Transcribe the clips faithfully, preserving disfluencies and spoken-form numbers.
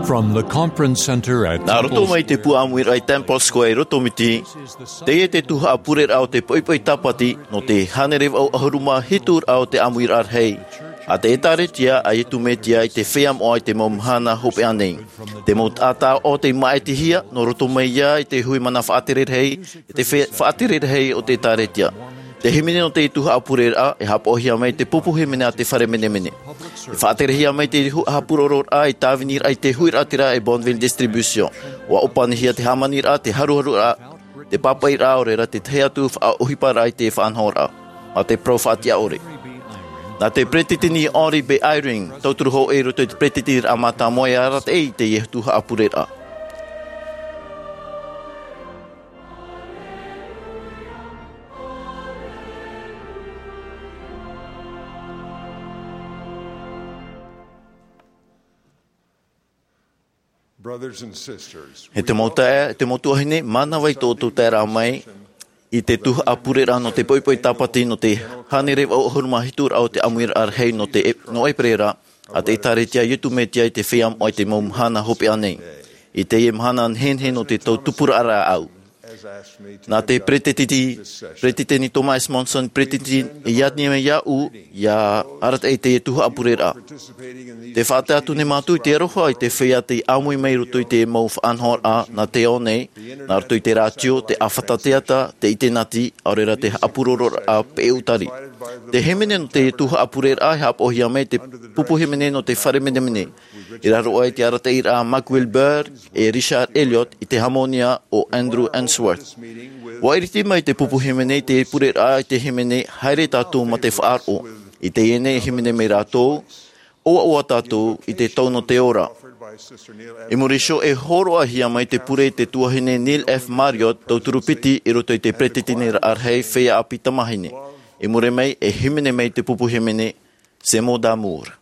From the conference center at Nā roto Temple mai te Square. Pū ʻāmuiraʻa i Temple Square i Rotomiti, teie te tuhaʻa pureraʻa o te poʻipoʻi tāpati nō te hānere vaʻu ʻahuru mā hitu raʻa o te ʻāmuiraʻa rahi a te ʻĒtārētia a Iesu Mesia i te feiā moʻa i te mau mahana hopeʻa nei. Te mau taʻata o te māʻitihia nō roto mai ia i te hui mana faʻatere rahi, i te fe-, faʻatere rahi o te ʻĒtārētia. Te hīmene nō te tuhaʻa pureraʻa, e haʻapaʻohia mai te pupu hīmene a te fare menemene. E faʻaterehia mai te hu-, haʻapurororaʻa i tāviniraʻa i te huiraʻatira e Bonneville Distribution. ʻUa ʻōpanihia te hāmaniraʻa, te haruharuraʻa, te pāpaʻiraʻa, ʻaore rā te tahi atu faʻaʻohiparaʻa i te faʻanahoraʻa. Mā te parau faʻatiʻa ʻore. Nā te peretiteni Henry B. Eyring, tauturu hōʻē i roto i te peretiteniraʻa mātāmua e arataʻi i teie tuhaʻa pureraʻa. Brothers and sisters, e te mau taeaʻe, e te mau tuahine, mānava i tō ʻoutou taeraʻa mai i te tuhaʻa pureraʻa nō te poʻipoʻi tāpati nō te hānere vaʻu ʻahuru mā hitu raʻa o te ʻāmuiraʻa rahi nō te e-, nō ʻEperēra, a te ʻĒtārētia a Iesu Mesia i te feiā moʻa i te mau mahana hopeʻa nei. I teie mahana nehenehe nō te tau tupuraʻa rāʻau. Nā te peretiteni, peretiteni Thomas Monson, peretiteni i ani mai iāʻu, ʻia arataʻi i teie tuhaʻa pureraʻa. Tē faʻatae atu nei mātou i te aroha i te feiā tei ʻāmui mai i roto i te mau faʻanahoraʻa nā te ao nei, nā roto i te rātio, te ʻāfata teata, te ʻitenati, ʻaore rā te haʻapurororaʻa peʻe ʻūtari. Te hīmene nō te tuhaʻa pureraʻa e haʻapaʻohia mai te pupu hīmene nō te fare menemene. I raro aʻe i te arataʻiraʻa a Mac Wilber e Richard Elliott i te hāmōnia o Andrew Unsworth. ʻUa ʻiriti mai te pupu hīmene i te pureraʻa i te hīmene Haere Tātou mā te Faʻaroʻo. I teie nei e hīmene mai rātou, ʻOaʻoa tātou i te tau nō te ora. I muri iho e hōroʻahia mai te pure i te tuahine Neil F. Marriott, tauturu piti i roto i te peretiteniraʻa rahi feiā ʻāpī tamāhine. I muri mai e hīmene mai te pupu hīmene Ces mots d'amour.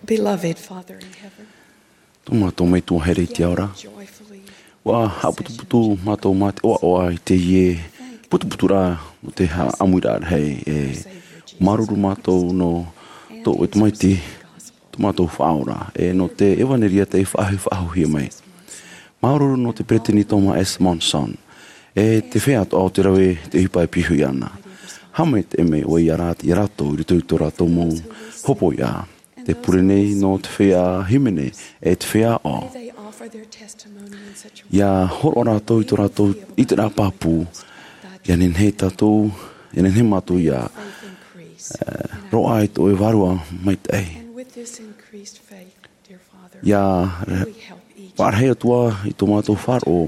Beloved Father in heaven, Tō mātou Metua here i te ao ra, ua haʻaputuputu mātou mā te ʻoaʻoa i teie putuputuraʻa nō te haʻaʻamuiraʻa rahi. E māuruuru mātou nō tō ʻoe Tamaiti, tō mātou Faʻaora, e nō te ʻevaneria tei faʻahoʻi, faʻahoʻihia mai. Māuruuru nō te Peresideni Thomas S. Monson, e te feiā atoʻa o te rave, te ʻohipa e pihaʻi ana. Haʻamaitaʻi mai ʻoe ia rā-, ia rātou i roto i tō rātou mau hopoiʻa. Tē pure nei nō te feiā hīmene, e te feiā ʻāʻau. Ia hōroʻa rātou i tō rātou ʻiteraʻa pāpū, ia nehenehe tātou, ia nehenehe mātou ia, e, roaʻa i tō ʻoe Vārua Maitaʻi. Ia, e, faʻarahi atu ā i tō mātou faʻaroʻo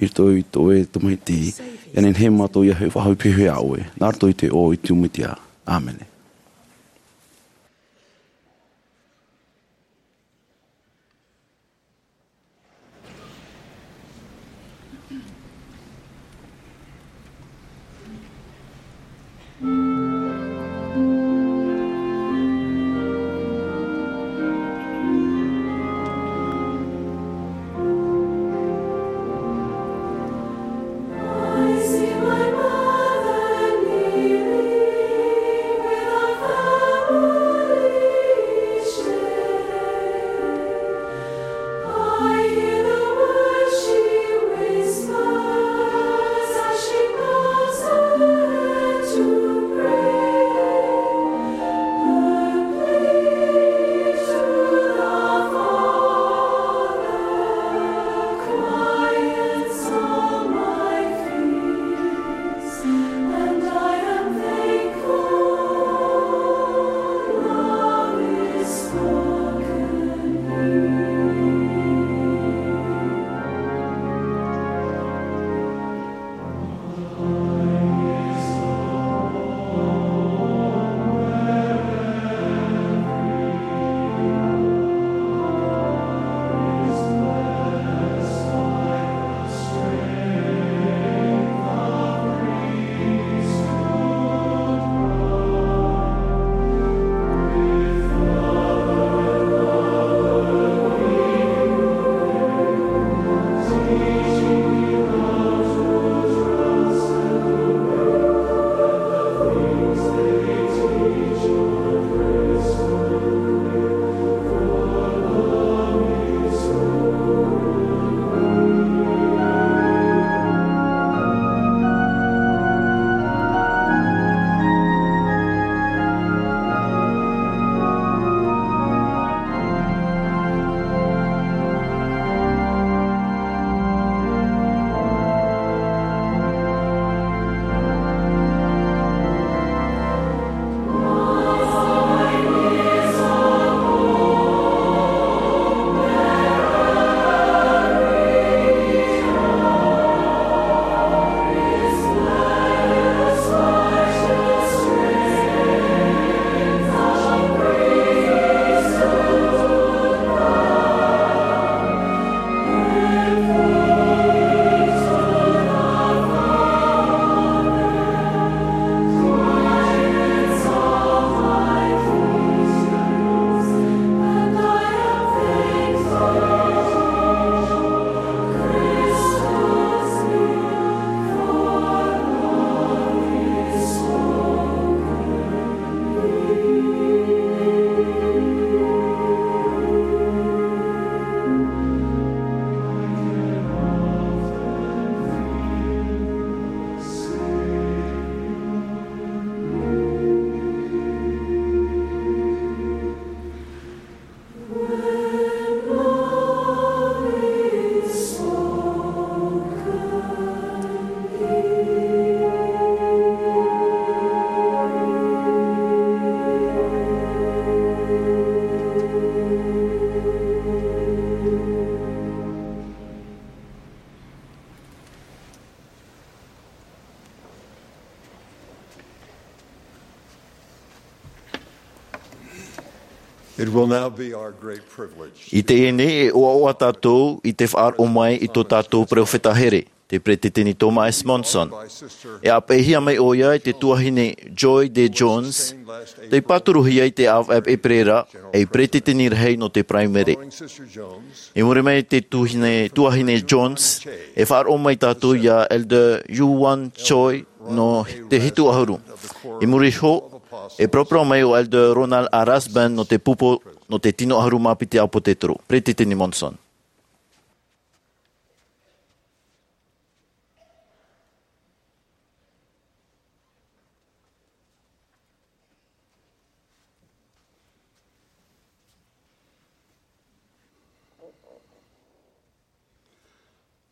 i roto i tō ʻoe Tamaiti, ia nehenehe mātou ia faʻahoʻi pihaʻi iā ʻoe, nā roto i te iʻoa o Iesu Mesia. ʻĀmene. It will now be our great privilege. I teie nei, e ʻoaʻoa tātou i te faʻaroʻo mai i tō tātou peropheta here. te Peresideni Thomas S. Monson. E ʻāpeʻehia mai ʻoia e te tuahine Joy D. Jones, tei pāturuhia i te ʻāvaʻe ʻēperēra ei peresideni rahi nō te Paraimere. I muri mai te tuahine, tuahine Jones, e faʻaroʻo mai tātou iā Elder Yu Wan Choi nō te hitu ʻahuru. I muri iho, e paraparau mai ʻo Elder Ronald A. Rasband nō te pupu nō te tino ʻahuru mā piti ʻāpōsetolo. Peresideni Monson.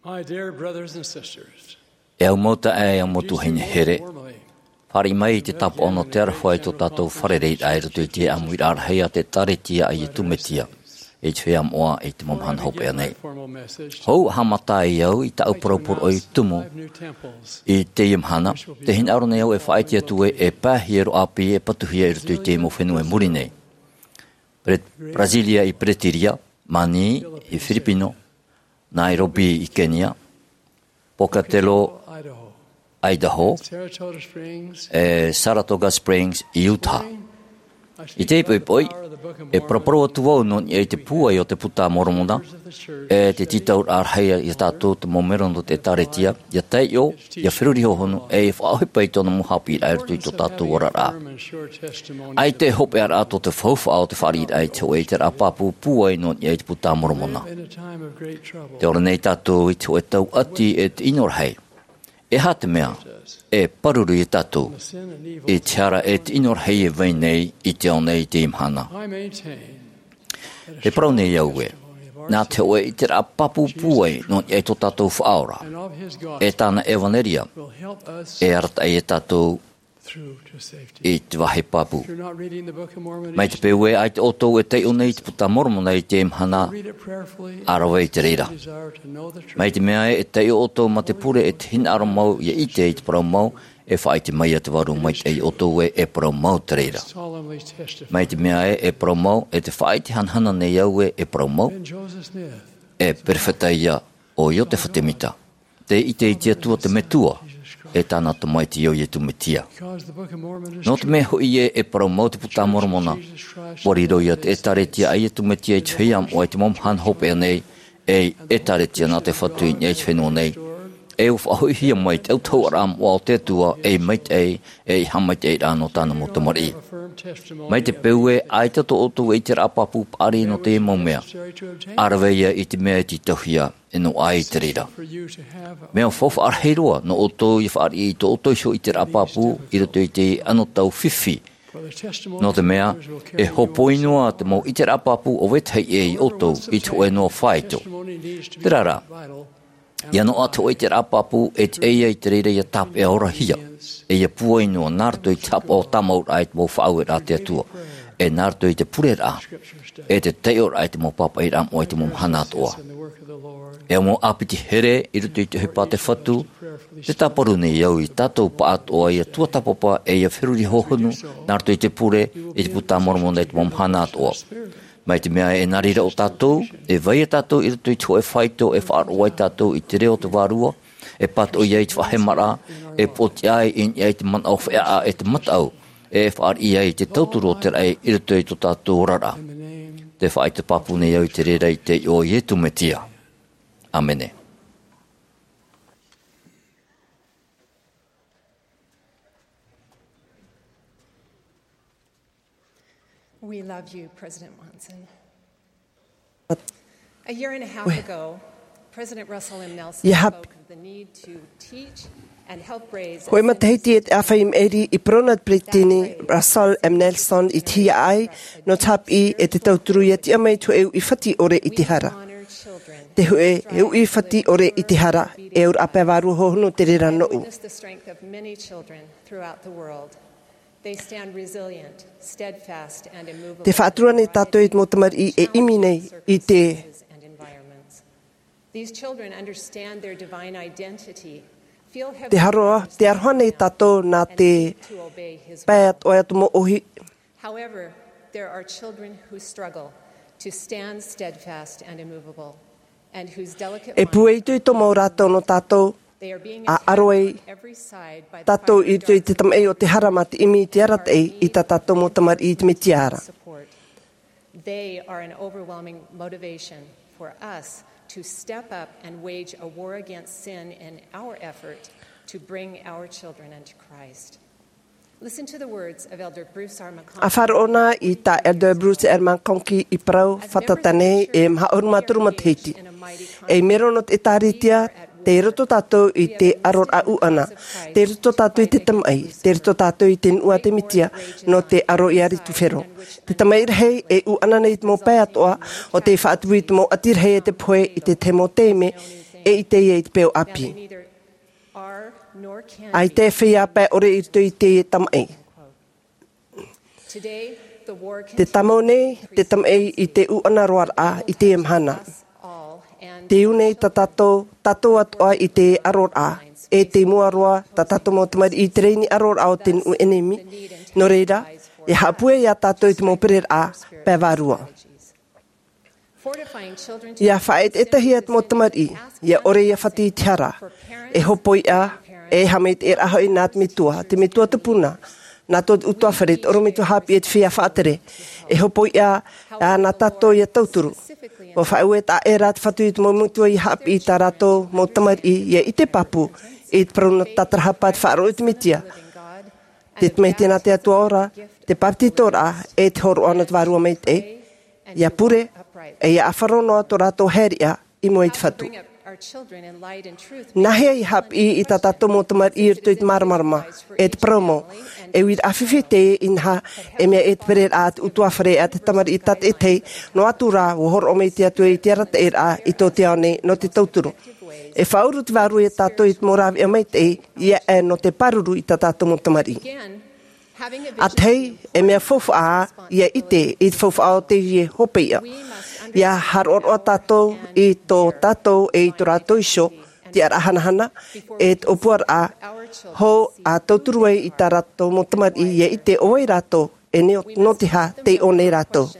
My dear brothers and sisters, E au mau taeaʻe, e au mau tuahine here, fāriʻi mai i te tāpaʻo nō te aroha i tō tātou fārereiraʻa i roto i te ʻāmuiraʻa rahi a te ʻĒkālesia a Iesu Mesia i te feiā moʻa i te mau mahana hopeʻa nei. Hou haʻamata ai au i tāʻu parau poroʻi tumu i teie mahana, tē hinaʻaro nei au e faʻaʻite atu ē, e pae hia roa ʻāpī e patuhia i roto i te mau fenua i muri nei. Pre-, Brasilia i Peretīria, Manī i Firipino, Nairobi i Kenia, Pocatello, Idaho, e Saratoga Springs i Utah. I teie poʻipoʻi, e paraparau atu vau nō niʻa i te pūai o te Puta a Moromona, e te tītauraʻa rahi iā tātou te mau melo nō te ʻĒkālesia, ʻia taiʻo, ʻia feruri hōhonu, e ʻia faʻaʻohipa i tōna mau haʻapiʻiraʻa i roto i tō tātou oraraʻa. ʻAita e hopeʻaraʻa tō te faufaʻa o te fāriʻiraʻa i te hōʻē ʻiteraʻa pāpū pūai nō niʻa i te Puta a Moromona. Tē ora nei tātou i te hōʻē tauʻati e te ʻino rahi. E aha te mea e pāruru iā tātou i te hara e te ʻino rahi e vai nei i te ao nei i teie mahana? E parau nei au ē, nā te hōʻē ʻiteraʻa pāpū pūai nō niʻa i tō tātou Faʻaora, e tāna ʻevanelia, e arataʻi iā tātou i te vāhi pāpū. Mai te peu ē ʻaita ʻoutou e taiʻo nei i te Puta a Moromona i teie mahana, ʻa rave i te reira. Mai te mea ē e taiʻo ʻoutou mā te pure e te hinaʻaro mau ʻia ʻite i te parau mau, e faʻaʻite mai ā te Vārua Maitaʻi iā ʻoutou ē e parau mau te reira. Mai te mea ē e parau mau, e tē faʻaʻite hanahana nei au ē e parau mau, e perofeta ia ʻo Iosepha Semita, tei ʻite i te Atua te Metua, e tāna Tamaiti ʻo Iesu Mesia. Nō te mea hoʻi ē e parau mau te Puta a Moromona, ʻua riro ia te ʻĒkālesia a Iesu Mesia i te feiā moʻa i te mau mahana hopeʻa nei, ei ʻĒkālesia nā te Fatu i niʻa i te fenua nei. E ʻua faʻahoʻihia mai te autahuʻaraʻa moʻa o te Atua, ei maitaʻi, ei haʻamaitaʻiraʻa nō tāna mau tamariʻi. Mai te peu ē ʻaita tō ʻoutou ʻiteraʻa pāpū paʻari nō teie mau mea, ʻa rave ia i te mea e tītauhia, e noaʻa i te reira. Mea faufaʻa rahi roa nō ʻoutou ʻia fāriʻi i tō ʻoutou iho ʻiteraʻa pāpū i roto i te anotau fifi. Nō te mea, e hōpoi noa te mau ʻiteraʻa pāpū o vetahi ʻē iā ʻoutou i te hōʻē noa faito. Terā rā, ʻia noaʻa te hōʻē ʻiteraʻa pāpū e tiʻa ia i te reira ʻia tāpeʻa orahia, e ʻia pūai noa nā roto i te haʻapaʻo tāmau raʻa i te mau faʻaueraʻa a te Atua, e nā roto i te pureraʻa, e te taiʻoraʻa i te mau pāpaʻiraʻa moʻa i te mau mahana atoʻa. E au mau ʻāpiti here i roto i te ʻohipa a te Fatu, tē tāparu nei au iā tātou pāʻatoʻa ʻia tuatāpapa e ʻia feruri hōhonu, nā roto i te pure, i te Puta a Moromona i te mau mahana atoʻa. Mai te mea e nā reira ʻo tātou, e vai ā tātou i roto i te hōʻē faito e faʻaroʻo ai tātou i te reo o te Vārua, e pātoʻi ai i te faʻahemaraʻa, e pōtiʻa ai i niʻa i te manaʻo feʻaʻa e te mataʻu, e fāriʻi ai i te tauturu o te raʻi i roto i tō tātou oraraʻa. Tē faʻaʻite pāpū nei au i te reira i te iʻoa o Iesu Mesia. ʻĀmene. We love you, President Monson. A year and a half ago, President Russell M. Nelson spoke of the need to teach and help raise a sense of Hōʻē matahiti e te ʻāfaʻi maʻiri i parau na te Peretiteni Russell M. Nelson i te hiaʻai nō te haʻapiʻi e te tauturu ʻia tiʻa mai te hōʻē uʻi fati ʻore i te hara. Te hōʻē uʻi fati ʻore i te hara, e auraʻa pae vārua hōhonu te reira nōʻu. They stand resilient, steadfast, and immovable. Tē faʻatura nei tātou i te mau tamariʻi e ʻimi nei i te These children understand their divine identity, feel heavenly Te haroa, te aroha nei tātou nā te pae atoʻa o te mau ʻohi. However, there are children who struggle to stand steadfast and immovable, and whose delicate E pūai itoito mau rātou nō tātou, A ʻaro ai tātou i roto i te tamaʻi o te hara mā te ʻimi i te arataʻi i tā tātou mau tamariʻi i te Mesia ra. They are an overwhelming motivation for us to step up and wage a war against sin in our effort to bring our children unto Christ. Listen to the words of Elder Bruce R. McConkie. A faʻaroʻo na i tā Elder Bruce R. McConkie i parau fātata nei e maha ʻahuru mā toru matahiti. Ei mero nō te ʻĒtārētia, tei roto tātou i te ʻaroraʻa ʻūʻana, tei roto tātou i te tamaʻi, tei roto tātou i te nuʻu a te Mesia, nō te ʻaro ia Ritufero. Te tamaʻi rahi e ʻūʻana nei i te mau pae atoʻa, ʻo tei faʻatupu i te mau ʻati rahi e te pohe i te tahi mau taime, e ʻite ia i te peu ʻāpī. ʻAita e feiā pae ʻore i roto i te tamaʻi. Te tāmau nei te tamaʻi i te ʻūʻana roaraʻa i teie mahana. Te ū nei tā tātou, tātou atoʻa i te ʻaroraʻa, e tei mua roa tā tātou mau tamariʻi i te reini ʻaroraʻa o te nuʻu ʻenemi. Nō reira, e haʻapūai ia tātou i te mau pereraʻa pae vārua. Ia faʻaʻetaʻetahia te mau tamariʻi, ia ʻore ia fati i te hara, e hopoiʻa, e haʻamaitaʻiraʻa hoʻi nā te Metua, te Metua Tupuna, nā tō te ʻutuāfare, te ʻorometua haʻapiʻi e te feiā faʻatere, e hopoiʻa, ā, nā tātou ia tauturu. ʻUa faʻaue taʻa ʻē rā te Fatu i te mau metua ia haʻapiʻi i tā rātou mau tamariʻi, ia ʻite pāpū, i te parau nō te tātarahapa, te faʻaroʻo i te Mesia, te tamaiti nā te Atua ora, te bāpetizoraʻa, e te hōroʻa nō te Vārua Maitaʻi, ia pure, e ia ʻāfaro noa tō rātou haereʻa i mua i te Fatu. Nāhea ia haʻapiʻi i tā tātou mau tamariʻi i roto i te māramarama, e te parau mau, e uiraʻa fifi teie inaha, e mea e te pereraʻa a te ʻutuāfare a te tamariʻi tātaʻitahi, noa atu rā, ʻua hōroʻa mai te Atua i te arataʻiraʻa i tō te ao nei nō te tauturu. E faʻauru te Vārua ia tātou i te mau rāveʻa maitaʻi, ia ʻē nō te pāruru i tā tātou mau tamariʻi. ʻA tahi, e mea faufaʻa ia ʻite i te faufaʻa o teie hopoiʻa. Ia haʻaroʻaroʻa tātou i tō tātou e i tō rātou iho, tiʻaraʻa hanahana, e te ʻōpuaraʻa hou ʻa tauturu ai i tā rātou mau tamariʻi ia ʻite ʻo vai rātou, e nō, nō te aha tei ʻō nei rātou.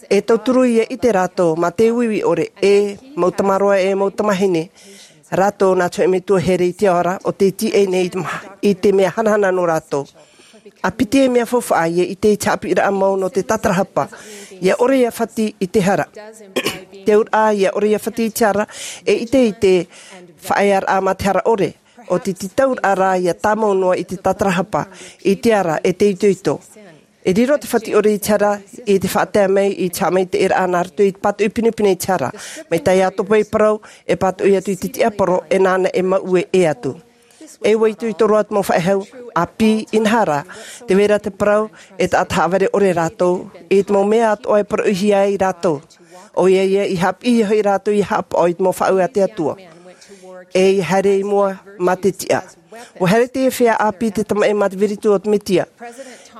E tauturu ia ʻite rātou, mā te uiui ʻore, e mau tamaroa, e mau tamāhine, rātou nā te hōʻē metua here i te ao ra, ʻo tei tīaʻi nei i te ma-, i te mea hanahana nō rātou. ʻA piti e mea faufaʻa, ia ʻite i te haʻapiʻiraʻa mau nō te tātarahapa, ia ʻore ia fati i te hara. Te auraʻa, ia ʻore ia fati i te hara, e ʻite i te faʻaearaʻa mā te hara ʻore, ʻo te tītauraʻa rā ia tāmau noa i te tātarahapa, i te ara, e te itoito. E riro te Fatu ʻore i te hara, i te faʻatae mai i te haʻamaitaʻiraʻa nā roto i te pātoʻi pinepine i te hara. Mai tā Iakobo i parau, e pātoʻi atu i te tiaporo, e nāna e mauʻe ʻē atu. E ʻua itoito roa te mau faʻehau, ʻāpī, inaha rā, tē vai ra te parau, e taʻata haʻavare ʻore rātou, i te mau mea atoʻa e parauhia ai rātou. ʻOia ia, i haʻapiʻihia hoʻi rātou ia haʻapaʻo i te mau faʻaue a te Atua. E ia haere i mua mā te tiʻa. ʻUa haere teie feiā ʻāpī te tamaʻi mā te viritu o te Mesia.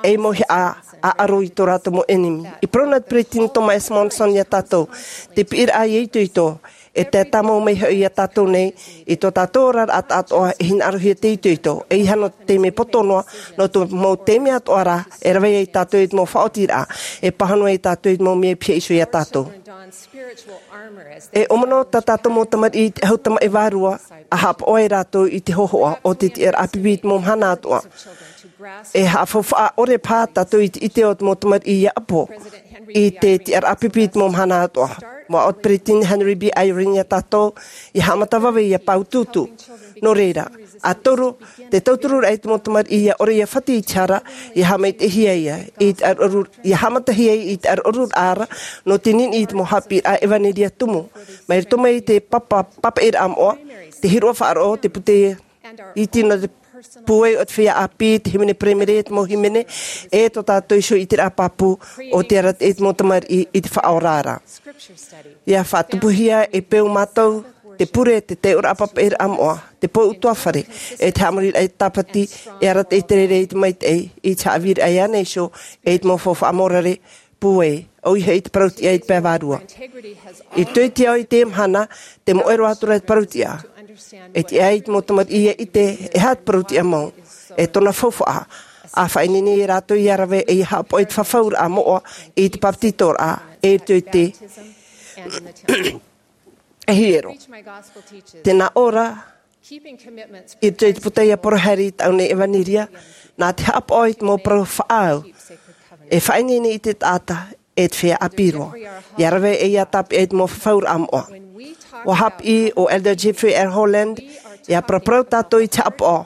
E mauhaʻa ʻaʻaro i tō rātou mau ʻenemi. I parau na te Peresideni Thomas S. Monson ia tātou, te piʻiraʻa ia itoito, e tae tāmau mai hoʻi ia tātou nei, i tō tātou oraraʻa atoʻa e hinaʻarohia te itoito, e ʻeiaha nō te taime poto noa, nō te mau taime atoʻa rā, e rave ai tātou i te mau faʻaotiraʻa, e pāhono ai tātou i te mau mea e pihaʻi iho ia tātou. E ʻōmano tā tātou mau tamariʻi i te ʻahu tamaʻi vārua, ʻa haʻapaʻo ai rātou i te hōhoʻa o te tiʻaraʻa pipi i te mau mahana atoʻa. E haʻafaufaʻa ʻore paha tātou i te ʻite o te mau tamariʻi ia ʻapo, i te tiʻaraʻa pipi i te mau mahana atoʻa. ʻUa ʻoaʻoa te Peresideni Henry B. Eyring ia tātou, ia haʻamata vave ia paetutu. Nō reira, ā toru, te tautururaʻa i te mau tamariʻi ia ʻore ia fati i te hara, ia haʻamaitaʻihia ia, i te ʻaruʻaru, ia haʻamatahia i te ʻaruʻaruraʻa ra, nō te niniʻi i te mau haʻapiʻiraʻa ʻevanelia tumu. Mai roto mai i te papa, papaʻiraʻa moʻa, te hīroʻa faʻaroʻo, te pūtē iti nō te pūai o te feiā ʻāpī, te hīmene paraimere, te mau hīmene, e tō tātou iho ʻiteraʻa pāpū, ʻo te arataʻi i te mau tamariʻi i te faʻaora ra. Ia faʻatupuhia e peu mātou, te pure, te taiʻoraʻa papaʻiraʻa moʻa, te pō ʻutuāfare, e te haʻamoriraʻa i te tāpati, e arataʻi te reira i te maitaʻi, i te haʻavīraʻa iāna iho, e i te mau faufaʻa mōrare, pūai, ʻoia hoʻi te parautiʻa i te pae vārua. I roto i te ao i teie mahana, tē moʻe roa atu ra te parautiʻa. E tiʻa ai te mau tamariʻi ia ʻite, e aha te parautiʻa mau, e tōna faufaʻa, ʻa faʻaineine ia rātou ia rave, e ia haʻapaʻo i te fafauraʻa moʻa, i te bāpetizoraʻa, e i roto i te hiero. Tē nā ʻō ra, I roto i te puta ia Porohari i taʻu nei ʻevanelia, nā te haʻapaʻo i te mau parau faʻaau e faʻaineine i te taʻata e te feiā ʻāpī roa. ʻIa rave ʻoia tāpeʻa i te mau fafauraʻa moʻa. ʻUa haʻapiʻi ʻo Elder Jeffrey R. Holland, ʻia paraparau tātou i te haʻapaʻo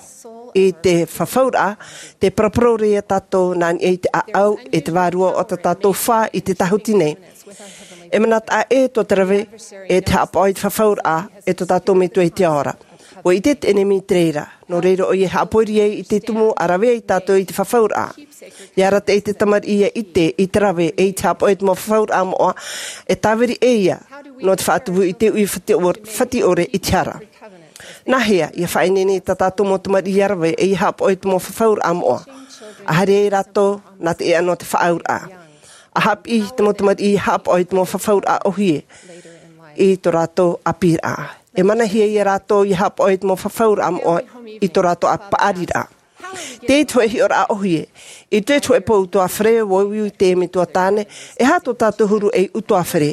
i te fafauraʻa, tē paraparau ra ia tātou nā niʻa i te ʻāʻau e te vārua o tā tātou fā i te tāhuti nei. E manaʻo ē tō te rave e te haʻapaʻo i te fafauraʻa e tō tātou Metua i te ao ra. ʻUa ʻite te ʻenemi i te reira, nō reira ʻoia e haʻapoiri ai i te tumu ʻa rave ai tātou i te fafauraʻa. ʻIa arataʻi te tamariʻi ʻia ʻite i te rave e i te haʻapaʻo i te mau fafauraʻa moʻa, e tāviri ʻē ia nō te faʻatupu i te uʻi fati-, fatiʻore i te hara. Nāhea ʻia faʻaineine tā tātou mau tamariʻi ʻia rave e ʻia haʻapaʻo i te mau fafauraʻa moʻa? ʻA haere ai rātou nā te ʻēʻa nō te faʻaauraʻa. ʻA haʻapiʻi te mau tamariʻi ʻia haʻapaʻo i te mau fafauraʻa ʻōhie i tō rātou ʻāpīraʻa. E manahia ia rātou ʻia haʻapaʻo i te mau fafauraʻa moʻa i tō rātou ʻā paʻariraʻa. Tē ʻite hōʻē hiʻoraʻa ʻōhie. I te hōʻē pō utuāfare, ʻua ui te metua tāne, e aha tō tātou huru ei utuāfare?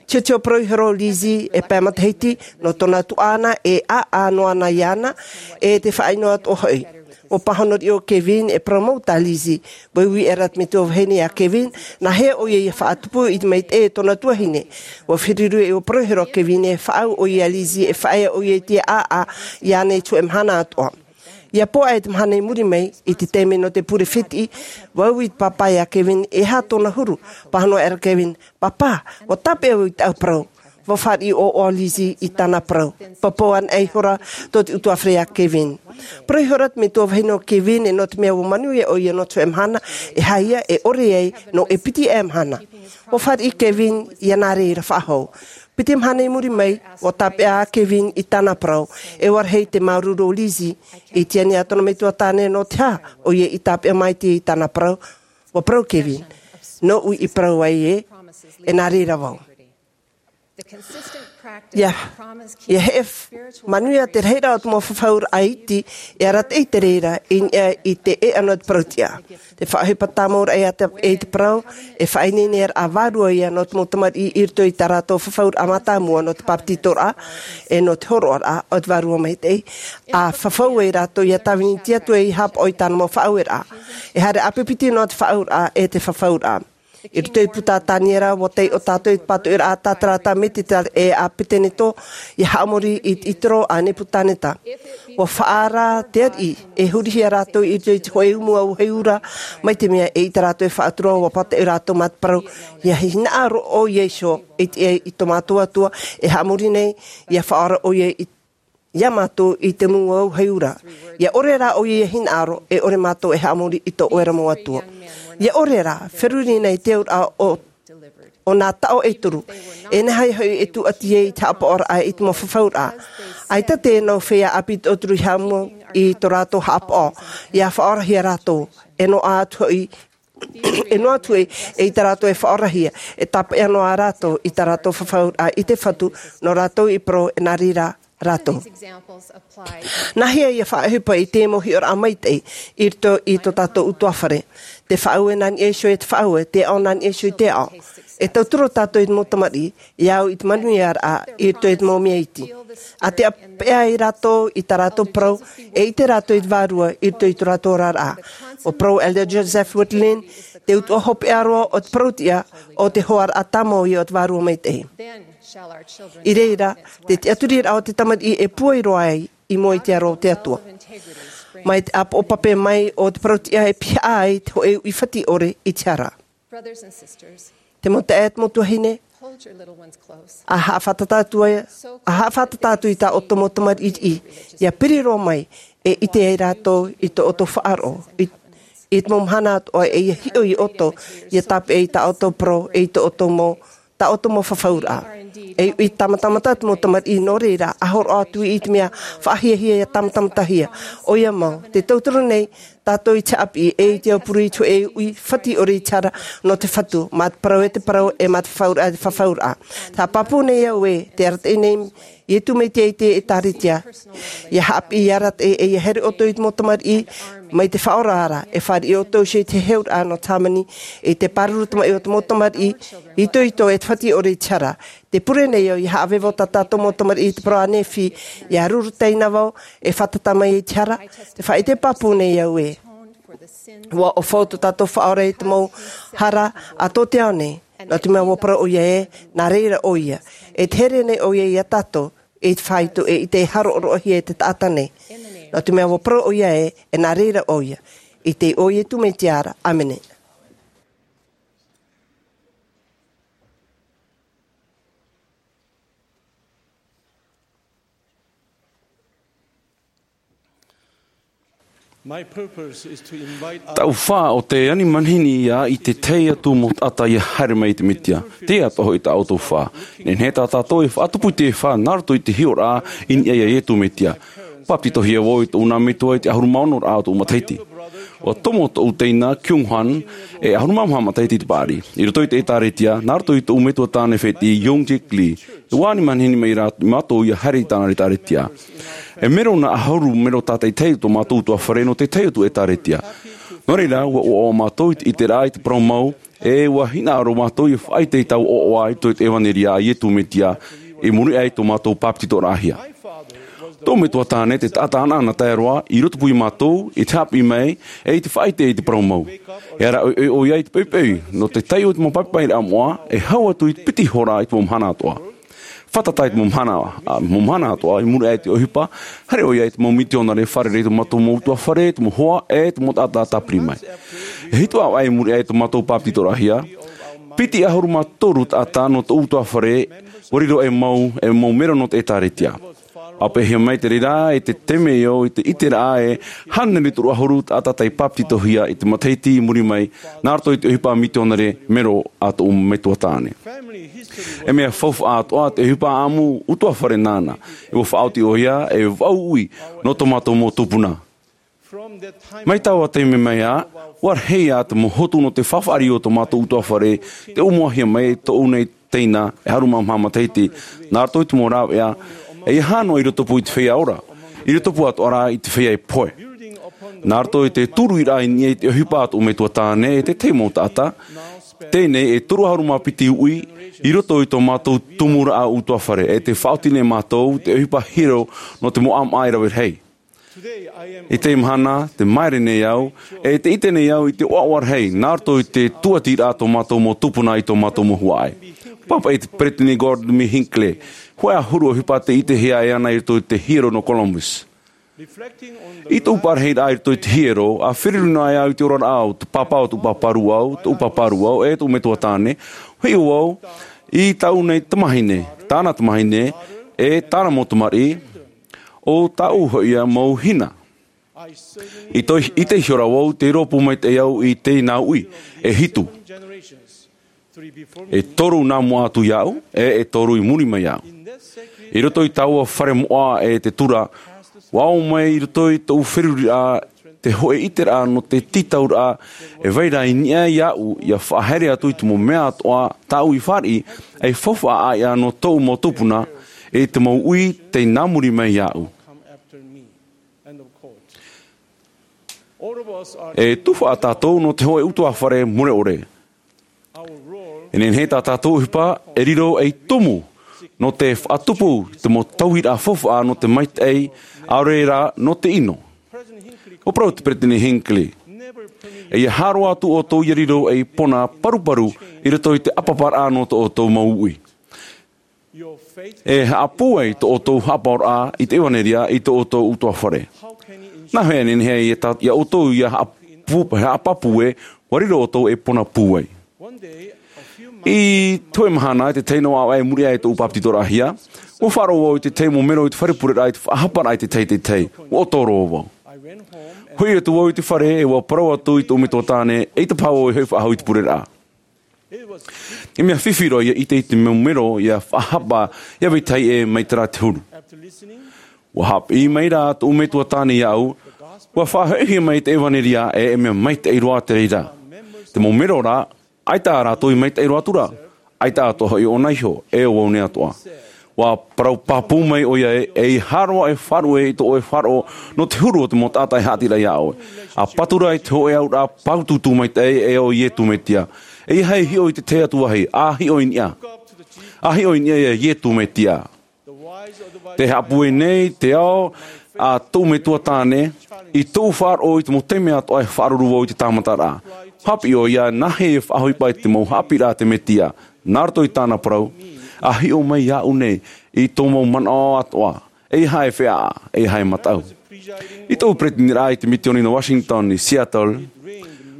Tiotio parau iho ra ʻo Lizzie e pae matahiti, nō tōna tuaʻana e ʻāʻā noa na iāna, e te faʻaʻino atoʻa hoʻi. ʻUa pāhono riʻi ʻo Kevin e parau mau tā Lizzie. ʻUa ui ʻē ra te metua vahine iā Kevin, nāhea ʻoia ʻia faʻatupu i te maitaʻi e tōna tuahine. ʻUa feruri ʻe ʻua parau iho ra ʻo Kevin e faʻaau ʻoia iā Lizzie e faʻaea ʻoia i te ʻāʻā iāna i te hōʻē mahana atoʻa. ʻIa poʻa ʻē te mahana i muri mai, i te taime nō te pure fētiʻi, ʻua ui te pāpā iā Kevin e aha tōna huru. Pāhono aʻera Kevin, "Pāpā, ʻua tāpeʻa vau i tāʻu parau." ʻUa fāriʻi ʻoaʻoa Lizzie i tāna parau. Pāpū anaʻe ihora tō te utuāfare iā Kevin. Parau ihora te metua vahine ʻo Kevin, e nō te mea ʻua manuia ʻoia nō te hōʻē mahana, e haere e ʻore ai nō e piti aʻe mahana. ʻUa fāriʻi Kevin ʻia nā reira faʻahou. Piti mahana i muri mai, ʻua tāpeʻa ā Kevin i tāna parau, e ʻua rahi te māuruuru o Lizzie. I tiania tōna metua tāne nō te aha ʻoia i tāpeʻa maitaʻi i tāna parau. ʻUa parau Kevin, "Nōʻu i parau ai ē, e nā reira vau." ʻIa, ʻia heʻe f-, manuia te rahiraʻa o te mau fafauraʻa iti, e arataʻi te reira i niʻa i te ʻēʻa nō te parauʻtiʻa. Te faʻaʻohipa tāmau raʻa ia te, e te parau, e faʻaineineraʻa vārua ia nō te mau tamariʻi i roto i tā rātou fafauraʻa mātāmua nō te bāpetizoraʻa, e nō te hōroʻaraʻa o te Vārua Maitaʻi. ʻA fafau ai rātou ʻia tāvini i te Atua ʻia haʻapaʻo i tāna mau faʻaueraʻa. E haere ʻāpipiti noa te faʻaauraʻa e te fafauraʻa. I roto i te puta a Taniera, ʻua taiʻo tātou i te pātoʻiraʻa a Tatarata, Meteta ʻe Apeteneto, ʻia haʻamori i te ʻitoro a Nepukaneta. ʻUa faʻaara te ariʻi, e hurihia rātou i roto i te hōʻē umu auahi ura, mai te mea e ʻite rātou e faʻatura, ʻua pātoʻi rātou mā te parau, ʻia hinaʻaro ʻoia iho i te, i tō mātou Atua, e haʻamori nei, ʻia faʻaora ʻoia i iā mātou i te mau auahi ura. ʻIa ʻore rā ʻoia ʻia hinaʻaro, e ʻore mātou e haʻamori i tō ʻoe ra mau Atua. ʻIa ʻore rā, feruri na i te auraʻa o, o nā taʻo e toru. E nehenehe hoʻi e tūʻati ai i te haʻapaʻoraʻa i te mau fafauraʻa. ʻAita te nau feiā ʻāpī tauturu i haʻamau i tō rātou haʻapaʻo, ʻia faʻaorahia rātou. E noaʻa atu hoʻi e noaʻa atu e, e i tā rātou e faʻaorahia, e tāpeʻa noa rātou i tā rātou fafauraʻa i te Fatu, nō rātou i parau e nā reira rātou. Nāhea ʻia faʻaʻohipa i te mau hiʻoraʻa maitaʻi i roto i tō tātou utuāfare? Te faʻaue nā niʻa iho i te faʻaue, te aʻo nā niʻa iho i te aʻo. E tauturu tātou i te mau tamariʻi, ʻia au i te manuiaraʻa i roto i te mau mea iti. ʻA tāpeʻa ai rātou i tā rātou parau, e ʻite rātou i te Vārua i roto i tō rātou oraraʻa. ʻUa parau Elder Joseph Wirthlin, te utuʻa hopeʻa roa o te parauʻtiʻa, ʻo te hoaraʻa tāmau ia o te Vārua Maitaʻi. I reira, te tiʻaturiraʻa o te tamariʻi e pūai roa ai i mua i te aro o te Atua. Mai te ʻāpoʻo pape mai o te parauʻtiʻa e pihaʻa ai te hōʻē uʻi fatiʻore i te hara. Te mau taeaʻe, te mau tuahine, ʻa haʻafātata atu ai, ʻa haʻafātata atu i tā ʻoutou mau tamariʻi, ʻia piri roa mai, e ʻite ai rātou i tō ʻoutou faʻaroʻo, i, i te mau mahana atoʻa e ʻia hiʻo ia ʻoutou, ʻia tāpeʻa i tā ʻoutou parau, e i tō ʻoutou mau, tā ʻoutou mau fafauraʻa. E uʻi tāmatamata te mau tamariʻi nō reira, ʻa hōroʻa atu i te mea faʻahiahia ʻia tāmatamatahia. ʻOia mau, te tauturu nei, tātou i te haʻapiʻi, e i te aupuru i te hōʻē uʻi fatiʻore i te hara nō te Fatu, mā te parau e te parau, e mā te fafauraʻa e te fafauraʻa. Te haʻapāpū nei au ē, te arataʻi nei Iesu Mesia i te ʻĒtārētia. ʻIa haʻapiʻi i te ʻĒtārētia, ʻe ʻia haere ʻoutou i te mau tamariʻi, mai te faʻaora ra, e fāriʻi ʻoutou i te heheuraʻa nō Germany, i te pāruru tamaʻi o te mau tamariʻi, itoito e te fāti ʻore i te hara. Tē pure nei au ʻia haʻavevo tā tātou mau tamariʻi i te parau a Nephi, ʻia ruru taina vau, e fātata mai i te hara, tē faʻaʻite pāpū nei au ē. ʻUa ʻōfau tō tātou Faʻaora i te mau hara a tō te ao nei. Nō te mea ʻua parau ʻoia ē, nā reira ʻoia. E tē here nei ʻoia ia tātou, i te fāito ʻe i te haroʻaroʻahia e te taʻata nei. Nō te mea ʻua parau ʻoia ē, e nā reira ʻoia. I te iʻoa o Iesu Mesia ra. ʻĀmene. Taʻu fā ʻo te ani manihini ia i te tahi atu mau taʻata ia haere mai i te Mesia. Teie atoʻa hoʻi tā ʻoutou fā. Nehenehe tā tātou e faʻatupu i te fā nā roto i te hiʻoraʻa i niʻa ia Iesu Mesia. Bapetizohia vau i tōʻu nā metua i te ʻahuru mā ono raʻa o tōʻu matahiti. ʻUa tomo tōʻu teina Kyung Han, e ʻahuru mā maha matahiti i te paʻari. I roto i te ʻĒtārētia, nā roto i tōʻu metua tāne fētiʻi Young Jik Lee. E ani manihini mai rā mātou ia haere i tāna ʻĒtārētia. E mero nā ʻahuru mero tātaʻitahi tō mātou ʻutuāfare nō te tahi atu ʻĒtārētia. Nō reira, ʻua ʻoaʻoa mātou i te, i te rā i te parau mau, ʻe ʻua hinaʻaro mātou ia faʻaʻite i taua ʻoaʻoa i te ʻevanelia a Iesu Mesia, i muri aʻe i tō mātou bapetizoraʻahia. Tōʻu metua tāne te taʻata ʻanaʻanatae roa, i rotopū ia mātou, i te haʻapiʻi mai, ʻe i te faʻaʻite i te parau mau. E ara ʻoiʻoi ʻoia i te poʻipoʻi, nō te taiʻo i te mau papaʻiraʻa moʻa, e hau atu i te piti hora i te mau mahana atoʻa. Fātata i te mau mahana, ā, mau mahana atoʻa, i muri aʻe i te ʻohipa, haere ʻoia i te mau mitionare fārerei i tō mātou mau ʻutuāfare, te mau hoa, ʻe te mau taʻata tāpiri mai. E hitu ʻāvaʻe i muri aʻe i tō mātou bapetizoraʻahia, piti ʻahuru mā toru taʻata nō tōʻu ʻutuāfare, ʻua riro ei mau, ei mau mero nō te ʻĒtārētia. ʻA peʻehia mai te reira, i te taime ē ʻo te ʻiteraʻa ē, hānere toru ʻahuru taʻata tei bapetizohia i te matahiti i muri mai, nā roto i te ʻohipa mitionare mero a tōʻu metua tāne. E mea faufaʻa atoʻa te ʻohipa ʻāʻamu ʻutuāfare nāna, e ʻua faʻaoti ʻoia, e vaʻu ui, nō tō mātou mau tupuna. Mai taua taime mai ā, ʻua rahi ā te mau hotu nō te faʻaʻari o tō mātou ʻutuāfare, tei ʻōmuahia mai e tōʻu nei teina, e ʻahuru mā maha matahiti, nā roto i te mau rāveʻa, e ʻia hā noa i rotopū i te feiā ora, i rotopū atoʻa rā i te feiā pohe. Nā roto i te tūruiraʻa i niʻa i te ʻohipa a tōʻu metua tāne, ʻe te tahi mau taʻata, teie nei e toru ʻahuru mā piti uʻi, i roto i tō mātou tumuraʻa ʻutuāfare, ʻe tē faʻaoti nei mātou, te ʻohipa hiero nō te mau ʻāmaʻa e rave rahi. I teie mahana, tē māere nei au, ʻe tē ʻite nei au i te ʻoaʻoa rahi, nā roto i te tūʻatiraʻa tō mātou mau tupuna i tō mātou mau huaʻai. Pāpaʻi te Peresideni Gordon B. Hinckley, hōʻē ʻahuru ʻohipa tē ʻitehia e ana i roto i te hiero nō Columbus. I tōʻu parahiraʻa i roto i te hiero, ʻa feruri noa au i te oraraʻa o te pāpā o tōʻu pāpā rūʻau, tōʻu pāpā rūʻau, ʻe tōʻu metua tāne, hiʻo au, i tāʻu nei tamahine, tāna tamahine, ʻe tāna mau tamariʻi, ʻo tāʻu hoʻi ia mau hina. I te, i te hiʻoraʻa vau, tei rōpū maitaʻi au i teie nā uʻi, e hitu. E toru nā mua atu iāʻu, ʻe, e toru i muri mai iāʻu. I roto i taua fare moʻa ʻe te tura, ʻua ʻō mai i roto i tōʻu feruriraʻa, te hōʻē ʻiteraʻa nō te tītauraʻa, e vai ra i niʻa iāʻu, ʻia faʻahaere atu i te mau mea atoʻa, tāʻu i fāriʻi, ʻei faufaʻa ʻāiʻa nō tōʻu mau tupuna, ʻe te mau uʻi tei nā muri mai iāʻu. E tufaʻa tātou nō te hōʻē ʻutuāfare mure ʻore. E nehenehe tā tātou ʻohipa, e riro ei tumu, nō te faʻatupu, te mau tauiraʻa faufaʻa nō te maitaʻi, ʻaore rā, nō te ʻino. ʻUa parau te Peresideni Hinckley. E ʻia haere atu ʻoutou ʻia riro ei pona paruparu i roto i te ʻāpaparaʻa nō tō ʻoutou mau uʻi. E haʻapūai tō ʻoutou haʻapaʻoraʻa i te ʻevanelia i tō ʻoutou ʻutuāfare. Nā hea e nehenehe ai e tā, iā ʻoutou ʻia haʻapū-, haʻapāpū ē, ʻua riro ʻoutou ei pona pūai. I te hōʻē mahana, i te tahi noa ʻāvaʻe i muri aʻe i tōʻu papetitoraʻahia, ʻua faʻaroʻo vau i te tahi mau mero i te fare pureraʻa i te faʻahaparaʻa i te tahi, te tahi. ʻUa ʻoto roa vau. Hoʻi atu vau i te fare, e ʻua parau atu i tōʻu metua tāne, ʻeita paha vau e hoʻi faʻahou i te pureraʻa. I mea fifi roa ʻia ʻite i te mau mero ʻia faʻahapa, ʻia vetahi ē mai terā te huru. ʻUa haʻapiʻi mai rā tōʻu metua tāne iāʻu, ʻua faʻahoʻihia mai te ʻevanelia ē, e mea maitaʻi roa te reira. Te mau mero rā, ʻaita rātou i maitaʻi roa atu ra, ʻaita atoʻa hoʻi ʻōna iho, e ʻo vau nei atoʻa. Ua parau pāpū mai ʻoia ē, ʻeiaha roa e faʻaruʻe i tō ʻoe faʻaroʻo nō te huru o te mau taʻata e haʻati ra iā ʻoe. ʻA patu ra i te hōʻē auraʻa pāutuutu maitaʻi ē ʻo Iesu Mesia. ʻEiaha e hiʻo i te tahi atu vāhi, ʻa hiʻo i niʻa. ʻA hiʻo i niʻa iā Iesu Mesia. Tē haʻapūai nei te ao a tōʻu metua tāne, i tōʻu faʻaroʻo i te mau taime atoʻa e faʻaruru vau i te tāmataraʻa. Haʻapiʻi ʻoia, nāhea e faʻaʻohipa i te mau haʻapiʻiraʻa a te Mesia, nā roto i tāna parau, ʻa hiʻo mai iāʻu nei, i tō mau manaʻo atoʻa, ʻeiaha e feʻaʻa, ʻeiaha e mataʻu. I tōʻu peresideniraʻa i te misiōni nō Washington, i Seattle,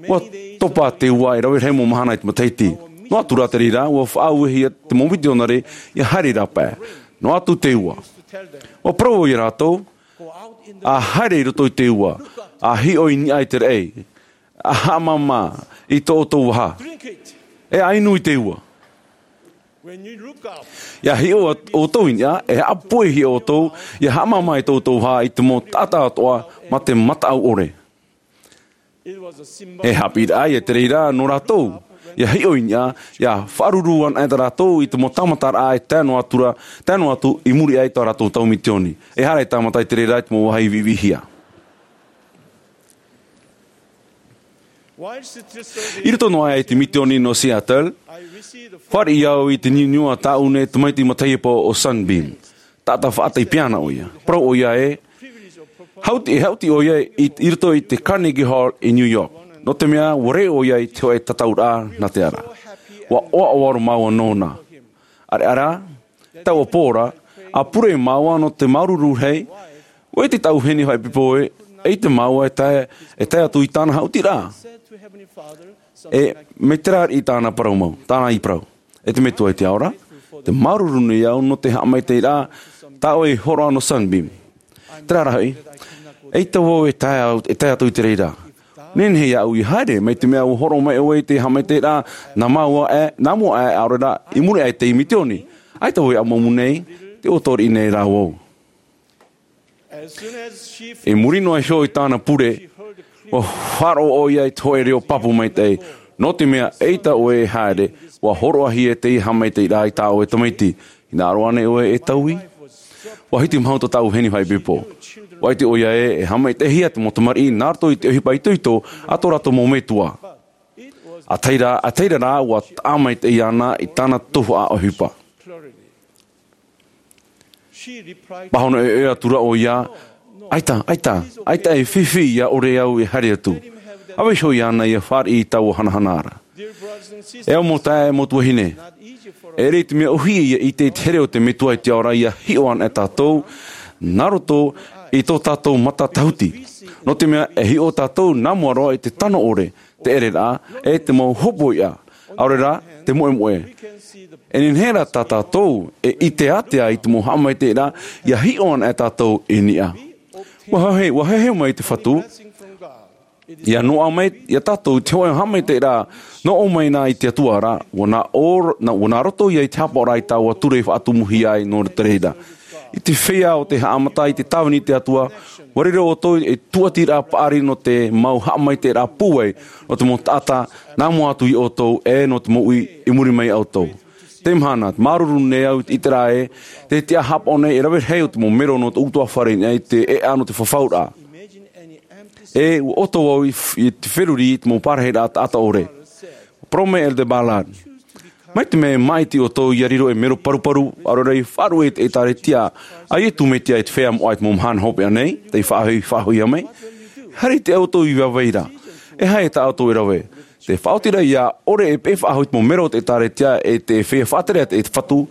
ua topa te ua e rave rahi mau mahana i te matahiti. Noa atu rā te reira, ua faʻauehia te mau misionare ʻia haere rā pae. Noa atu te ua. Ua parau vau iā rātou, ʻa haere i roto i te ua, ʻa hiʻo i niʻa i te raʻi, ʻa haʻamāmā i tō ʻoutou vaha. E ʻa inu i te ua. ʻIa hiʻo ʻoutou i niʻa, e haʻapuehia ʻoutou, ʻia haʻamāmā i tō ʻoutou vaha i te mau taʻata atoʻa mā te mataʻu ʻore. E haʻapiʻiraʻa ia te reira nō rātou, ʻia hiʻo i niʻa, ʻia faʻaruru anaʻe rātou i te mau tāmataraʻa e tae noa atu ra, tae noa atu i muri aʻe i tō rātou tau misiōni. ʻEiaha e tāmata i te reira i te mau vāhi viʻiviʻihia. I roto noa aʻe i te misiōni nō Seattle, fāriʻi au i te niuniu a tāʻu nei tamaiti matahipa o Sunbeam. Taʻata faʻataipeana ʻoia. Parau ʻoia ē, hauti, e hauti ʻoia i, i roto i te Carnegie Hall i New York. Nō te mea, ua rē ʻoia i te hōʻē tataʻuraʻa nā te ara. Ua ʻoaʻoa roa māua nōna. ʻAreʻa rā, taua pō ra, ʻa pure māua nō te māuruuru rahi, ʻua ʻite tāʻu vahine faʻaipoipo ē, ʻeita māua e tae, e tae atu i tāna haʻutiraʻa. E, mai terā i tāna parau mau, tāna i parau. E te Metua i te ao ra, tē māuruuru nei au nō te haʻamaitaʻiraʻa tā ʻoe i hōroʻa nō Sunbeam. Terā rā hoʻi, ʻeita vau e tae au, e tae atu i te reira. Nehenehe iāʻu ʻia haere, mai te mea ʻua hōroʻa mai ʻoe i te haʻamaitaʻiraʻa, nā māua aʻe, nā mua aʻe, ʻaore rā, i muri aʻe i te misiōni. ʻAita vau e ʻamuʻamu nei, tē ʻoto riʻi nei rā vau. I muri noa iho i tāna pure, ua faʻaroʻo ʻoia i te hōʻē reo pāpū maitaʻi. Nō te mea, ʻeita ʻoe e haere, ua hōroʻahia teie haʻamaitaʻiraʻa i tā ʻoe tamaiti. Hinaʻaro ānei ʻoe e taui? Ua hitimahuta tāʻu vahine faʻaipoipo. Ua ʻite ʻoia ē, e haʻamaitaʻihia te mau tamariʻi nā roto i te ʻohipa itoito a tō rātou mau metua. ʻA tahi ra, ʻa tahi ra rā, ua taʻa maitaʻi ana i tāna tuhaʻa ʻohipa. Pāhono ʻoiʻoi atu ra ʻoia, ʻaita, ʻaita, ʻaita e fifi ʻia ʻore au e haere atu. ʻA vaiiho iāna ʻia fāriʻi i taua hanahana ra. E au mau taeaʻe, mau tuahine. E ʻere i te mea ʻōhie ʻia ʻite i te here o te Metua i te ao ra ʻia hiʻo anaʻe tātou, nā roto i tō tātou mata tāhuti. Nō te mea, e hiʻo tātou nā mua roa i te tano ʻore, te ʻereraʻa, e te mau hopoiʻa, ʻaore rā, te moʻemoʻe. E nehenehe rā tā tātou, e ʻite ātea i te mau haʻamaitaʻiraʻa, ʻia hiʻo anaʻe tātou i niʻa. Ua heheu, ua heheu mai te Fatu, ʻia noaʻa mai, ia tātou i te hōʻē haʻamaitaʻiraʻa, nō ʻō mai na i te Atua ra, ua nā ʻō, nā, ua nā roto ia i te hapaʻoraʻa i taua ture i faʻatumuhia ai nō te reira. I te feiā o te haʻamata i te tāvini i te Atua, ua riro ʻoutou e tūʻatiraʻa paʻari nō te mau haʻamaitaʻiraʻa pūai, nō te mau taʻata, nā mua atu iā ʻoutou, e nō te mau uʻi i muri mai iā ʻoutou. Te mahana, māuruuru nei au i te ʻiteraʻa ē, te tiʻa haʻapaʻo nei e rave rahi o te mau mero nō tō ʻutuāfare i niʻa i te ʻēʻa nō te fafauraʻa. E, ua ʻoto au i f-, i te feruri i te mau parahiraʻa taʻata ʻore. Parau mai Elder Ballard. Mai te mea e māʻiti ʻoutou ʻia riro ei mero paruparu, ʻaore rā ʻia faʻaruʻe i te ʻĒtārētia a Iesu Mesia i te feiā moʻa i te mau mahana hopeʻa nei, tei faʻahoʻi, faʻahoʻihia mai. Haere i te ʻoutou i vai ra. E aha tā ʻoutou e rave? Te faʻaoti ra ʻia ʻore e peʻe faʻahou i te mau mero o te ʻĒtārētia e te feiā faʻatere a te Fatu,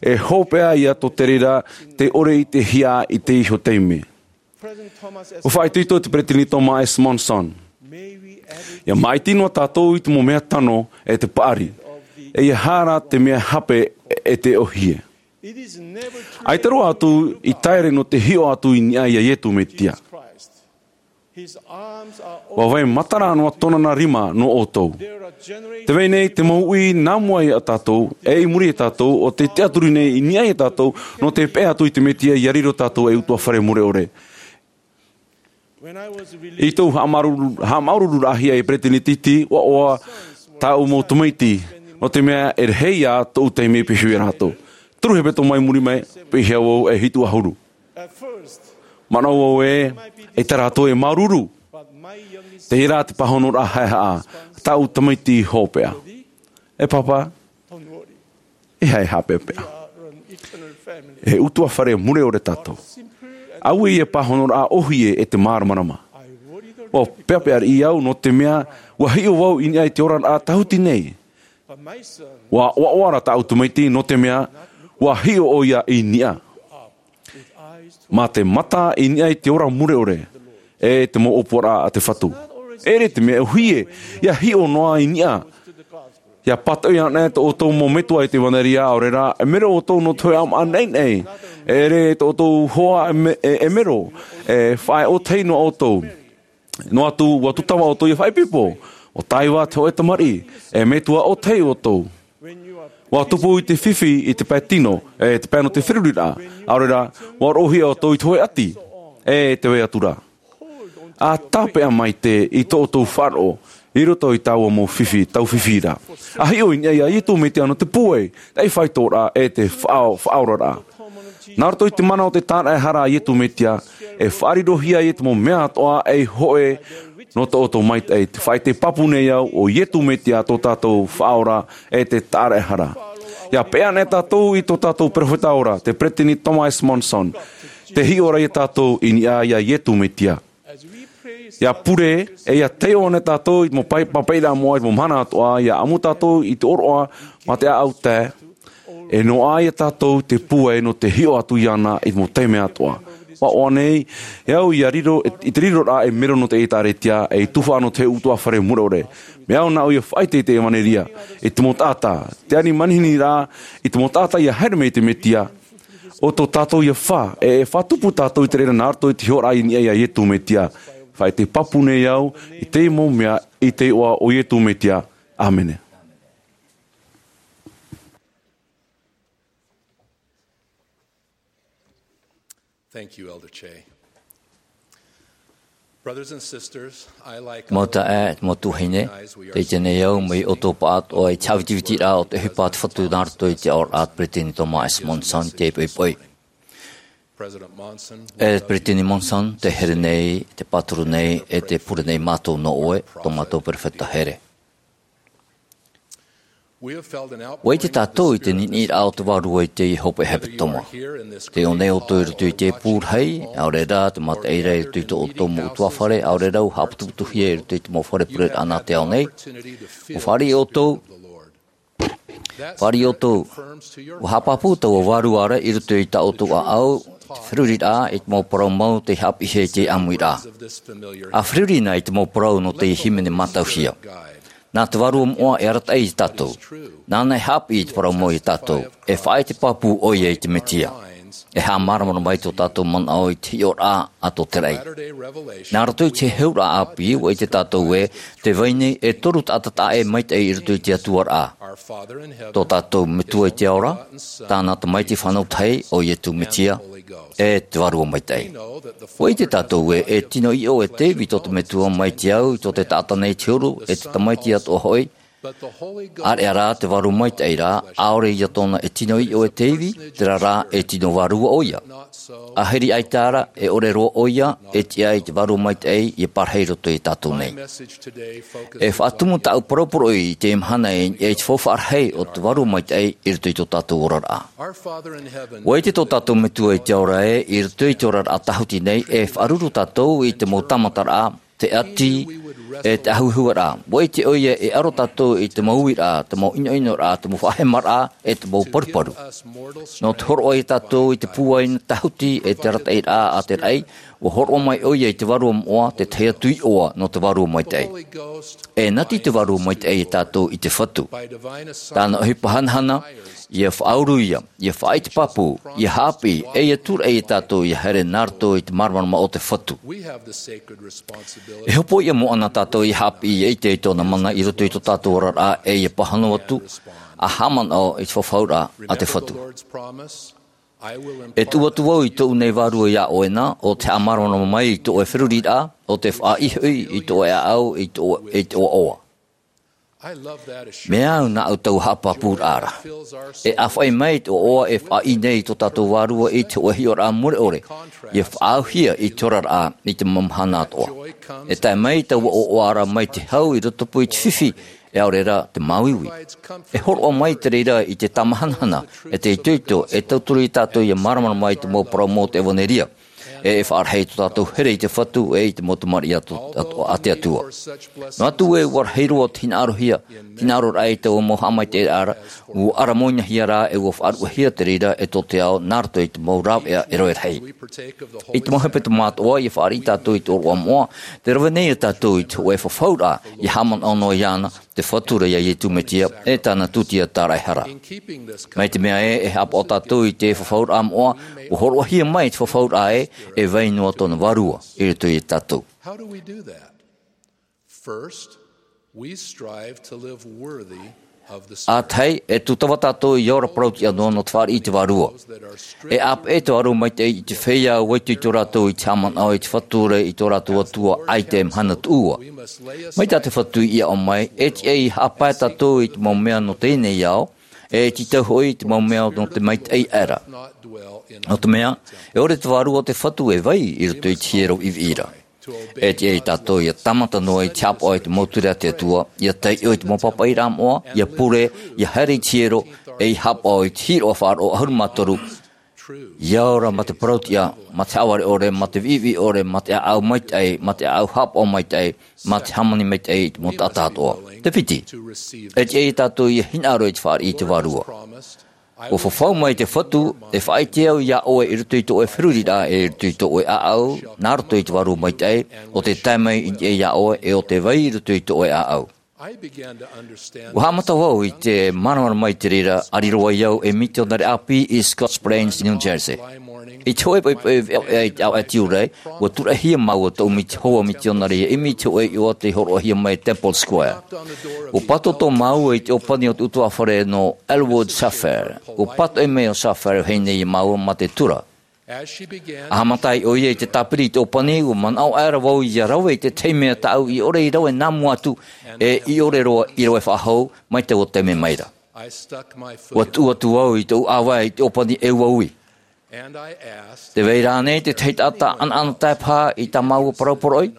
e hopeʻa ïa tō te reira, tē ʻore i te hiʻo i te iho taime. ʻUa faʻaitoito te Peresideni Thomas S. Monson. ʻIa māʻiti noa tātou i te mau mea tano e te paʻari. E ʻeiaha rā te mea hape e te ʻōhie. ʻAita roa atu i taere nō te hiʻo atu i niʻa iā Iesu Mesia. ʻUa vai matara noa tōna nā rima nō ʻoutou. Tē vai nei te mau uʻi nā mua iā tātou, e i muri iā tātou, ʻo tē tiʻaturi nei i niʻa iā tātou, nō te peʻe atu i te Mesia ʻia riro tātou ei ʻutuāfare mure ʻore. I tōʻu haʻamāuruuru-, haʻamāuruururaʻahia ei peresideni, ʻua ʻoaʻoa tāʻu mau tamaiti, nō te mea e rahi ïa tōʻu taime e pīhaʻi iā rātou. Toru hepetoma i muri mai, piʻihia vau e hitu ʻahuru. Manaʻo vau ē, ʻaita rātou e māuruuru. Terā te pāhonoraʻa haʻehaʻa, tāʻu tamaiti hopeʻa. E pāpā, e haʻehaʻa peʻapeʻa. E ʻutuāfare mure ʻore tātou. ʻAuē ia pāhonoraʻa ʻōhie e te māramarama. ʻUa peʻapeʻa riʻi au nō te mea, ʻua hiʻo vau i niʻa i te oraraʻa tāhuti nei. ʻUa ʻoaʻoa ra tāʻu tamaiti nō te mea, ʻua hiʻo ʻoia i niʻa. Mā te mata i niʻa i te ora mure ʻore, e te mau ʻōpuaraʻa a te Fatu. ʻEʻere te mea ʻōhie, ʻia hiʻo noa i niʻa. ʻIa pātoʻi ana e tō ʻoutou mau metua i te ʻevanelia, ʻaore rā, e mero ʻoutou nō te hōʻē ʻāmaʻa naʻinaʻi. ʻEʻere tō ʻoutou hoa e me-, e, e mero, e faʻaʻē ʻōtahi noa ʻoutou. Noa atu, ʻua tūtava ʻoutou ʻia faʻaipoipo, ʻua taiva te hōʻē tamariʻi, e metua ʻōtahi ʻoutou. ʻUa tupu i te fifi i te pae tino, e te pae nō te feruriraʻa, ʻaore rā, ʻua roʻohia ʻoutou i te hōʻē ʻati, e te vai atu ra. ʻA tāpeʻa maitaʻi i tō ʻoutou faʻaroʻo, i roto i taua mau fifi, tau fifi ra. ʻA hiʻo i niʻa ia Iesu Mesia nō te pūai, te faitoraʻa e te faʻa-, faʻaoraraʻa. Nā roto i te mana o te tāraʻehara a Iesu Mesia, e faʻarirohia ia te mau mea atoʻa ei hōʻē nō tō ʻoutou maitaʻi, te faʻaʻite pāpū nei au ʻo Iesu Mesia tō tātou faʻaora e te tāraʻehara. ʻIa peʻe ana e tātou i tō tātou perofeta ora, te Peresideni Thomas Monson, tē hiʻo ra ia tātou i niʻa ia Iesu Mesia. ʻIa pure, e ʻia taiʻo ana tātou i te mau pae-, pāpaʻiraʻa moʻa i te mau mahana atoʻa, ʻia ʻamu tātou i te ʻōroʻa mā te ʻāʻau tae, e noaʻa ia tātou te pūai nō te hiʻo atu iāna i te mau taime atoʻa. ʻUa ʻoaʻoa nei, e au ʻia riro, i te riroraʻa e mero nō te ʻĒkālesia, e tuhaʻa nō te ʻutuāfare mure ʻore. Mea au nāʻu ʻia faʻaʻite i te ʻevanelia, i te mau taʻata, te ani manihini rā, i te mau taʻata ʻia haere mai i te Mesia, ʻo tō tātou ia fā, e, e faʻatupu tātou i te reira nā roto i te hiʻoraʻa i niʻa ia Iesu Mesia. Faʻaʻite pāpū nei au, i te mau mea, i te iʻoa o Iesu Mesia. ʻĀmene. Thank you, Elder Che. Brothers and sisters, I, like Mau taeaʻe, mau tuahine, tē ʻite nei au, mai ʻoutou pāʻatoʻa i te haʻavitivitiraʻa o te ʻohipa a te Fatu nā roto i te aʻoraʻa a te Peresideni Thomas S. Monson, tē poipoi. President Monson, e Peresideni Monson, tē here nei, tē pāturu nei, e tē pure nei mātou nō ʻoe, tō mātou perofeta here. ʻUa ʻite tātou i te niniʻiraʻa o te Vārua i teie hopeʻa hepetoma. Tē ʻō nei ʻoutou i roto i te pū rahi, ʻaore rā te mataʻi ra i roto i tō ʻoutou mau ʻutuāfare, ʻaore rā ʻua haʻaputuputuhia i roto i te mau fare pureraʻa nā te ao nei. ʻUa fāriʻi ʻoutou, fāriʻi ʻoutou, ʻua haʻapāpū taua Vārua ra i roto i tā ʻoutou ʻāʻau, te feruriraʻa, i te mau parau mau tei haʻapiʻihia i teie ʻāmuiraʻa. ʻA feruri na i te mau parau nō te hīmene mātauhia. Nā te Vārua moʻa e arataʻi ia tātou. Nāna e haʻapiʻi i te parau mau ia tātou. E faʻaʻite pāpū ʻoia i te Mesia. E haʻamāramarama ai tō tātou manaʻo i te hiʻoraʻa a tō te raʻi. Nā roto i te heheuraʻa ʻāpī, ʻua ʻite tātou ē, tē vai nei e toru taʻata taʻa ʻē maitaʻi i roto i te Atua ra. Tō tātou Metua i te ao ra, tāna Tamaiti fānau tahi, ʻo Iesu Mesia, e te Vārua Maitaʻi. ʻUa ʻite tātou ē, e tino iʻo e te ivi tō te Metua mai te au, i tō te taʻata nei te huru, e te tamaiti atoʻa hoʻi. ʻĀreʻa rā te Vārua Maitaʻi ra, ʻaore ia tōna e tino iʻo e te ivi, terā rā e tino vārua ʻoia. Ahiri ʻaita ra, e ʻore roa ʻoia, e tiʻa i te Vārua Maitaʻi, ʻia parahi i roto ia tātou nei. E faʻatumu tāʻu parau poroʻi i teie mahana i, i te faufaʻa rahi o te Vārua Maitaʻi i roto i tō tātou oraraʻa. ʻUa ʻite tō tātou Metua i te ao ra ē, i roto i te oraraʻa tāhuti nei, e faʻaruru tātou i te mau tāmataraʻa, te ʻati, e te ʻahuehue ra. ʻUa ʻite ʻoia e ʻaro tātou i te mau uiraʻa, te mau ʻinoʻinoraʻa, te mau faʻahemaraʻa, e te mau paruparu. Nō te hōroʻa ia tātou i te pūai tāhuti, e te arataʻiraʻa a te raʻi, ʻua hōroʻa mai ʻoia i te Vārua Moʻa, te tahi atu iʻoa nō te Vārua Maitaʻi. E nati te Vārua Maitaʻi ia tātou i te Fatu. Tāna ʻohipa hanahana, ʻia faʻauru ia, ʻia faʻaʻite pāpū, ʻia haʻapiʻi, e ʻia tūraʻi ia tātou ʻia haere nā roto i te māramarama o te Fatu. E hopoiʻa moʻa na tātou ʻia haʻapiʻi, ʻia ʻite i tōna mana i roto i tō tātou oraraʻa, e ʻia pāhono atu, ʻa haʻamanaʻo i te fafauraʻa a te Fatu. E tuʻu atu vau i tōʻu nei vārua iā ʻoe na, ʻo te haʻamāramarama mai i tō ʻoe feruriraʻa, ʻo te faʻaihoʻi i tō ʻoe ʻāʻau, i tō, i tō ʻoe ʻoaʻoa. Mea au nā ʻoutou haʻapāpūraʻa ra. E ʻāfaʻi mai te ʻoaʻoa e faʻaʻī nei i tō tātou vārua i te hōʻē hiʻoraʻa mure ʻore, ia faʻaauhia i te oraraʻa i te mau mahana atoʻa. E tae mai taua ʻoaʻoa ra mai te hau i rotopū i te fifi, e ʻaore rā te māuiui. E hōroʻa mai te reira i te tāmahanahana, e te itoito, e tauturu ia tātou ia māramarama i te mau parau mau o te ʻevanelia. E e faʻarahi tō tātou here i te Fatu, e i te mau tamariʻi a tō, a, a te Atua. Noa atu ē ʻua rahi roa te hinaʻarohia, hinaʻaroraʻa i taua mau haʻamaitaʻiraʻa ra, ʻua ʻaramoinahia rā, e ʻua faʻaruʻehia te reira e tō te ao, nā roto i te mau rāveʻa e rave rahi. I te mau hepetoma atoʻa, ia fāriʻi tātou i te ʻōroʻa moʻa, tē rave nei ia tātou i te hōʻē fafauraʻa, ia haʻamanaʻo noa iāna, te Fatu ra ia Iesu Mesia, e tāna tūtia tāraʻehara. Mai te mea ē, e haʻapaʻo tātou i te fafauraʻa moʻa, ʻua hōroʻahia mai te fafauraʻa ē, e vai noa tōna vārua, i roto ia tātou. How do we do that? First, we strive to live worthy of the Spirit. ʻA tahi, e tūtava tātou ia ora parauʻtiʻa noa nō te fāriʻi i te vārua. E ʻāpeʻe te vārua maitaʻi i te feiā ʻua itoito rātou i te haʻamanaʻo i te Fatu ra i tō rātou Atua ʻaita e mahana tuʻua. Mai tā te Fatu i aʻo mai, e tiʻa ia haʻapae tātou i te mau mea nō teie nei ao, e tītau hoʻi i te mau mea nō te maitaʻi aʻera. Nō te mea, e ʻore te vārua o te Fatu e vai i roto i te hiero viʻiviʻi ra. E tiʻa ia tātou ia tāmata noa i te haʻapaʻo i te mau ture a te Atua, ia taiʻo i te mau pāpaʻiraʻa moʻa, ia pure, ia haere i te hiero, e ia haʻapaʻo i te hīroʻa faʻaroʻo ʻahuru mā toru, ia ora mā te parauʻtiʻa, mā te haʻavare ʻore, mā te viʻiviʻi ʻore, mā te ʻāʻau maitaʻi, mā te ʻāʻau haʻapaʻo maitaʻi, mā te hāmani maitaʻi i te mau taʻata atoʻa. Te piti, e tiʻa ia tātou ia hinaʻaro i te fāriʻi i te vārua. ʻUa fafau mai te Fatu, e faʻaʻite au iā ʻoe i roto i tō ʻoe feruriraʻa, e i roto i tō ʻoe ʻāʻau, nā roto i te vārua maitaʻi, ʻo tē tae mai i niʻa iā ʻoe, e ʻo tē vai i roto i tō ʻoe ʻāʻau. ʻUa haʻamata vau i te māramarama i te reira, ʻāriroa ai au e mitionare ʻāpī i Scotch Plains, New Jersey. I te hōʻē poʻipoʻi veʻaveʻa i te ʻāvaʻe tiurai, ʻua tūraʻihia māua tōʻu miti-, hoa mitionare ia ʻimi i te hōʻē iʻoa tei hōroʻahia mai Temple Square. ʻUa pātoʻitoʻi māua i te ʻōpani o te ʻutuāfare nō Elwood Schafer. ʻUa pātoʻi mai ʻo Schafer, ʻua hei nei iā māua mā te tura. ʻA haʻamata ai ʻoia i te tāpiri i te ʻōpani, ʻua manaʻo aʻera vau ia rave i te tahi mea tāʻu i ʻore i rave nā mua atu, e i ʻore roa i rave faʻahou, mai taua taime mai ra. ʻUa tuʻu atu vau i tōʻu ʻāvae i te ʻōpani e ʻua ui. Tē vai ra ānei te tahi taʻata ʻanaʻanatae paha i tā māua parau poroʻi?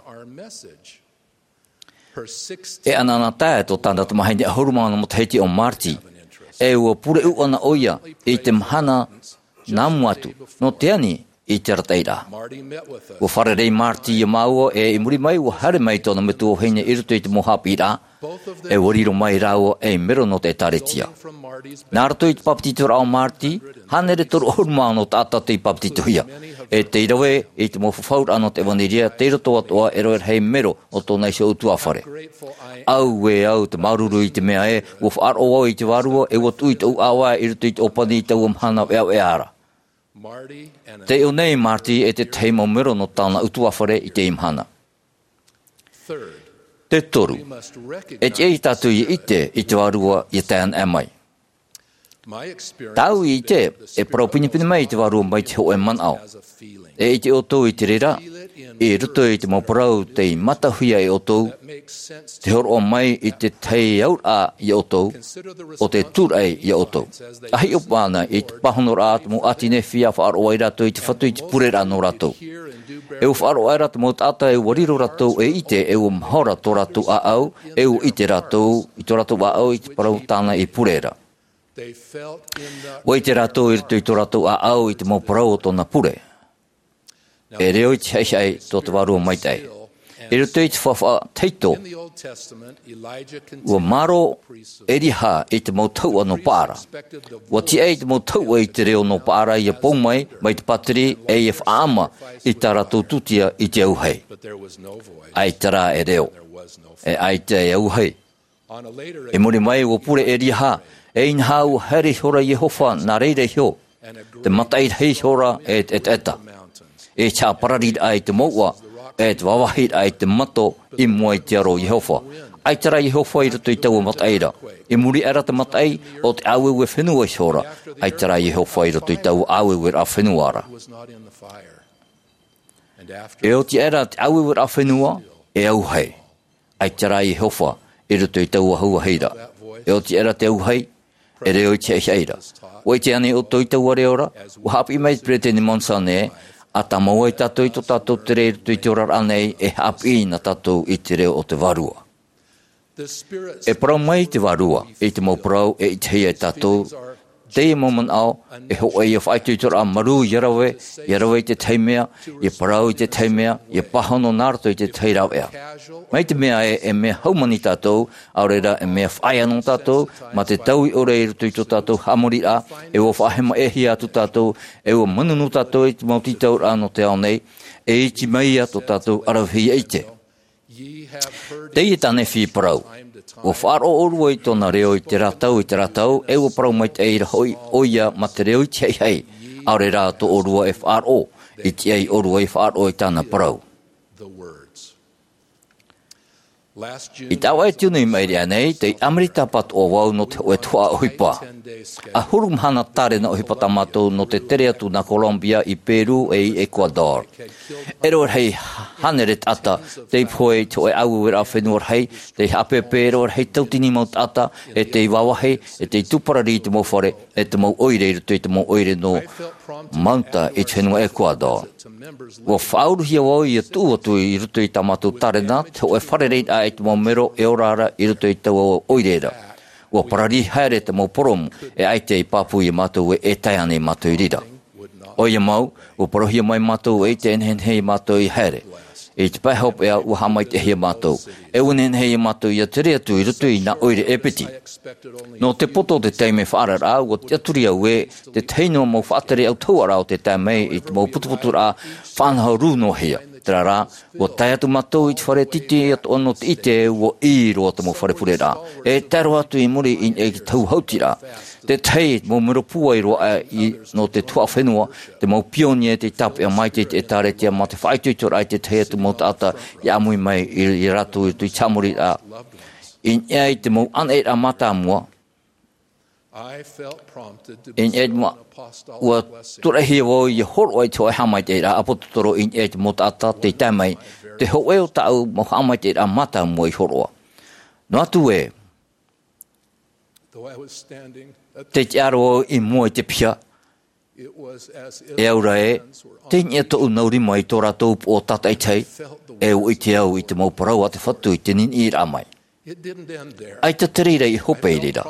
E ʻanaʻanatae tō tāna tamahine ʻahuru mā ono matahiti ʻo Marty, e ʻua pure ʻūʻana ʻoia i te mahana nā mua atu, nō te ani i te arataʻiraʻa. ʻUa fārerei Marty iā māua, e i muri mai, ʻua haere mai tōna metua vahine i roto i te mau haʻapiʻiraʻa, e ʻua riro mai rāua ei mero nō te ʻĒtārētia. Nā roto i te bāpetizoraʻa o Marty, hānere toru ʻahuru mā ono taʻata tei bāpetizohia, e tei rave i te mau fafauraʻa nō te ʻevanelia, tei roto atoʻa e rave rahi mero o tōna iho ʻutuāfare. Auē au te māuruuru i te mea ē, ʻua faʻaroʻo vau i te vārua, e ʻua tuʻu i tōʻu ʻāvae i roto i te ʻōpani i taua mahana veʻaveʻa ra. Tei ʻō nei Marty e te tahi mau mero nō tāna ʻutuāfare i teie mahana. Te toru, e tiʻa ia tātou ia ʻite i te vārua ia tae anaʻe mai. Tāʻu i ʻite, e parau pinepine mai te vārua mai te hōʻē manaʻo. E ʻite ʻoutou i te reira, i roto i te mau parau tei mātauhia e ʻoutou, te hōroʻa mai i te tahi auraʻa ia ʻoutou, ʻo te tūraʻi ia ʻoutou. ʻA hiʻo paʻi ana i te pāhonoraʻa a te mau ʻāti Nephi ʻa faʻaroʻo ai rātou i te Fatu i te pureraʻa nō rātou. E ua faʻaroʻo aʻera te mau taʻata e ua riro rātou e ʻite, e ua mahora tō rātou ʻāʻau, e ua ʻite rātou i tō rātou ʻāʻau i te parau tāna i pure ra. ʻUa ʻite rātou i roto i tō rātou ʻāʻau i te mau parau o tōna pure. E reo i te haʻihaʻi tō te Vārua Maitaʻi. I roto i te faufaʻa tahito, ʻua mārō Eliaha i te mau tahuʻa nō Paara. ʻUa tiʻa i te mau tahuʻa i te reo nō Paara ia pou mai, mai te pātiri, e ia faʻaʻama i tā rātou tūtia i te auahi. ʻAita rā e reo. E ʻaita e auahi. I muri mai, ʻua pure Eliaha, e inaha ʻua haere ihora Iehova nā reira iho, te mataʻi rahi ihora e te ʻetaʻeta. E te haʻaparariraʻa i te mouʻa, e te vāvāhiraʻa i te mato i mua i te aro o Iehova. ʻAita rā Iehova i roto i taua mataʻi ra. I muri aʻera te mataʻi, ʻo te ʻāueue fenua ihora. ʻAita rā Iehova i roto i taua ʻāueueraʻa fenua ra. E oti aʻera te ʻāueueraʻa fenua, e auahi. ʻAita rā Iehova i roto i taua auahi ra. E oti aʻera te auahi, e reo i te haʻihaʻi ra. ʻUa ʻite ānei ʻoutou i taua reo ra? ʻUa haʻapiʻi mai te Peresideni Monson ē, ʻa tāmau ai tātou i tō tātou tere i roto i te oraraʻa nei, e haʻapiʻi na tātou i te reo o te Vārua. E parau mai te Vārua, i te mau parau e ʻitehia e tātou, teie mau manaʻo, e hōʻē ïa faʻaitoitoraʻa marū ʻia rave, ʻia rave i te tahi mea, ʻia parau i te tahi mea, ʻia pāhono nā roto i te tahi rāveʻa. Mai te mea ē, e mea haumani tātou, ʻaore rā e mea faʻaea nō tātou, mā te taui ʻore i roto i tō tātou haʻamoriraʻa, e ʻua faʻahemaʻehia atu tātou, e ʻua manunu tātou i te mau tītauraʻa nō te ao nei, e iti mai ïa tō tātou ʻaravihi ʻia ʻite. Teie tā Nephi i parau. ʻUa faʻaroʻo ʻōrua i tōna reo i terā tau, i terā tau, e ʻua parau maitaʻi ra hoʻi ʻoia mā te reo i te haʻihaʻi. ʻAore rā tō ʻōrua e faʻaroʻo, i tiʻa ʻōrua i faʻaroʻo i tāna parau. I te ʻāvaʻe tiunu i maʻiri aʻe nei, tei ʻAmerika pātoʻa vau nō te hōʻē tuhaʻa ʻohipa. ʻAhuru mahana tārena ʻohipa tā mātou nō te tere atu nā Colombia i Peru e i Ecuador. E rave rahi hānere taʻata tei pohe i te hōʻē ʻāueueraʻa fenua rahi, tei haʻapeʻapeʻa e rave rahi tauatini mau taʻata, e tei vāvāhi, e tei tū parari i te mau fare, e te mau ʻoire i roto i te mau ʻoire nō Manta i te fenua Ecuador. ʻUa faʻauruhia vau ʻia tuʻu atu i roto i tā mātou tārena, te hōʻē fārereiraʻa i te mau mero e ora ra i roto i taua ʻoire ra. ʻUa parari haere te mau poromu, e ʻaita i pāpū ia mātou ē e tae ānei mātou i reira. ʻOia mau, ʻua parauhia mai mātou e ʻite e nehenehe ia mātou ʻia haere. I te pae hopeʻa ʻua haʻamaitaʻihia mātou. E ʻua nehenehe ia mātou ʻia tere atu i roto i nā ʻoire e piti. Nō te poto o te taime faʻaararaʻa, ʻua tiʻaturi au ē, te tahi noa mau faʻatere autahuʻaraʻa o te tae mai i te mau putuputuraʻa faʻanaho rū noa hia. Terā rā, ʻua tae atu mātou i te fare titi atoʻa nō te ʻite ē ʻua ʻī roa te mau fare pureraʻa. E tae roa atu i muri i niʻa i te tau hautiraʻa. Te tahi mau mero pūai roa aʻe i, nō te tuhaʻa fenua, te mau pionie tei tāpeʻa mai te, te ʻĒtārētia mā te faʻaitoitoraʻa i te tahi atu mau taʻata i ʻāmui mai i, i rātou i roto i te haʻamoriraʻa. I niʻa i te mau ʻānaʻiraʻa mātāmua, i niʻa i te mau, ʻua tūraʻihia vau ʻia hōroʻa i te hōʻē haʻamaitaʻiraʻa ʻāpōsetolo i niʻa i te mau taʻata tei tae mai, te hōʻē o tāʻu mau haʻamaitaʻiraʻa mātāmua i hōroʻa. Noa atu ē, tei tiʻa roa au i mua i te piha, e au ra ē, tei niʻa tōʻu nau rima i tō rātou upoʻo tātaʻitahi, e ʻua ʻite au i te mau parau a te Fatu i te niniʻiraʻa mai. ʻAita te reira i hope i reira.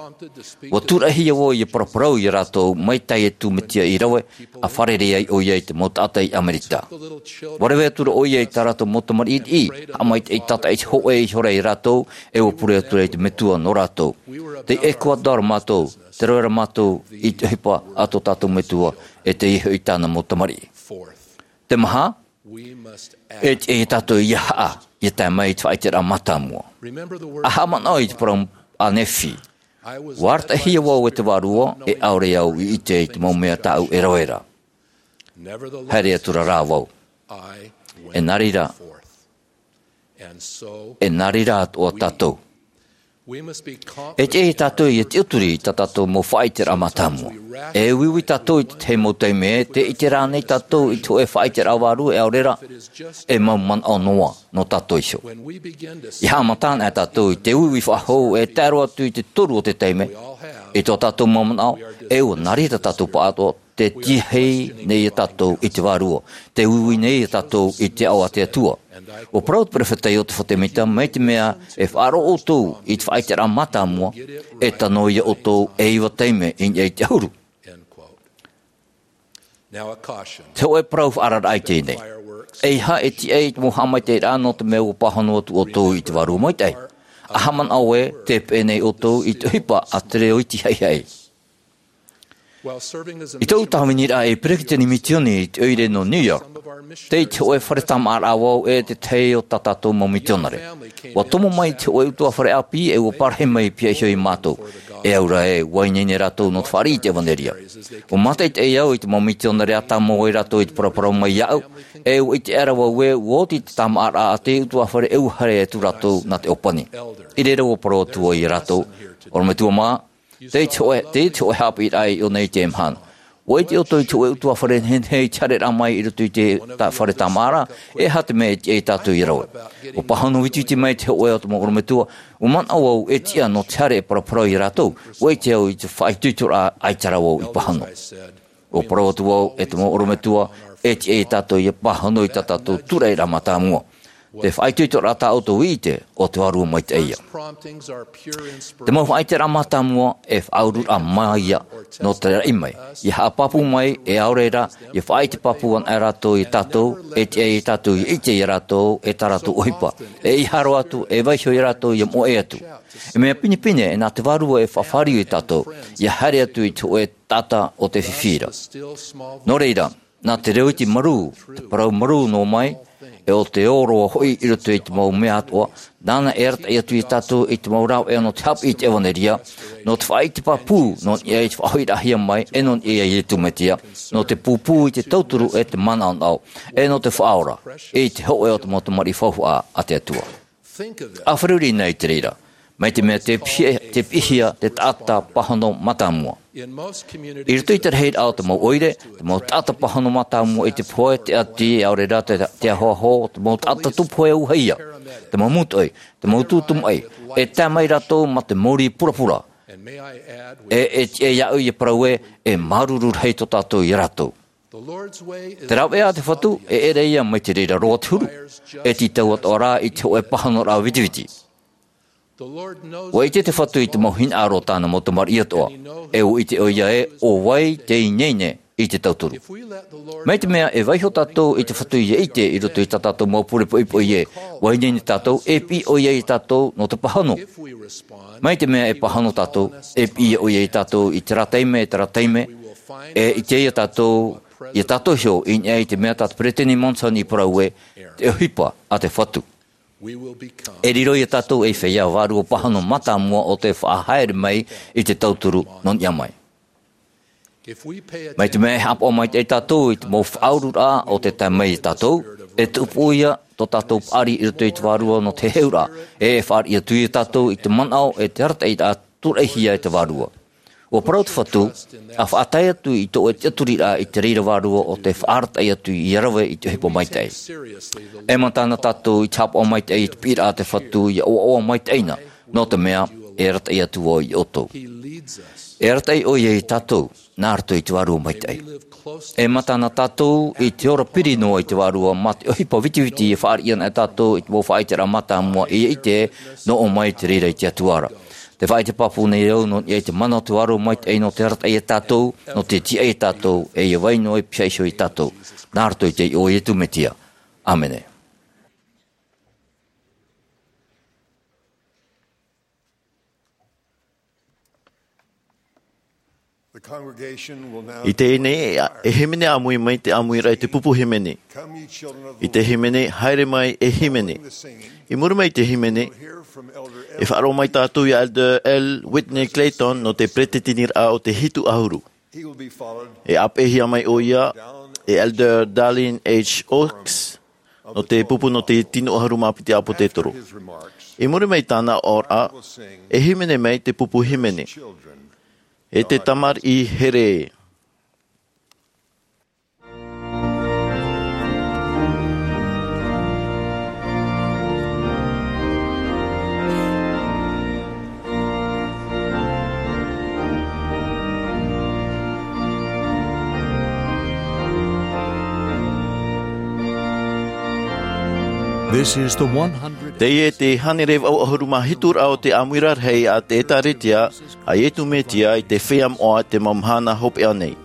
ʻUa tūraʻihia vau ʻia paraparau ia rātou mai teie atu Mesia i rave, ʻa fārerei ai ʻoia i te mau taʻata i ʻAmerika. ʻUa rave atu ra ʻoia i tā rātou mau tamariʻi, haʻamaitaʻi tātaʻitahi hōʻē ihora ia rātou, e ʻua pure atu ra i te Metua nō rātou. Tei Ecuador mātou, tei rave ra mātou i te ʻohipa a tō tātou Metua, e teie hoʻi tāna mau tamariʻi. Te maha, e tiʻa ia tātou ʻia haʻa, ʻia tae mai i te faʻaʻiteraʻa mātāmua. ʻA haʻamanaʻo i te parau a Nephi. ʻUa arataʻihia vau e te Vārua, e ʻaore au i ʻite i te mau mea tāʻu e rave ra. Haere atu ra rā vau. E nā reira, e nā reira atoʻa tātou. E tiʻa ia tātou ʻia tiʻaturi i tā tātou mau faʻaʻiteraʻa mātāmua. E uiui tātou i te tahi mau taime ē, tē ʻite ra ānei tātou i te hōʻē faʻaʻiteraʻa vārua e ʻaore ra, e mau manaʻo noa nō tātou iho. ʻIa haʻamata anaʻe tātou i te uiui faʻahou e tae roa atu i te toru o te taime, i tō tātou mau manaʻo, e ʻua nā reira tātou pāʻatoʻa, tē tiahi nei ia tātou i te Vārua, tē uiui nei ia tātou i te aʻo a te Atua. ʻUa parau te perofeta Iosepha Semita, mai te mea e faʻaroʻo ʻoutou i te faʻaʻiteraʻa mātāmua, e tano ia ʻoutou e iva taime i niʻa i te ʻahuru. Te hōʻē parau faʻaararaʻa i teie nei. ʻEiaha e tiʻa i te mau haʻamaitaʻiraʻa nō te mea ʻua pāhono atu ʻoutou i te Vārua Maitaʻi. ʻA haʻamanaʻo ē, tē peʻe nei ʻoutou i te ʻohipa a te reo iti haʻihaʻi. I tōʻu tāviniraʻa ei peresideni misioni i te ʻoire nō New York, tei te hōʻē fare tāmāʻaraʻa vau e te tahi o tā tātou mau misionare. ʻUa tomo mai te hōʻē ʻutuāfare ʻāpī e ʻua parahi mai pihaʻi iho ia mātou. E au ra ē, ʻua ineine rātou nō te fāriʻi i te ʻevanelia. ʻUa mātaʻitaʻi au i te mau misionare ʻa tāmau ai rātou i te paraparau mai iāʻu, e ʻua ʻite aʻera vau ē, ʻua oti te tāmāʻaraʻa a te ʻutuāfare e ʻua haere atu rātou nā te ʻōpani. I reira ʻua parau atu vau ia rātou, ʻorometua mā, tei te hōʻē, tei te hōʻē haʻapiʻiraʻa i ʻō nei i teie mahana. ʻUa ʻite ʻoutou i te hōʻē ʻutuāfare nehenehe i te haereraʻa mai i roto i te ta-, fare tāmāʻa ra, e aha te mea e tiʻa ia tātou ia rave. ʻUa pāhono vitiviti mai te hōʻē o te mau ʻorometua, ʻua manaʻo vau e tiʻa nō te haere e paraparau ia rātou, ʻua ʻite au i te faʻaitoitoraʻa ʻaita rā vau i pāhono. ʻUa parau atu vau, e te mau ʻorometua, e tiʻa ia tātou ia pāhono i tā tātou tūraʻiraʻa mātāmua. Te faʻaitoitoraʻa tā ʻoutou i ʻite, ʻo te Vārua Maitaʻi ïa. Te mau faʻaitoitoraʻa mātāmua, e faʻaururaʻa mai ïa, nō te raʻi mai. Ia haʻapāpū mai, e ʻaore rā, ia faʻaʻite pāpū anaʻe rātou ia tātou, e tiʻa ia tātou ia ʻite ia rātou, e tā rātou ʻohipa. E ʻeiaha roa atu, e vaiiho ia rātou ia moʻe atu. E mea pinepine, e nā te Vārua e faʻafāriu ia tātou, ia haere atu i te hōʻē taʻata o te fifi ra. Nō reira, nā te reo iti marū, te parau marū noa mai, e ʻo te ʻōroʻa hoʻi i roto i te mau mea atoʻa, nāna e arataʻi atu ia tātou i te mau rāveʻa nō te haʻapiʻi i te ʻevanelia, nō te faʻaʻite pāpū, nō niʻa i te faʻahoʻiraʻahia mai, e nō niʻa ia Iesu Mesia, nō te pūpū i te tauturu e te manaʻonaʻo, e nō te faʻaora, i te hōʻē o te mau tamariʻi faufaʻa a te Atua. ʻA fārerei na i te reira, mai te mea tē piʻi-, tē piʻihia te taʻata pāhono mātāmua. I roto i te rahiraʻa o te mau ʻoire, te mau taʻata pāhono mātāmua i te pohe, te ʻati, ʻaore rā te, te ahoaho, te mau taʻata tūpohe ʻauahi ïa, te mau mūtoʻi, te mau tūtū maʻi, e tae mai rātou mā te mōrī purapura. E, e tiʻa iāʻu ia parau ē, e māuruuru rahi tō tātou ia rātou. Te rāveʻa a te Fatu, e ʻere ïa mai te reira roa te huru, e tītau atoʻa rā i te hōʻē pāhonoraʻa vitiviti. ʻUa ʻite te Fatu i te mau hinaʻaro o tāna mau tamariʻi atoʻa, e ʻua ʻite ʻoia ē, ʻo vai te ineine i te tauturu. Mai te mea e vaiiho tātou i te Fatu ia ʻite i roto i tā tātou mau pure poʻipoʻi ē, ʻua ineine tātou, e piʻi ʻoia ia tātou nō te pāhono. Mai te mea e pāhono tātou, e piʻi ʻoia ia tātou i terā taime, terā taime, e ʻite ia tātou, ia tātou iho, i niʻa i te mea tā te Peresideni Monson i parau ē, te ʻohipa a te Fatu. E riro ia tātou ei feiā vārua pāhono mātāmua ʻo tē faʻahaere mai i te tauturu nō niʻa mai. Mai te mea e haʻapaʻo maitaʻi tātou i te mau faʻaururaʻa ʻo tē tae mai ia tātou, e tupu ïa tō tātou paʻari i roto i te Vārua nō te heheuraʻa, e fāriʻi atu ia tātou i te manaʻo e te arataʻiraʻa tūraʻihia e te Vārua. ʻUa parau te Fatu, ʻa faʻatae atu i tō ʻoe tiʻaturiraʻa i te reira vārua ʻo tē faʻaarataʻi atu ia rave i te ʻohipa maitaʻi. E mata na tātou i te haʻapaʻo maitaʻi i te piʻiraʻa a te Fatu ia ʻoaʻoa maitaʻi na, nō te mea, e arataʻi atu vau ia ʻoutou. E arataʻi ʻoia ia tātou, nā roto i te Vārua Maitaʻi. E mata na tātou i te ora piri noa i te Vārua mā te ʻohipa vitiviti e fāriʻi ana e tātou i te mau faʻaiteraʻa mātāmua e ʻite, nō ʻō mai te reira i te Atua ra. Tē faʻaʻite pāpū nei au nō niʻa i te mana o te Vārua Maitaʻi nō te arataʻi ia tātou, nō te tiʻa ia tātou, e ia vai noa e pihaʻi iho ia tātou. Nā roto i te iʻoa o Iesu Mesia. ʻĀmene. The congregation will now I teie nei, e hīmene ʻāmui mai te ʻāmuiraʻa i te pupu hīmene. I te hīmene, haere mai e hīmene. I muri mai i te hīmene, e faʻaroʻo mai tātou ia Elder L. Whitney Clayton nō te peretiteniraʻa o te hitu ʻahuru. E ʻāpeʻehia mai ʻoia e Elder Dallin H. Oaks nō te pupu nō te tino ʻahuru mā piti ʻāpōsetolo. I muri mai i tāna oraraʻa, e hīmene mai te pupu hīmene. E te tamariʻi here. This is the one hundred. Teie te hānere vaʻu ʻahuru mā hitu raʻa o te ʻāmuiraʻa rahi a te ʻĒtārētia a Iesu Mesia i te feiā moʻa i te mau mahana hopeʻa nei.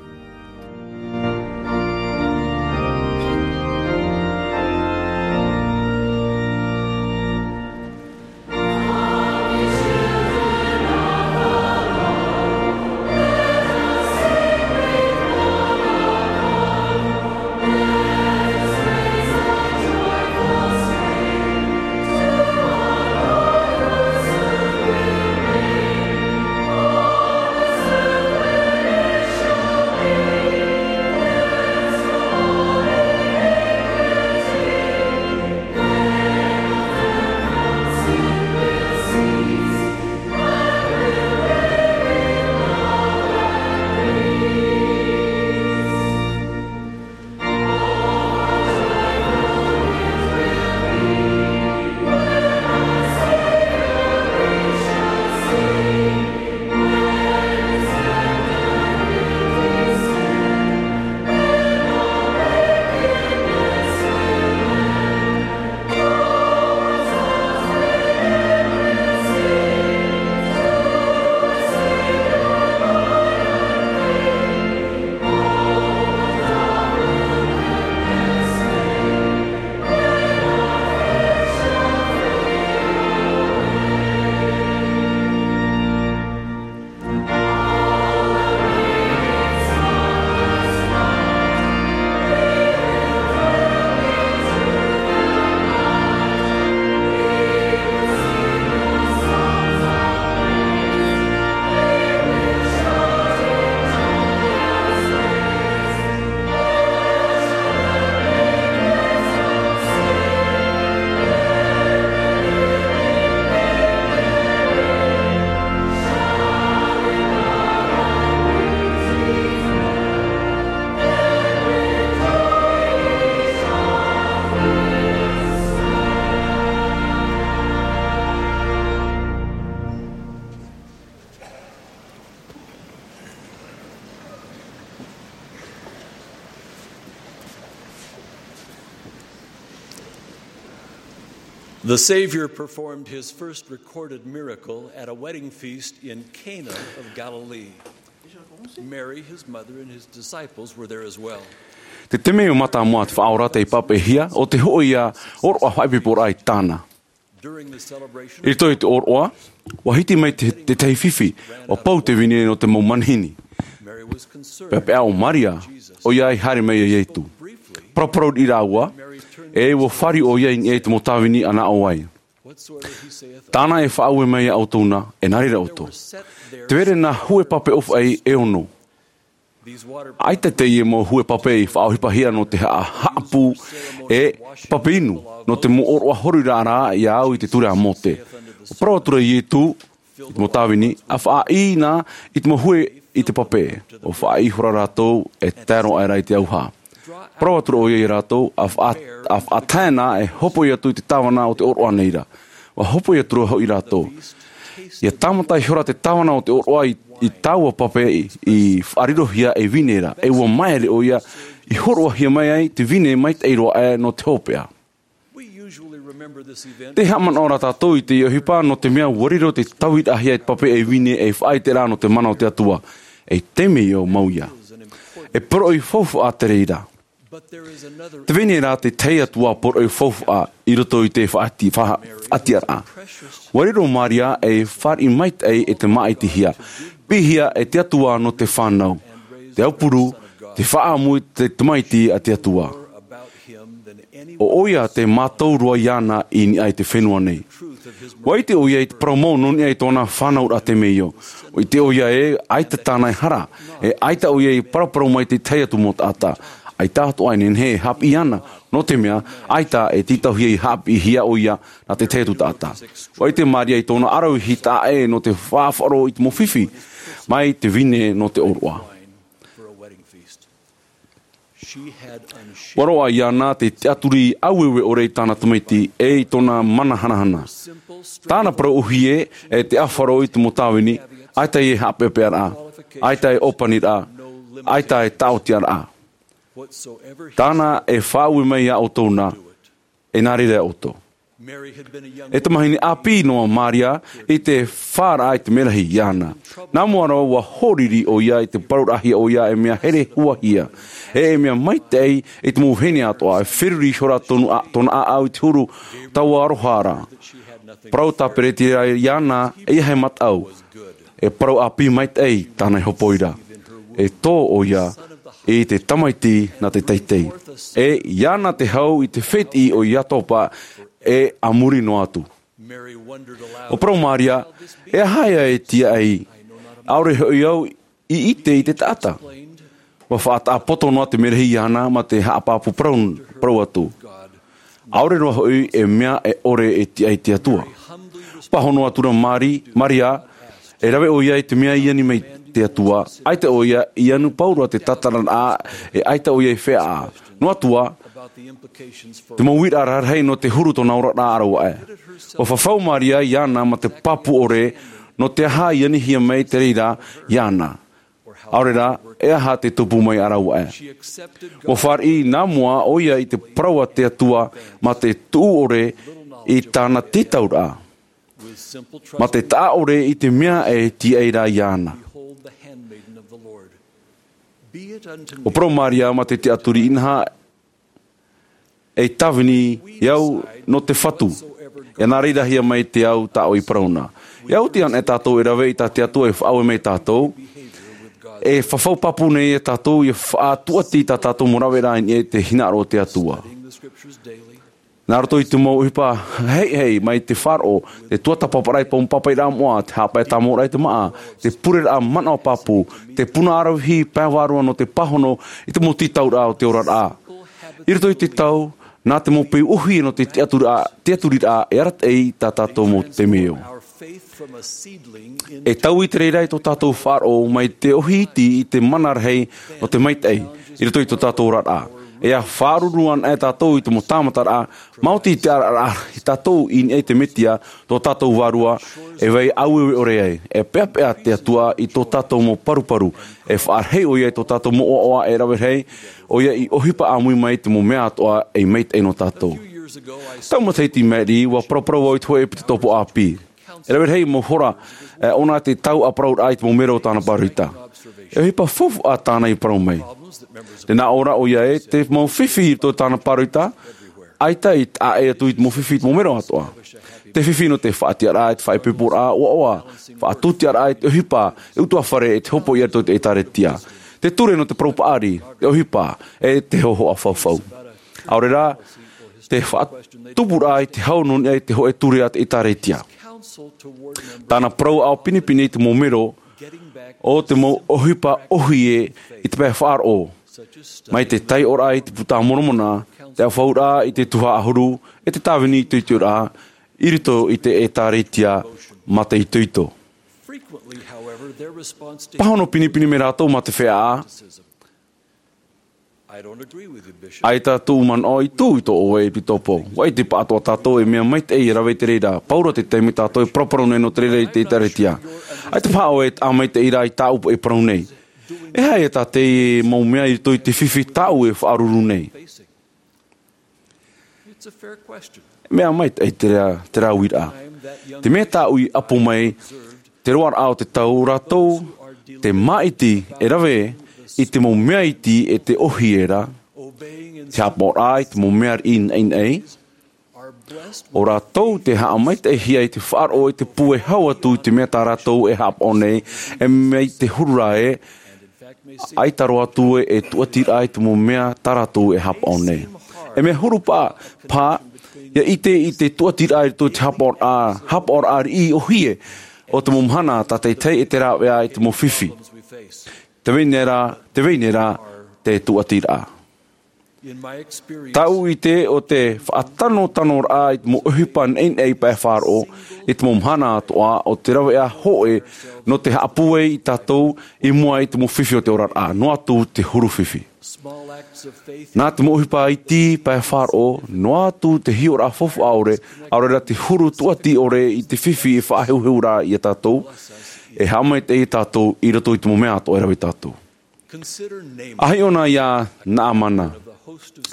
The Savior performed his first recorded miracle at a wedding feast in Cana of Galilee. Mary, his mother, and his disciples were there as well. Te temeio mātāmua te Faʻaora tei pāpaʻihia, ʻo te hōʻē ʻōroʻa faʻaipoiporaʻa i tāna. During the celebration, I roto i te ʻōroʻa, ʻua hiti mai te, te tahi fifi, ʻua pau te vine nō te mau manihini. Mary was concerned. Peʻapeʻa ʻo Maria, ʻoia i haere mai iā Ietu. Paraparau riʻi rāua, e ʻua fāriʻi ʻoia i niʻa i te mau tāvini ʻa nā ʻō ai. Tāna e faʻaue mai iā ʻoutou na, e nā reira ʻoutou. Te vai ra nā hue pape ʻōfaʻi e ono. ʻAita teie mau hue pape i faʻaʻohipahia nō te haʻa-, haʻapū e pape inu, nō te mau ʻōroʻa horiraʻa ra iā au i te ture a Mōte. ʻUa parau atu ra Ietu, i te mau tāvini, ʻa faʻaʻī na i te mau hue i te pape, ʻua faʻaʻī ihora rātou e tae roa aʻera i te auaha. Parau atu ra ʻoia iā rātou, ʻa faʻa-, ʻa faʻatae na e hopoi atu i te tāvana o te ʻōroʻa nei ra. ʻUa hopoi atu ra hoʻi rātou. ʻIa tāmata ihora te tāvana o te ʻōroʻa i, i taua pape i, i faʻarirohia e vine ra, e ʻua māere ʻoia i hōroʻahia mai ai te vine maitaʻi roa aʻe nō te hopeʻa. We usually remember this event. Tē haʻamanaʻo ra tātou i teie ʻohipa nō te mea ʻua riro te tauiraʻahia e te pape e vine e faʻaʻite ra nō te mana o te Atua. E temeio mau ïa. E poroʻi faufaʻa te reira. But there is another. Tē vai nei rā te tahi atu ā poroʻi faufaʻa i roto i te faʻati-, fa-, faʻatiʻaraʻa. ʻUa riro Maria ei fāriʻi maitaʻi e te māʻitihia. Piʻihia e te Atua nō te fānau. Te aupuru, te faʻaʻamu i te Tamaiti a te Atua. ʻO ʻoia te mātau roa iāna i niʻa i te fenua nei. ʻUa ʻite ʻoia i te parau mau nō niʻa i tōna fānauraʻa temeio. ʻUa ʻite ʻoia ē, ʻaita tāna e hara, e ʻaita ʻoia i paraparau mai te tahi atu mau taʻata. ʻAita atoʻa e nehenehe e haʻapiʻi iāna, nō te mea, ʻaita e tītauhia i haʻapiʻihia ʻoia nā te tahi atu taʻata. ʻUa ʻite Maria i tōna ʻaravihi taʻa ʻē nō te faʻaroʻo i te mau fifi, mai te vine nō te ʻōroʻa. ʻUa roaʻa iāna te tiʻaturi ʻaueue ʻore i tāna Tamaiti, e i tōna mana hanahana. Tāna parau ʻōhie, e te ʻāfaro i te mau tāvini, ʻaita e haʻapeʻapeʻaraʻa, ʻaita e ʻōpaniraʻa, ʻaita e tāʻotiaraʻa. Tāna e faʻaue mai iā ʻoutou na, e nā reira ʻoutou. E tamahine ʻāpī noa Maria i te fāraʻa i te merahi iāna. Nā mua roa ʻua hōriri ʻoia i te parauraʻahia ʻoia e mea here huahia, e, e mea maitaʻi i te mau vahine atoʻa, e feruri ihora tonu a, tōna ʻāʻau i te huru tauaroha ra. Parau tāperetiraʻa iāna, ʻeiaha e mataʻu. E parau ʻāpī maitaʻi tāna e hopoi ra. E tō ʻoia i te Tamaiti nā te teitei. E iāna te hau i te fētiʻi o Iatopa e a muri noa atu. ʻUa parau Maria, e aha ïa e tiaʻi, ʻaore hoʻi au i ʻite i te taʻata. ʻUa faʻataʻa poto noa te merahi iāna mā te haʻapāpū parau, parau atu. ʻAore roa hoʻi e mea e ʻore e tiaʻi te Atua. Pāhono atu ra Mari-, Maria, e rave ʻoia i te mea i ani mai te Atua, ʻaita ʻoia i anu pauroa te tatararaʻa, e ʻaita ʻoia i feiā. Noa atu ā, te mau uiraʻa rarahi nō te huru tōna oraraʻa rāua aʻe. ʻUa fafau Maria iāna mā te pāpū ʻore, nō te aha i anihia mai te reira iāna. ʻAore rā, e aha te tupu mai a rāua aʻe. ʻUa fāriʻi nā mua ʻoia i te parau a te Atua mā te tuʻu ʻore i tāna tītauraʻa. Mā te taʻa ʻore i te mea e tiaʻi ra iāna. ʻUa parau Maria mā te tiʻaturi inaha, e tāvini au nō te Fatu. E nā reira hia mai te au tā ʻoe i parau na. E au te ana e tātou e rave i tā te Atua e faʻaue mai tātou. E fafau pāpū nei e tātou, e faʻatūʻati tā tātou mau raveraʻa i niʻa i te hinaʻaro o te Atua. Nā roto i te mau ʻohipa heihei mai te faʻaroʻo, te tuatāpaparaʻa i te mau pāpaʻiraʻa moʻa, te haʻapae tāmau raʻa i te māʻa, te pureraʻa manaʻo pāpū, te puna ʻaravihi pae vārua nō te pāhono i te mau tītauraʻa o te oraraʻa. I roto i te tau, nā te mau peu ʻōhie nō te tiʻaturiraʻa, tiʻaturiraʻa e arataʻi tā tātou mau temeio. E taui te reira i tō tātou faʻaroʻo mai te ʻōhie iti i te mana rahi nō te maitaʻi i roto i tō tātou oraraʻa. E ʻia faʻaruru ana e tātou i te mau tāmataraʻa, maoti te araraʻa i tātou i niʻa i te Metia, tō tātou Vārua, e vai ʻaueue ʻore ai, e peʻapeʻa te Atua i tō tātou mau paruparu, e faʻarahi ʻoia i tō tātou mau ʻoaʻoa e rave rahi, ʻoia i ʻohipa ʻāmui mai te mau mea atoʻa ei maitaʻi nō tātou. Tau matahiti i maʻiri, ua paraparau au i te hōʻē ʻepitopo ʻāpī. E rave rahi mau hora, e, ʻōna te tau ʻāparauraʻa i te mau mero o tāna pāroita. E ʻohipa faufaʻa tāna i parau mai. Tē nā ʻō ra ʻoia ē, te mau fifi i roto i tāna pāroita, ʻaita i taʻa ʻē atu i te mau fifi i te mau mero atoʻa. Te fifi nō te faʻatiʻaraʻa, te faʻaipoiporaʻa, ʻoaʻoa, faʻatūtiʻaraʻa i te ʻohipa, e ʻutuāfare, e te hopoiʻa i roto i te ʻĒtārētia. Te ture nō te parau paʻari, te ʻohipa, e te hōhoʻa faufau. ʻAore rā, te faʻatupuraʻa i te hau nō niʻa i te hōʻē ture a te ʻĒtārētia. Tāna parau ʻāʻau pinepine i te mau mero, ʻo te mau ʻohipa ʻōhie i te pae faʻaroʻo. Mai te taiʻoraʻa i te Puta a Moromona, te ʻaufauraʻa i te tuhaʻa ʻahuru, e te tāvini itoitoraʻa, i roto i te ʻĒtārētia mātāʻitoito. Pāhono pinepine mai rātou mā te feiā, ʻaita tōʻu manaʻo i tū i tō ʻoe ʻepitopo. ʻUa ʻite paʻatoʻa tātou e mea maitaʻi e rave i te reira. Paura te taime tātou e paraparau nei nō te reira i te ʻĒtārētia. ʻAita paha ʻoe e taʻa maitaʻi rā i tāʻu e parau nei. E aha ia tā te mau mea i roto i te fifi tāʻu e faʻaruru nei? Mea maitaʻi terā, terā uiraʻa. Te mea tāʻu i ʻapo mai, te roaraʻa o te tau, rātou te māʻiti e rave i te mau mea iti e te ʻōhie ra, te haʻapaʻoraʻa i te mau mea riʻi naʻinaʻi, ʻo rātou te haʻamaitaʻihia i te faʻaroʻo i te pū e hau atu i te mea tā rātou e haʻapaʻo nei, e mai te huru ra ē, ʻaita roa atu ē e tūʻatiraʻa i te mau mea tā rātou e haʻapaʻo nei. E mea huru paʻi, paha, ʻia ʻite i te tūʻatiraʻa i roto i te haʻapaʻoraʻa, haʻapaʻoraʻa riʻi ʻōhie o te mau mahana tātaʻitahi e te rāveʻa i te mau fifi. Tē vai nei rā, tē vai nei rā te tūʻatiraʻa. Tāʻu ʻite, ʻo te faʻatanotanoraʻa i te mau ʻohipa naʻinaʻi pae faʻaroʻo, i te mau mahana atoʻa, ʻo te rāveʻa hōʻē nō te haʻapūai ia tātou i mua i te mau fifi o te oraraʻa, noa atu te huru fifi. Nā te mau ʻohipa iti pae faʻaroʻo, noa atu te hiʻoraʻa faufaʻa ʻore, ʻaore rā te huru tūʻati ʻore i te fifi e faʻaheuheu ra ia tātou, e haʻamaitaʻi ia tātou i roto i te mau mea atoʻa e rave ia tātou. ʻA hiʻo na ia Naamana,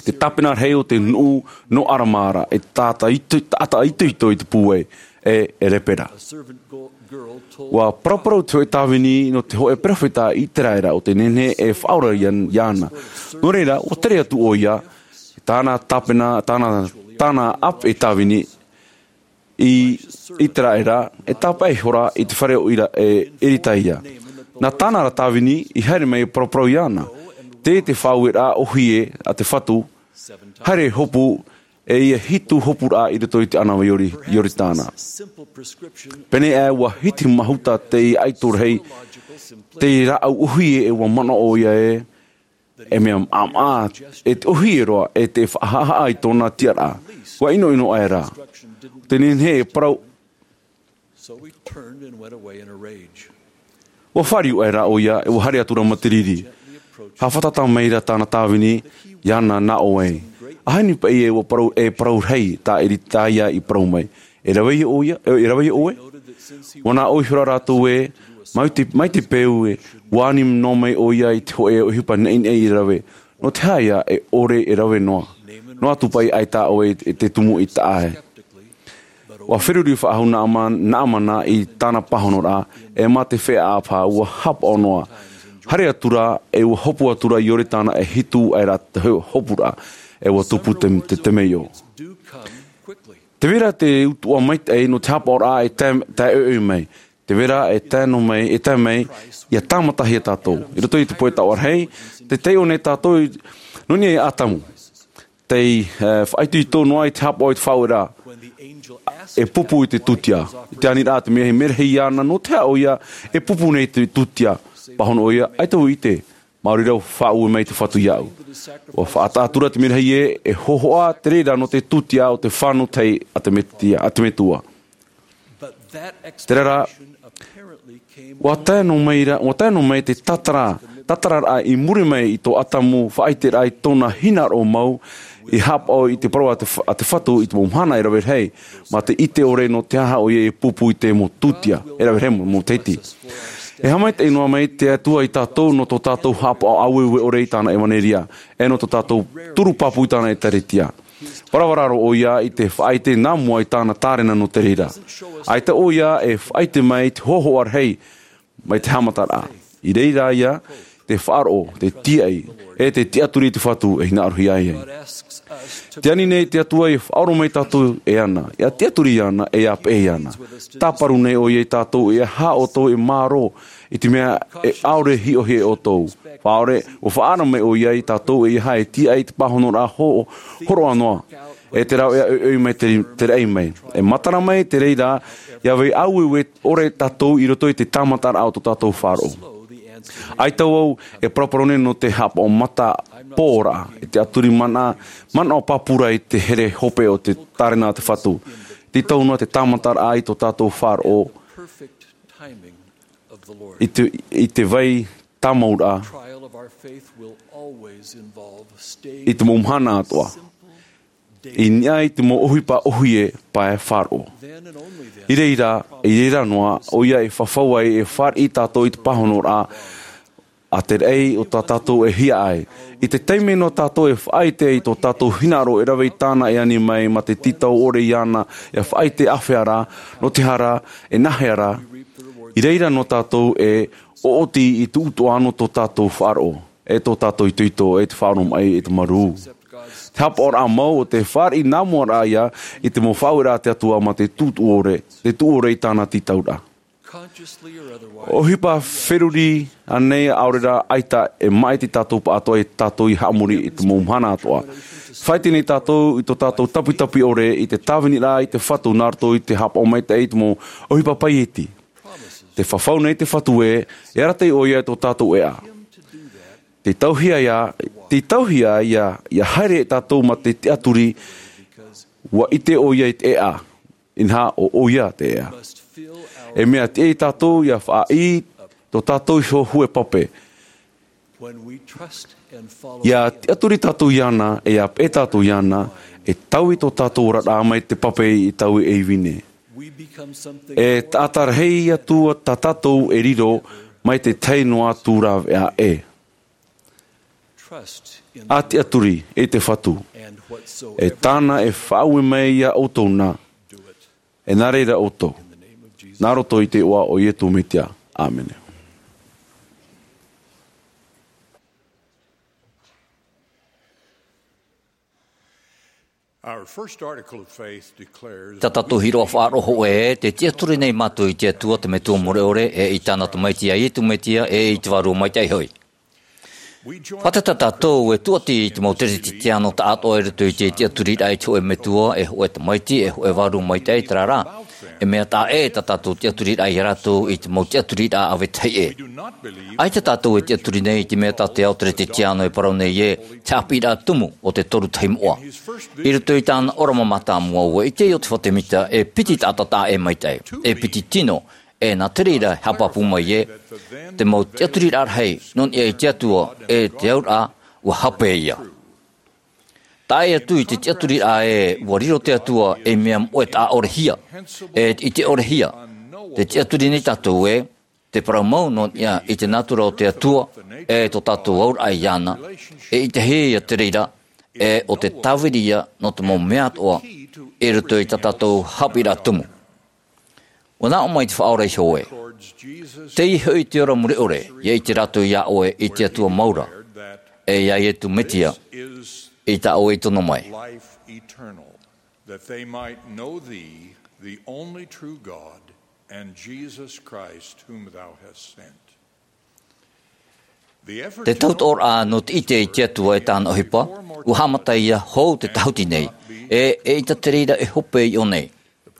te tāpena rahi o te nuʻu nō Arama ra, e taʻata ito-, taʻata itoito i te pūai, e, e lepera. ʻUa paraparau te hōʻē tāvini nō te hōʻē peropheta Iteraera ʻo tē nehenehe e faʻaora ia, iāna. Nō reira, ʻua tere atu ʻoia, tāna tāpena, tāna, tāna ʻāpeʻe tāvini, i Iteraera, e tāpaʻo ihora i te fare o Ira-, e, Eritaia. Nā tāna ra tāvini i haere mai e paraparau iāna, tē te faʻaueraʻa ʻōhie a te Fatu, haere hopu, e ʻia hitu hopuraʻa i roto i te ʻānava Iori-, Ioritana. Pēnei aʻe ʻua hiti mahuta te ʻaito rahi, te rāʻau ʻōhie e ʻua manaʻo ʻoia ē, e mea maʻamaʻa, e te ʻōhie roa, e te faʻahaʻahaʻa i tōna tiʻaraʻa. ʻUa ʻinoʻino aʻera. Tē nehenehe e parau. ʻUa fāriu aʻera ʻoia, e ʻua haere atu ra ma te riri. Haʻafātata mai ra tāna tāvini, iāna nā ʻō ai. ʻAhani paʻi ē ʻua parau, e parau rahi tā Eritaia i parau mai. E rave ʻoia, e, e rave ʻoe? ʻUa nā ʻō ihora rātou ē, mai te, mai te peu ē, ʻua ani noa mai ʻoia i te hōʻē ʻohipa naʻinaʻi e rave. Nō te aha ïa e ʻore e rave noa? Noa atu paʻi ʻaita ʻoe e te tumu i taʻa ē. ʻUa feruri faʻahou Naama-, Naamana i tāna pāhonoraʻa, e mā te feiā paha ʻua haʻapaʻo noa. Haere atu ra, e ʻua hopu atu ra i Ioritana e hitu aʻera te hō-, hopuraʻa, e ʻua tupu te, te temeio. Tē vai ra te utuʻa maitaʻi nō te haʻapaʻoraʻa e tae, tae ʻoiʻoi mai. Tē vai ra e tae noa mai, e tae mai, ʻia tāmatahia tātou. I roto i te pohe taoʻa rahi, tē taiʻo nei tātou i, nō niʻa iā Atamu. Tei, e, faʻaitoito noa i te haʻapaʻo i te faʻaueraʻa. E pupu i te tūtia. I te aniraʻa te merahi, merahi iāna, nō te aha ʻoia, e pupu nei te tūtia. Pāhono ʻoia, ʻaita vau i ʻite. Maori rā ʻua faʻaue mai te Fatu iāʻu. ʻUa faʻataʻa atu ra te merahi ē, e hōhoʻa te reira nō te tūtia o te fānau tahi a te Metia, a te Metua. Terā rā, ʻua tae noa mai ra, ʻua tae noa mai te tātara, tātararaʻa i muri mai i tō Atamu faʻaʻiteraʻa i tōna hinaʻaro mau, i haʻapaʻo i te parau a te F-, a te Fatu i te mau mahana e rave rahi, mā te ʻite ʻore nō te aha ʻoia e pupu i te mau tūtia, e rave rahi mau, mau matahiti. E haʻamaitaʻi noa mai te Atua iā tātou nō tō tātou haʻapaʻo āueue ʻore i tāna ʻevaneria, e nō tō tātou turu pāpū i tāna ʻĒtārētia. Paravara roa ʻoia i te faʻaʻite nā mua i tāna tārena nō te reira. ʻAita ʻoia e faʻaʻite mai i te hōhoʻa rahi mai te haʻamataraʻa. I reira ia te faʻaroʻo, te tīaʻi, e te tiʻaturi i te Fatu e hinaʻarohia ai. Te ani nei te Atua ia faʻaroʻo mai tātou e ana, ia tiʻaturi ana, e ia peʻe ana. Tāparu nei ʻoia ia tātou e aha ʻoutou e mārō i te mea e ʻaore hiʻohia e ʻoutou. Faʻaʻore, ʻua faʻaara mai ʻoia ia tātou e aha e tīaʻi i te pāhonoraʻa hō-, hōroʻa noa. E te rāveʻa ʻoiʻoi mai te, te raʻi mai. E matara mai te reira, ia vai aueue ʻore tātou i roto i te tāmataraʻa o tō tātou faʻaroʻo. ʻAita vau e paraparau nei nō te haʻapaʻo matapōraʻa, e te tiʻaturi mana, manaʻo pāpū ra i te here hope o te tārena a te Fatu. Tītau noa te tāmataraʻa i tō tātou faʻaroʻo, i te, i te vai tāmauraʻa, i te mau mahana atoʻa. I niʻa i te mau ʻohipa ʻōhie pae faʻaroʻo. I reira, i reira noa, ʻoia e fafau ai e fāriʻi tātou i te pāhonoraʻa a te raʻi o tā tātou e hiaʻai. I te taime noa tātou e faʻaʻite i tō tātou hinaʻaro e rave i tāna e ani mai mā te tītau ʻore iāna, e faʻaʻite āfea rā, nō te aha rā, e nāhea rā, i reira noa tātou e ʻoʻoti i te utuʻa nō tō tātou faʻaroʻo, e tō tātou itoito, e te faʻaroʻo maʻi, e te marū. Te haʻapaʻoraʻa mau o te fāriʻi nā mua ra ia i te mau faʻaueraʻa a te Atua mā te tuʻu ʻore, te tuʻu ʻore i tāna tītauraʻa. ʻOhipa feruri ānei ʻaore rā ʻaita, e maʻiti tātou pāʻatoʻa i tātou i haʻamori i te mau mahana atoʻa. Faʻaʻite nei tātou i tō tātou tapitapi ʻore i te tāviniraʻa i te Fatu nā roto i te haʻapaʻo maitaʻi i te mau ʻohipa paieti. Te fafau nei te Fatu ē, e arataʻi ʻoia i tō tātou ʻēʻa. Te tauhia ia, te tauhia ia, ia haere e tātou mā te tiʻaturi, ʻua ʻite ʻoia i te ʻēʻa, inaha ʻo ʻoia te ʻēʻa. E mea tiʻa ia tātou ia faʻaʻī tō tātou iho hue pape. Ia tiʻaturi tātou iāna, e ia peʻe tātou iāna, e taui tō tātou oraraʻa mai te pape i taui ei vine. E taʻata rahi atu tā tātou e riro mai te tahi noa atu rāveʻa ē. A tiʻaturi i te Fatu. E tāna e faʻaue mai ia ʻoutou na. E nā reira ʻoutou. Nā roto i te iʻoa o Ietu Metia. ʻĀmene. Our first article of faith declares Tā tātou hiroʻa faʻaroʻo hōʻē, te tiʻaturi nei mātou i te Atua te Metua mure ʻore, e i tāna Tamaiti a Ietu Metia, e i te Vārua Maitaʻi hoʻi. Fātata tātou e tūʻati i te mau teretetiano taʻatoʻa i roto i te tiʻaturiraʻa i te hōʻē Metua, e hōʻē Tamaiti, e hōʻē Vārua Maitaʻi, terā rā, e mea taʻa ʻē tā tātou tiʻaturiraʻa ia rātou i te mau tiʻaturiraʻa a vetahi ʻē. ʻAita tātou e tiʻaturi nei i te mea tā te ao teretetiano e parau nei ē, te haʻapiʻiraʻa tumu o te Toru Tahi Moʻa. I roto i tāna ʻōrama mātāmua, ʻua ʻite Iosepha Semita e piti taʻata taʻa ʻē maitaʻi, e piti tino, e nā te reira e haʻapāpū mai ē, te mau tiʻaturiraʻa rahi nō niʻa i te Atua, e te auraʻa, ʻua hape ia. Tae atu i te tiʻaturiraʻa ē, ʻua riro te Atua ei mea moʻe taʻa ʻore hia, e te ʻite ʻore hia. Te tiʻaturi nei tātou ē, te parau mau nō niʻa i te nātura o te Atua, e tō tātou auraʻa iāna, e ʻitehia ia te reira, e ʻo te tāviri ia nō te mau mea atoʻa, i roto i tā tātou haʻapiʻiraʻa tumu. ʻUa nā ʻō mai te Faʻaora iho ē. Teie hoʻi te ora mure ʻore, ʻia ʻite rātou iā ʻoe i te Atua mau ra, e iā Ietu Metia, i tā ʻoe i tono mai. Life eternal, that they might know thee, the only true God, and Jesus Christ, whom thou hast sent. Te tautoʻoraʻa nō te ʻite i te Atua e tāna ʻohipa, ʻua haʻamata ia hou te tahuti nei, e, eʻita te reira e hope i ʻō nei.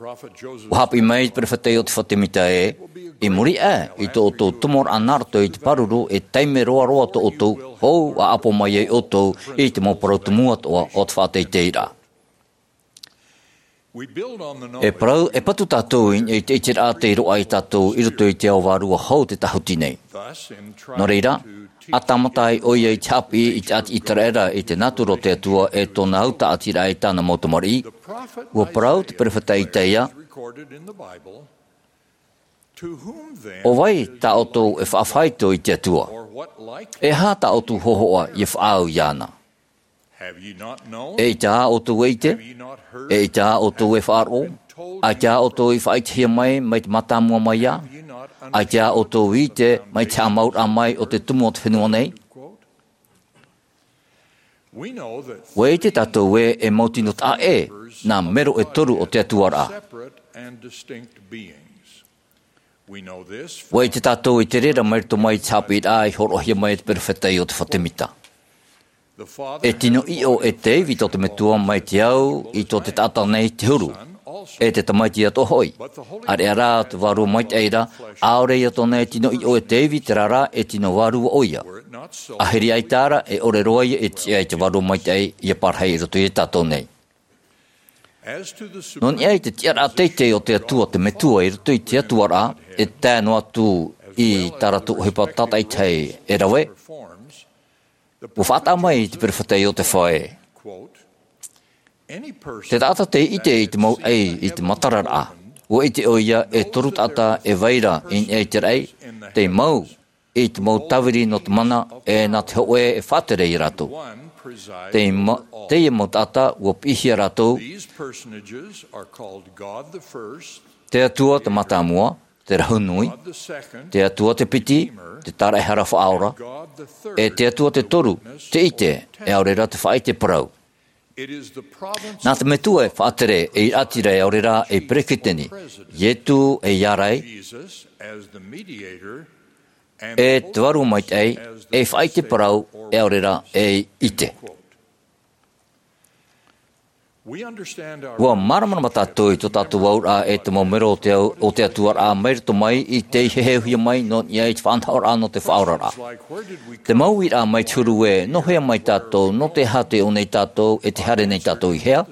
ʻUa haʻapiʻi mai te perofeta Iosepha Semita ē, i muri aʻe i tō ʻoutou tomoraʻa nā roto i te pāruru e taime roaroa tō ʻoutou, hou ʻa ʻapo mai ai ʻoutou i te mau parau tumu atoʻa o te faʻateiteiraʻa. E parau, e patu tātou i, i te ʻiteraʻa tei roaʻa ia tātou i roto i te ao vārua hou te tahuti nei. Nō reira, ʻa tāmata ai ʻoia i te haʻapiʻi i te ʻāti ʻĪteraʻera i te nātura o te Atua e tōna au tāʻatiraʻa i tāna mau tamariʻi, ʻua parau te perofeta Isaia, ʻo vai tā ʻoutou e faʻafaito i te Atua? E aha tā ʻoutou hōhoʻa ʻia faʻaau iāna? E ʻaita ā ʻoutou e ʻite? E ʻaita ā ʻoutou e faʻaroʻo? ʻAita ā ʻoutou i faʻaʻitehia mai, mai te mātāmua mai ā? ʻAita ā ʻoutou i ʻite mai te haʻamauraʻa mai o te tumu o te fenua nei? ʻUa ʻite tātou ē, e mau tino taʻa ʻē nā mero e toru o te Atua ra. ʻUa ʻite tātou i te reira mai roto mai i te haʻapiʻiraʻa i hōroʻahia mai e te perofeta Iotefa Temita. E tino ʻiʻo e Tēvita o te Metua mai te au i tō te taʻata nei te huru, e te tamaiti atoʻa hoʻi. ʻĀreʻa rā te Vārua Maitaʻi ra, ʻaore ia tōna e tino ʻiʻo e Tēvita, terā rā, e tino vārua ʻoia. ʻAhiri ʻaita ra, e ʻore roa ia e tiʻa i te Vārua Maitaʻi ʻia parahi i roto ia tātou nei. Nō niʻa i te tiʻaraʻa teitei o te Atua, te Metua i roto i te Atua ra, e tae noa atu i tā rātou ʻohipa tātaʻitahi e rave, ʻua faʻataʻa mai i te perofeta Iotefa ē, te taʻata tei ʻite i te mau raʻi i te matararaʻa, ʻua ʻite ʻoia e toru taʻata e vai ra i niʻa i te raʻi, tei mau i te mau tāviri nō te mana, e nā te hōʻē e faʻatere ia rātou. Tei ma-, teie mau taʻata ʻua piʻihia rātou, te Atua te mātāmua, te rahu nui, te Atua te piti, te tāraʻehara faʻaora, e te Atua te toru, te ʻite, e ʻaore rā te faʻaʻite parau. Nā te Metua e faʻatere, e ʻīrātira, e ʻaore rā e peresideni, Ietu e i ārai, e te Vārua Maitaʻi, e faʻaʻite parau, e ʻaore rā e ʻite. ʻUa māramarama tātou i tō tātou auraʻa e te mau mero o te au-, o te Atua ra mai roto mai i tei heheuhia mai nō niʻa i te faʻanahoraʻa nō te faʻaoraraʻa. Te mau uiraʻa mai te huru ē, nō hea mai tātou, nō te aha tei ʻō nei tātou, e tei haere nei tātou i hea?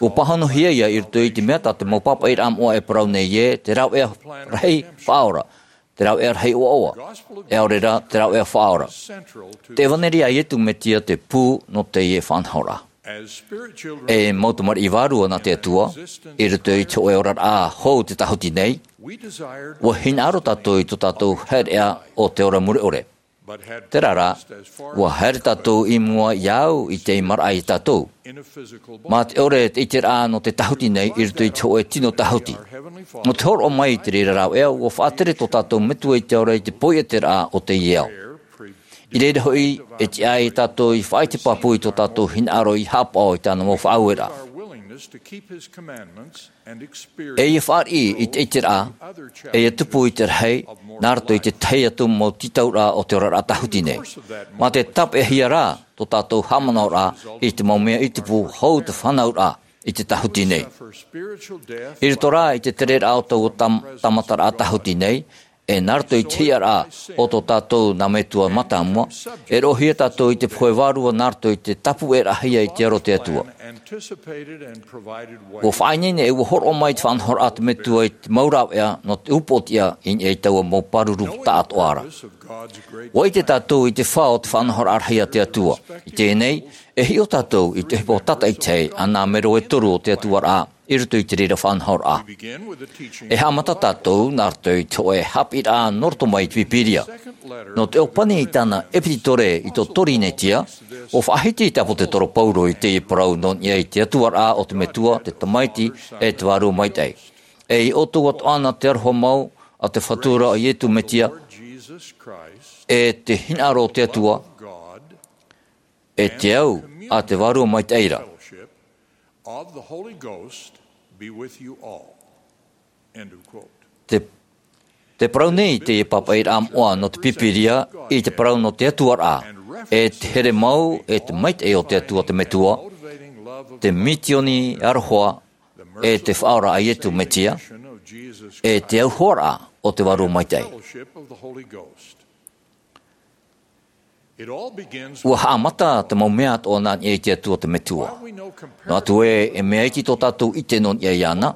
ʻUa pāhonohia ia i roto i te mea tā te mau pāpaʻiraʻa moʻa e parau nei ē, te rāveʻa rahi faʻaora, te rāveʻa rahi ʻoaʻoa, e ʻaore rā te rāveʻa faʻaora. Te ʻevaneria a Ietu Metia te pū nō teie faʻanahoraʻa. E mau tamariʻi vārua nā te Atua, i roto i te hōʻē oraraʻa hou te tāhuti nei, ʻua hinaʻaro tātou i tō tātou haereʻa o te ora mure ʻore. Terā rā, ʻua haere tātou i mua iāʻu i te ʻimaraʻa ia tātou. Mā te ʻore te ʻiteraʻa nō te tāhuti nei i roto i te hōʻē tino tāhuti. Nō te hōroʻa mai i te reira rāveʻa, ʻua faʻatere tō tātou Metua i te Ao ra i te poiʻeteraʻa o teie ao. I reira hoʻi, e tiʻa ia tātou i faʻaʻite pāpū i tō tātou hinaʻaro i haʻapaʻo i tāna mau faʻaueraʻa. E ia fāriʻi i te ʻiteraʻa, e ia tupu i te rahi, nā roto i te tahi atu mau tītauraʻa o te oraraʻa tāhuti nei. Mā te tāpeʻahia rā tō tātou haʻamanaʻoraʻa i te mau mea i tupu hou te fānauraʻa i te tāhuti nei. I roto rā i te tereraʻa o taua tam-, tāmataraʻa tāhuti nei, e nā roto i te hiʻaraʻa o tō tātou nā Metua mātāmua, e roʻohia tātou i te pohe vārua nā roto i te tāpuʻeraʻahia i te aro o te Atua. ʻUa faʻaineine e ʻua hōroʻa mai te faʻanahoraʻa a te Metua i te mau rāveʻa nō te upoʻotiʻa i niʻa i taua mau pāruru taʻatoʻa ra. ʻUa ʻite tātou i te fā o te faʻanahoraʻa rahi a te Atua. I teie nei, e hiʻo tātou i te ʻohipa tātaʻitahi a nā mero e toru o te Atua ra, i roto i te reira faʻanahoraʻa. E haʻamata tātou nā roto i te hōʻē haʻapiʻiraʻa nō roto mai i te Pīpīria. Nō te ʻōpani i tāna ʻepititore i tō Torinetia, ʻua faʻahiti te ʻāpōsetolo Paulo i teie parau nō niʻa i te Atua ra o te Metua, te Tamaiti, e te Vārua Maitaʻi. E ia ʻoutou atoʻa na te aroha mau a te Fatu ra ʻo Ietu Metia, e te hinaʻaro o te Atua, e te au a te Vārua Maitaʻi ra. Te, te parau nei i teie pāpaʻiraʻa moʻa nō te Pīpīria, i te parau nō te Atua ra, e te here mau, e te maitaʻi o te Atua te Metua, te mitioni aroha, e te Faʻaora a Ietu Metia, e te auhoaraʻa o te Vārua Maitaʻi. ʻUa haʻamata te mau mea atoʻa nā niʻa i te Atua te Metua. Noa atu ē, e mea iti tō tātou ʻite nō niʻa iāna,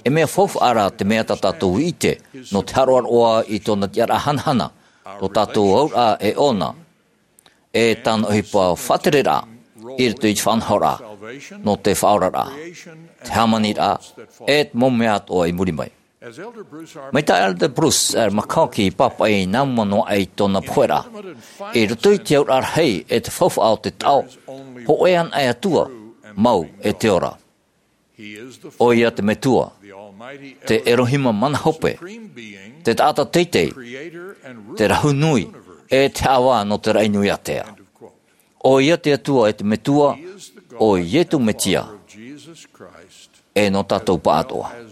e mea faufaʻa ra te mea tā tātou i ʻite, nō te haroʻaroʻa i tōna tiʻaraʻa hanahana, tō tātou auraʻa e ʻōna, e tāna ʻohipa faʻatereraʻa, i roto i te faʻanahoraʻa, nō te faʻaoraraʻa, te hāmaniraʻa, e te mau mea atoʻa i muri mai. Mai tā Elder Bruce McConkie i pāpaʻi i nā mua noa aʻe i tōna poheraʻa, i roto i te auraʻa rahi e te faufaʻa o te taʻo, hōʻē anaʻe atua mau e te ora. ʻO ia te Metua, te Elohima mana hope, te taʻata teitei, te rahu nui, e te haʻavā nō te raʻi nui ātea. ʻO ia te Atua e te Metua, ʻo Ietu Metia, e nō tātou pāʻatoʻa.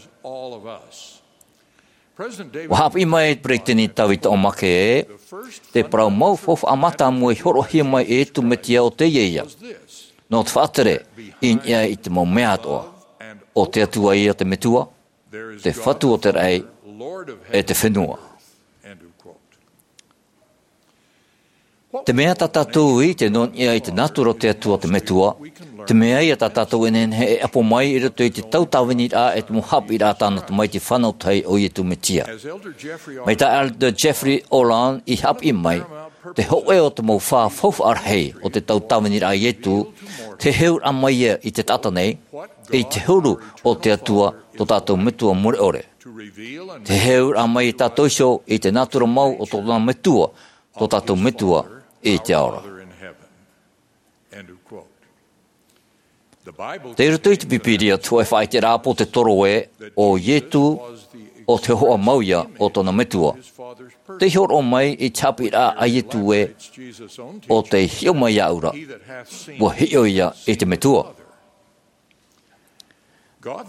ʻUa haʻapiʻi mai e te Peretiteni Tavita O. McKay ē, te parau mau faufaʻa mātāmua i hōroʻahia mai e Ietu Metia ʻo teie ïa. Nō te faʻatere i niʻa i te mau mea atoʻa, ʻo te Atua ïa te Metua, te Fatu o te raʻi, e te fenua. Te mea tā tātou i ʻite nō niʻa i te nātura o te Atua te Metua, te mea ïa tā tātou e nehenehe e ʻapo mai i roto i te tautāviniraʻa e te mau haʻapiʻiraʻa a tāna Tamaiti fānau tahi ʻo Ietu Metia. Mai tā Elder Jeffrey Holland i haʻapiʻi mai, te hōʻē o te mau fā faufaʻa rahi o te tautāviniraʻa a Ietu, te heheuraʻa mai ïa i te taʻata nei, i te huru o te Atua tō tātou Metua mure ʻore. Te heheuraʻa mai ia tātou iho i te nātura mau o tōna Metua, tō tātou Metua i te ao ra. Tei roto i te Pīpīria te hōʻē faʻaʻiteraʻa pōtetoro ē, ʻo Ietu, ʻo te hōhoʻa mau ïa o tōna Metua. Tei hōroʻa mai i te haʻapiʻiraʻa a Ietu ē, ʻo tei hiʻo mai iāʻu ra, ʻua hiʻo ïa i te Metua.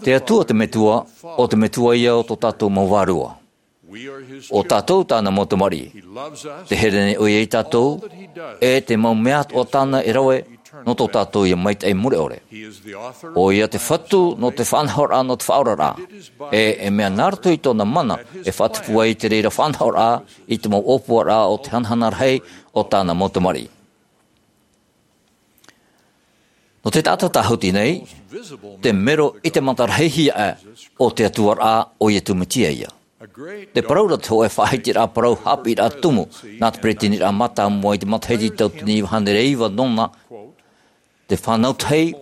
Te Atua te Metua, ʻo te Metua ïa o tō tātou mau vārua. ʻO tātou tāna mau tamariʻi. Tē here nei ʻoia ia tātou, e te mau mea atoʻa tāna e rave, nō tō tātou ïa maitaʻi mure ʻore. ʻO ia te Fatu nō te faʻanahoraʻa nō te faʻaoraraʻa. E, e mea nā roto i tōna mana, e faʻatupu ai te reira faʻanahoraʻa, i te mau ʻōpuaraʻa o te hanahana rahi, o tāna mau tamariʻi. Nō te taʻata tāhuti nei, te mero ʻite mata rahi hia aʻe o te Atua ra ʻo Ietu Metia ïa. Te parau ra te hōʻē faʻaʻiteraʻa parau haʻapiʻiraʻa tumu, nā te Peresideniraʻa Mātāmua i te matahiti tauatini iva hānere iva nōna, te fānau tahi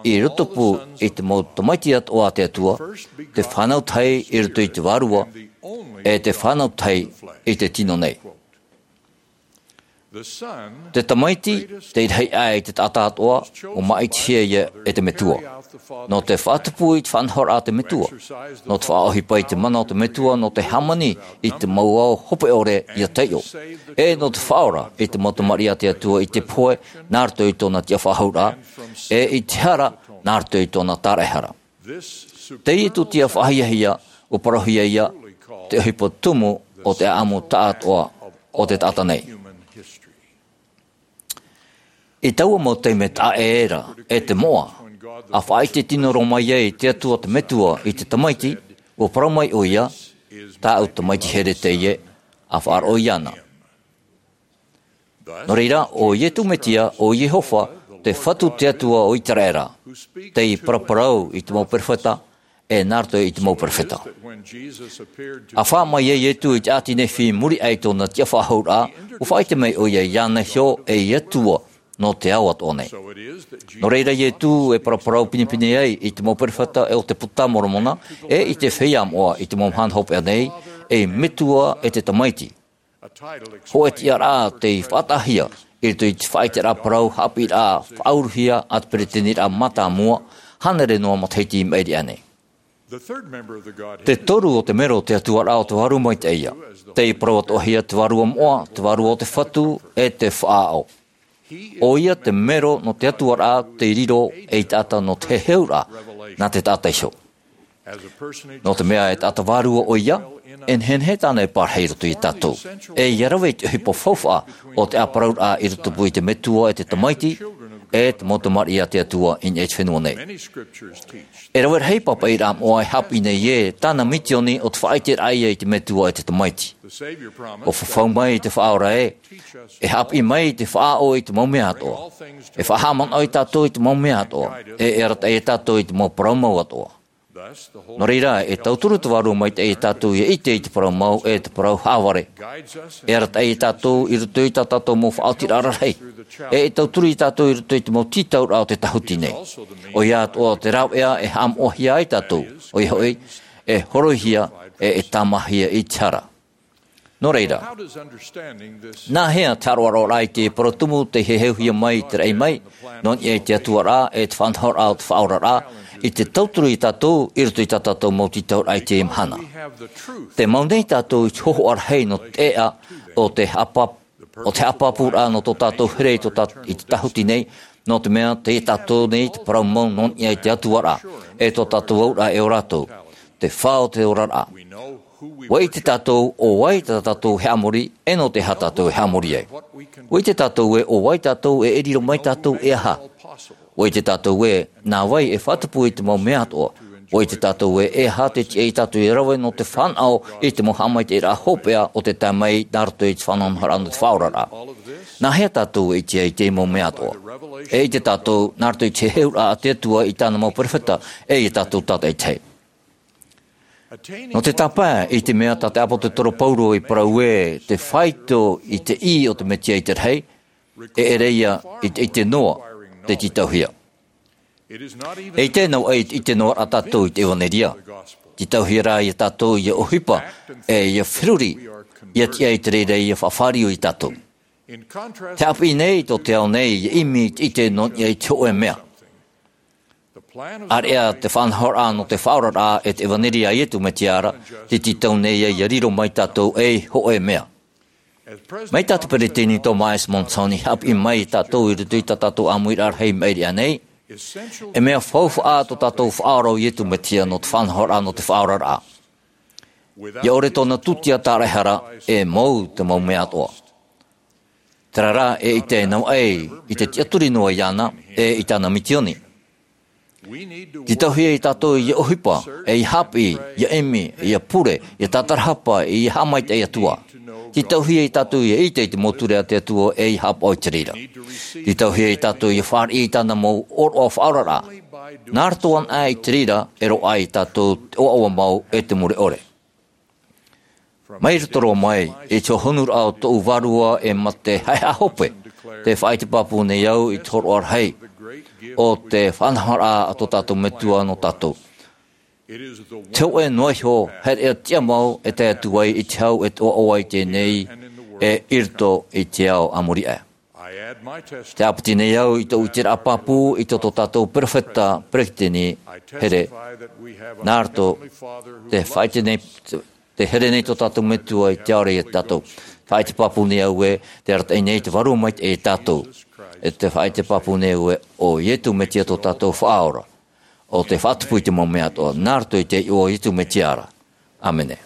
i roto pū i te mau tamaiti atoʻa a te Atua, te fānau tahi i roto i te Vārua, e te fānau tahi i te tino nei. Te Tamaiti, tei rahi aʻe i te taʻata atoʻa, ʻua māʻitihia ïa e te Metua. Nō te faʻatupu i te faʻanahoraʻa a te Metua. Nō te faʻaʻohipa i te mana o te Metua, nō te hāmani i te mau ao hope ʻore ʻia taiʻo. E nō te faʻaora i te mau tamariʻi a te Atua i te pohe, nā roto i tōna tiʻafaʻahouraʻa. E i te hara, nā roto i tōna tāraʻehara. Teie tūtia faʻahiahia, ʻua parauhia ïa, te ʻohipa tumu o te ʻāʻamu taʻatoʻa o te taʻata nei. I taua mau taime taʻa ʻē ra, e te moʻa, ʻa faʻaʻite tino roa mai ai te Atua te Metua i te Tamaiti, ʻua parau mai ʻoia, tāʻu Tamaiti here teie, ʻa faʻaroʻo iāna. Nō reira, ʻo Ietu Metia, ʻo Iehova, te Fatu te Atua o Iteraera, tei paraparau i te mau perofeta, e nā roto i te mau perofeta. ʻA fā mai ai Ietu i te ʻāti Nephi i muri aʻe i tōna tiʻafaʻahouraʻa, ʻua faʻaʻite mai ʻoia iāna iho ei Atua nō te ao atoʻa nei. Nō reira Ietu e paraparau pinepine ai i te mau perofeta e o te Puta a Moromona, e i te feiā moʻa i te mau mahana hopeʻa nei, ei Metua e te Tamaiti. Hōʻē tiʻaraʻa tei faʻataʻahia i roto i te faʻaʻiteraʻa parau haʻapiʻiraʻa faʻauruhia a te Peresideniraʻa Mātāmua, hānere noa matahiti i maʻiri aʻe nei. Te toru o te mero o te Atua ra ʻo te Vārua Maitaʻi ïa. Tei parau atoʻahia te Vārua Moʻa, te Vārua o te Fatu, e te Faʻaʻo. ʻOia te mero nō te Atua ra tei riro ei taʻata nō te heheuraʻa, nā te taʻata iho. Nō te mea e taʻata vārua ʻoia, e nehenehe tāna e pārahi i roto ia tātou. E ʻia rave i te ʻohipa faufaʻa o te ʻāparauraʻa i roto pū i te Metua e te Tamaiti, e te mau tamariʻi a te Atua i niʻa i te fenua nei. E rave rahi pāpaʻiraʻa moʻa e haʻapiʻi nei ē tāna misioni ʻo te faʻaʻiteraʻa ïa i te Metua e te Tamaiti. ʻUa fafau mai te Faʻaora ē, e haʻapiʻi mai te Faʻaʻo i te mau mea atoʻa. E faʻahaʻamanaʻo ia tātou i te mau mea atoʻa. E, e arataʻi ia tātou i te mau parau mau atoʻa. Nō reira, e tauturu te Vārua Maitaʻi ia tātou ʻia ʻite i te parau mau, e te parau haʻavare. E arataʻi ia tātou i roto i tā tātou mau faʻaotiraʻa rahi. E, e tauturu ia tātou i roto i te mau tītauraʻa o te tāhuti nei. ʻOia atoʻa te rāveʻa e haʻamoʻahia ai tātou. ʻOia hoʻi, e horoihia, e, e tāmāhia i te hara. Nō reira, nā hea te haroʻaroʻa i te parau tumu tei heheuhia mai i te raʻi mai, nō niʻa i te Atua ra, e te faʻanahoraʻa o te Faʻaora ra, i te tauturu ia tātou, i roto i tā tātou mau tītauraʻa i teie mahana. Tē mau nei tātou i te hōhoʻa rahi nō te ʻēʻa, o te haʻapāpū, o te haʻapāpūraʻa nō tō tātou here i tō tā-, i te tāhuti nei, nō te mea, tei ia tātou nei te parau mau nō niʻa i te Atua ra, e tō tātou auraʻa e ō rātou, te fā o te oraraʻa. ʻUa ʻite tātou ʻo vai tā tātou e haʻamori, e nō te aha tātou e haʻamori ai. ʻUa ʻite tātou ē ʻo vai tātou e, e riro mai tātou e aha. ʻUa ʻite tātou ē nā vai e faʻatupu i te mau mea atoʻa. ʻUa ʻite tātou ē e aha te tiʻa ia tātou e rave nō te fānaʻo i te mau haʻamaitaʻiraʻa hopeʻa o te tae mai nā roto i te faʻanahoraʻa nō te Faʻaora ra. Nā hea tātou e ʻite ai i te mau mea atoʻa? E ʻite tātou nā roto i te heheuraʻa a te Atua i tāna mau perofeta, e ia tātou tātaʻitahi. Nō te tāpae i te mea tā te ʻāpōsetolo Paulo i parau ē te faito i te ʻī o te Mesia i te rahi, e ʻere ia i te, i te noa, te tītauhia. E ʻite noa ai i te noa ra tātou i te ʻevanelia. Tītauhia rā ia tātou ia ʻohipa, e ia feruri, ia tiʻa i te reira ia faʻafāriu ia tātou. Te haʻapiʻi nei tō te ao nei, ia ʻimi i te ʻite nō niʻa i te hōʻē mea. ʻAreʻa te faʻanahoraʻa nō te Faʻaora ra e te ʻevanelia a Iesu Mesia ra, te tītau nei ia, ia riro mai tātou ei hōʻē mea. Mai tā te peresideni Thomas S. Monson i haʻapiʻi mai ia tātou i roto i tā tātou ʻāmuiraʻa rahi maʻiri aʻe nei, e mea faufaʻa tō tātou faʻaora o Iesu Mesia nō te faʻanahoraʻa nō te Faʻaora ra. ʻIa ʻore tōna tūtia tāraehara, e mau te mau mea atoʻa. Terā rā e ʻite ai noa ai i te tiʻaturi noa iāna, e i tāna misioni. Tītauhia ia tātou ia ʻohipa, e ia haʻapiʻi, ia ʻimi, ia pure, ia tātarahapa, ia haʻamaitaʻi atu ā. Tītauhia ia tātou ia ʻite i te mau ture a te Atua, e ia haʻapaʻo i te reira. Tītauhia ia tātou ia fāriʻi i tāna mau ʻōroʻa faʻaoraraʻa. Nā roto anaʻe i te reira, e roaʻa ai ia tātou te ʻoaʻoa mau e te mure ʻore. Mai roto roa mai i te hōhonuraʻa o tōʻu vārua e mate haʻehaʻa hope, tē faʻaʻite pāpū nei au i te hōroʻa rahi o te faʻanahoraʻa a tō tātou Metua nō tātou. Te hōʻē noa iho, haere ʻia tiʻa mau e tae atu ai i te hau e te ʻoaʻoa i teie nei, e i roto i te ao a muri aʻe. Tē ʻāpiti nei au i tōʻu ʻiteraʻa pāpū i tō, tō tātou perofeta, peresideni, here, nā roto, tē faʻaʻite nei, tē here nei tō tātou Metua i te ao ra ia tātou. Faʻaʻite pāpū nei au ē, tē arataʻi nei te Vārua Maitaʻi ia tātou. E tē faʻaʻite pāpū nei au ē, ʻo Iesu Mesia tō tātou Faʻaora. ʻO tē faʻatupu i te mau mea atoʻa, nā roto i te iʻoa o Iesu Mesia ra. ʻĀmene.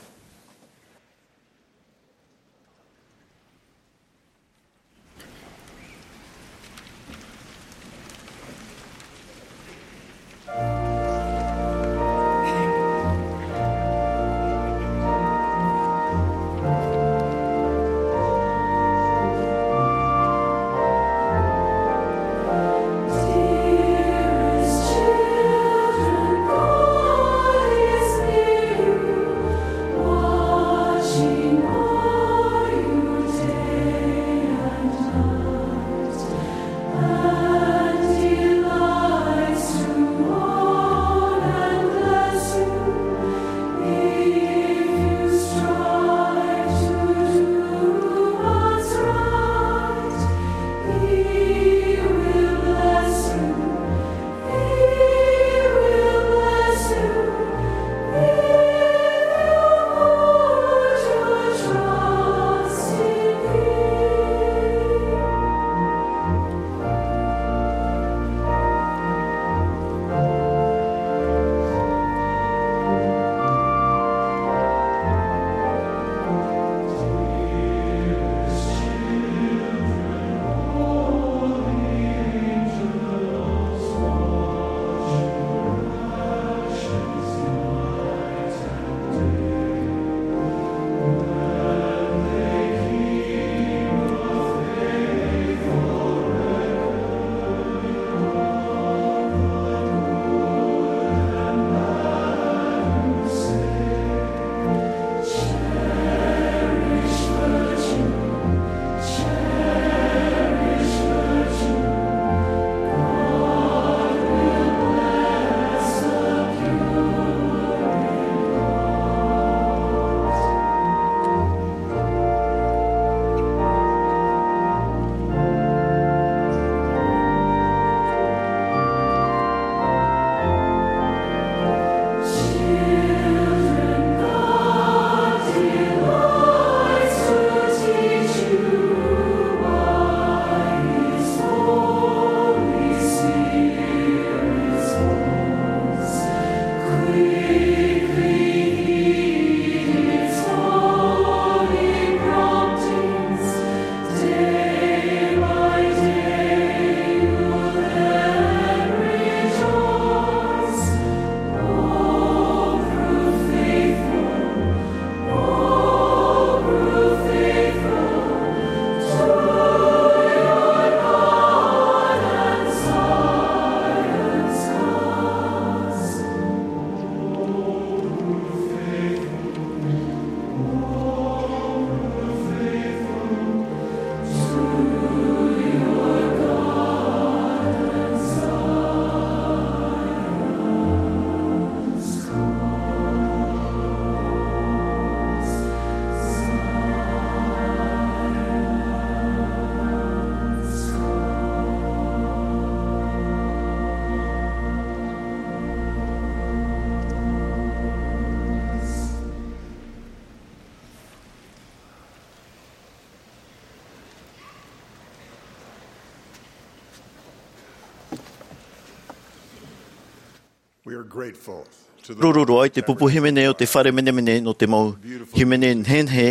Ruru roa i te pupu hīmene o te fare menemene nō te mau hīmene nehenehe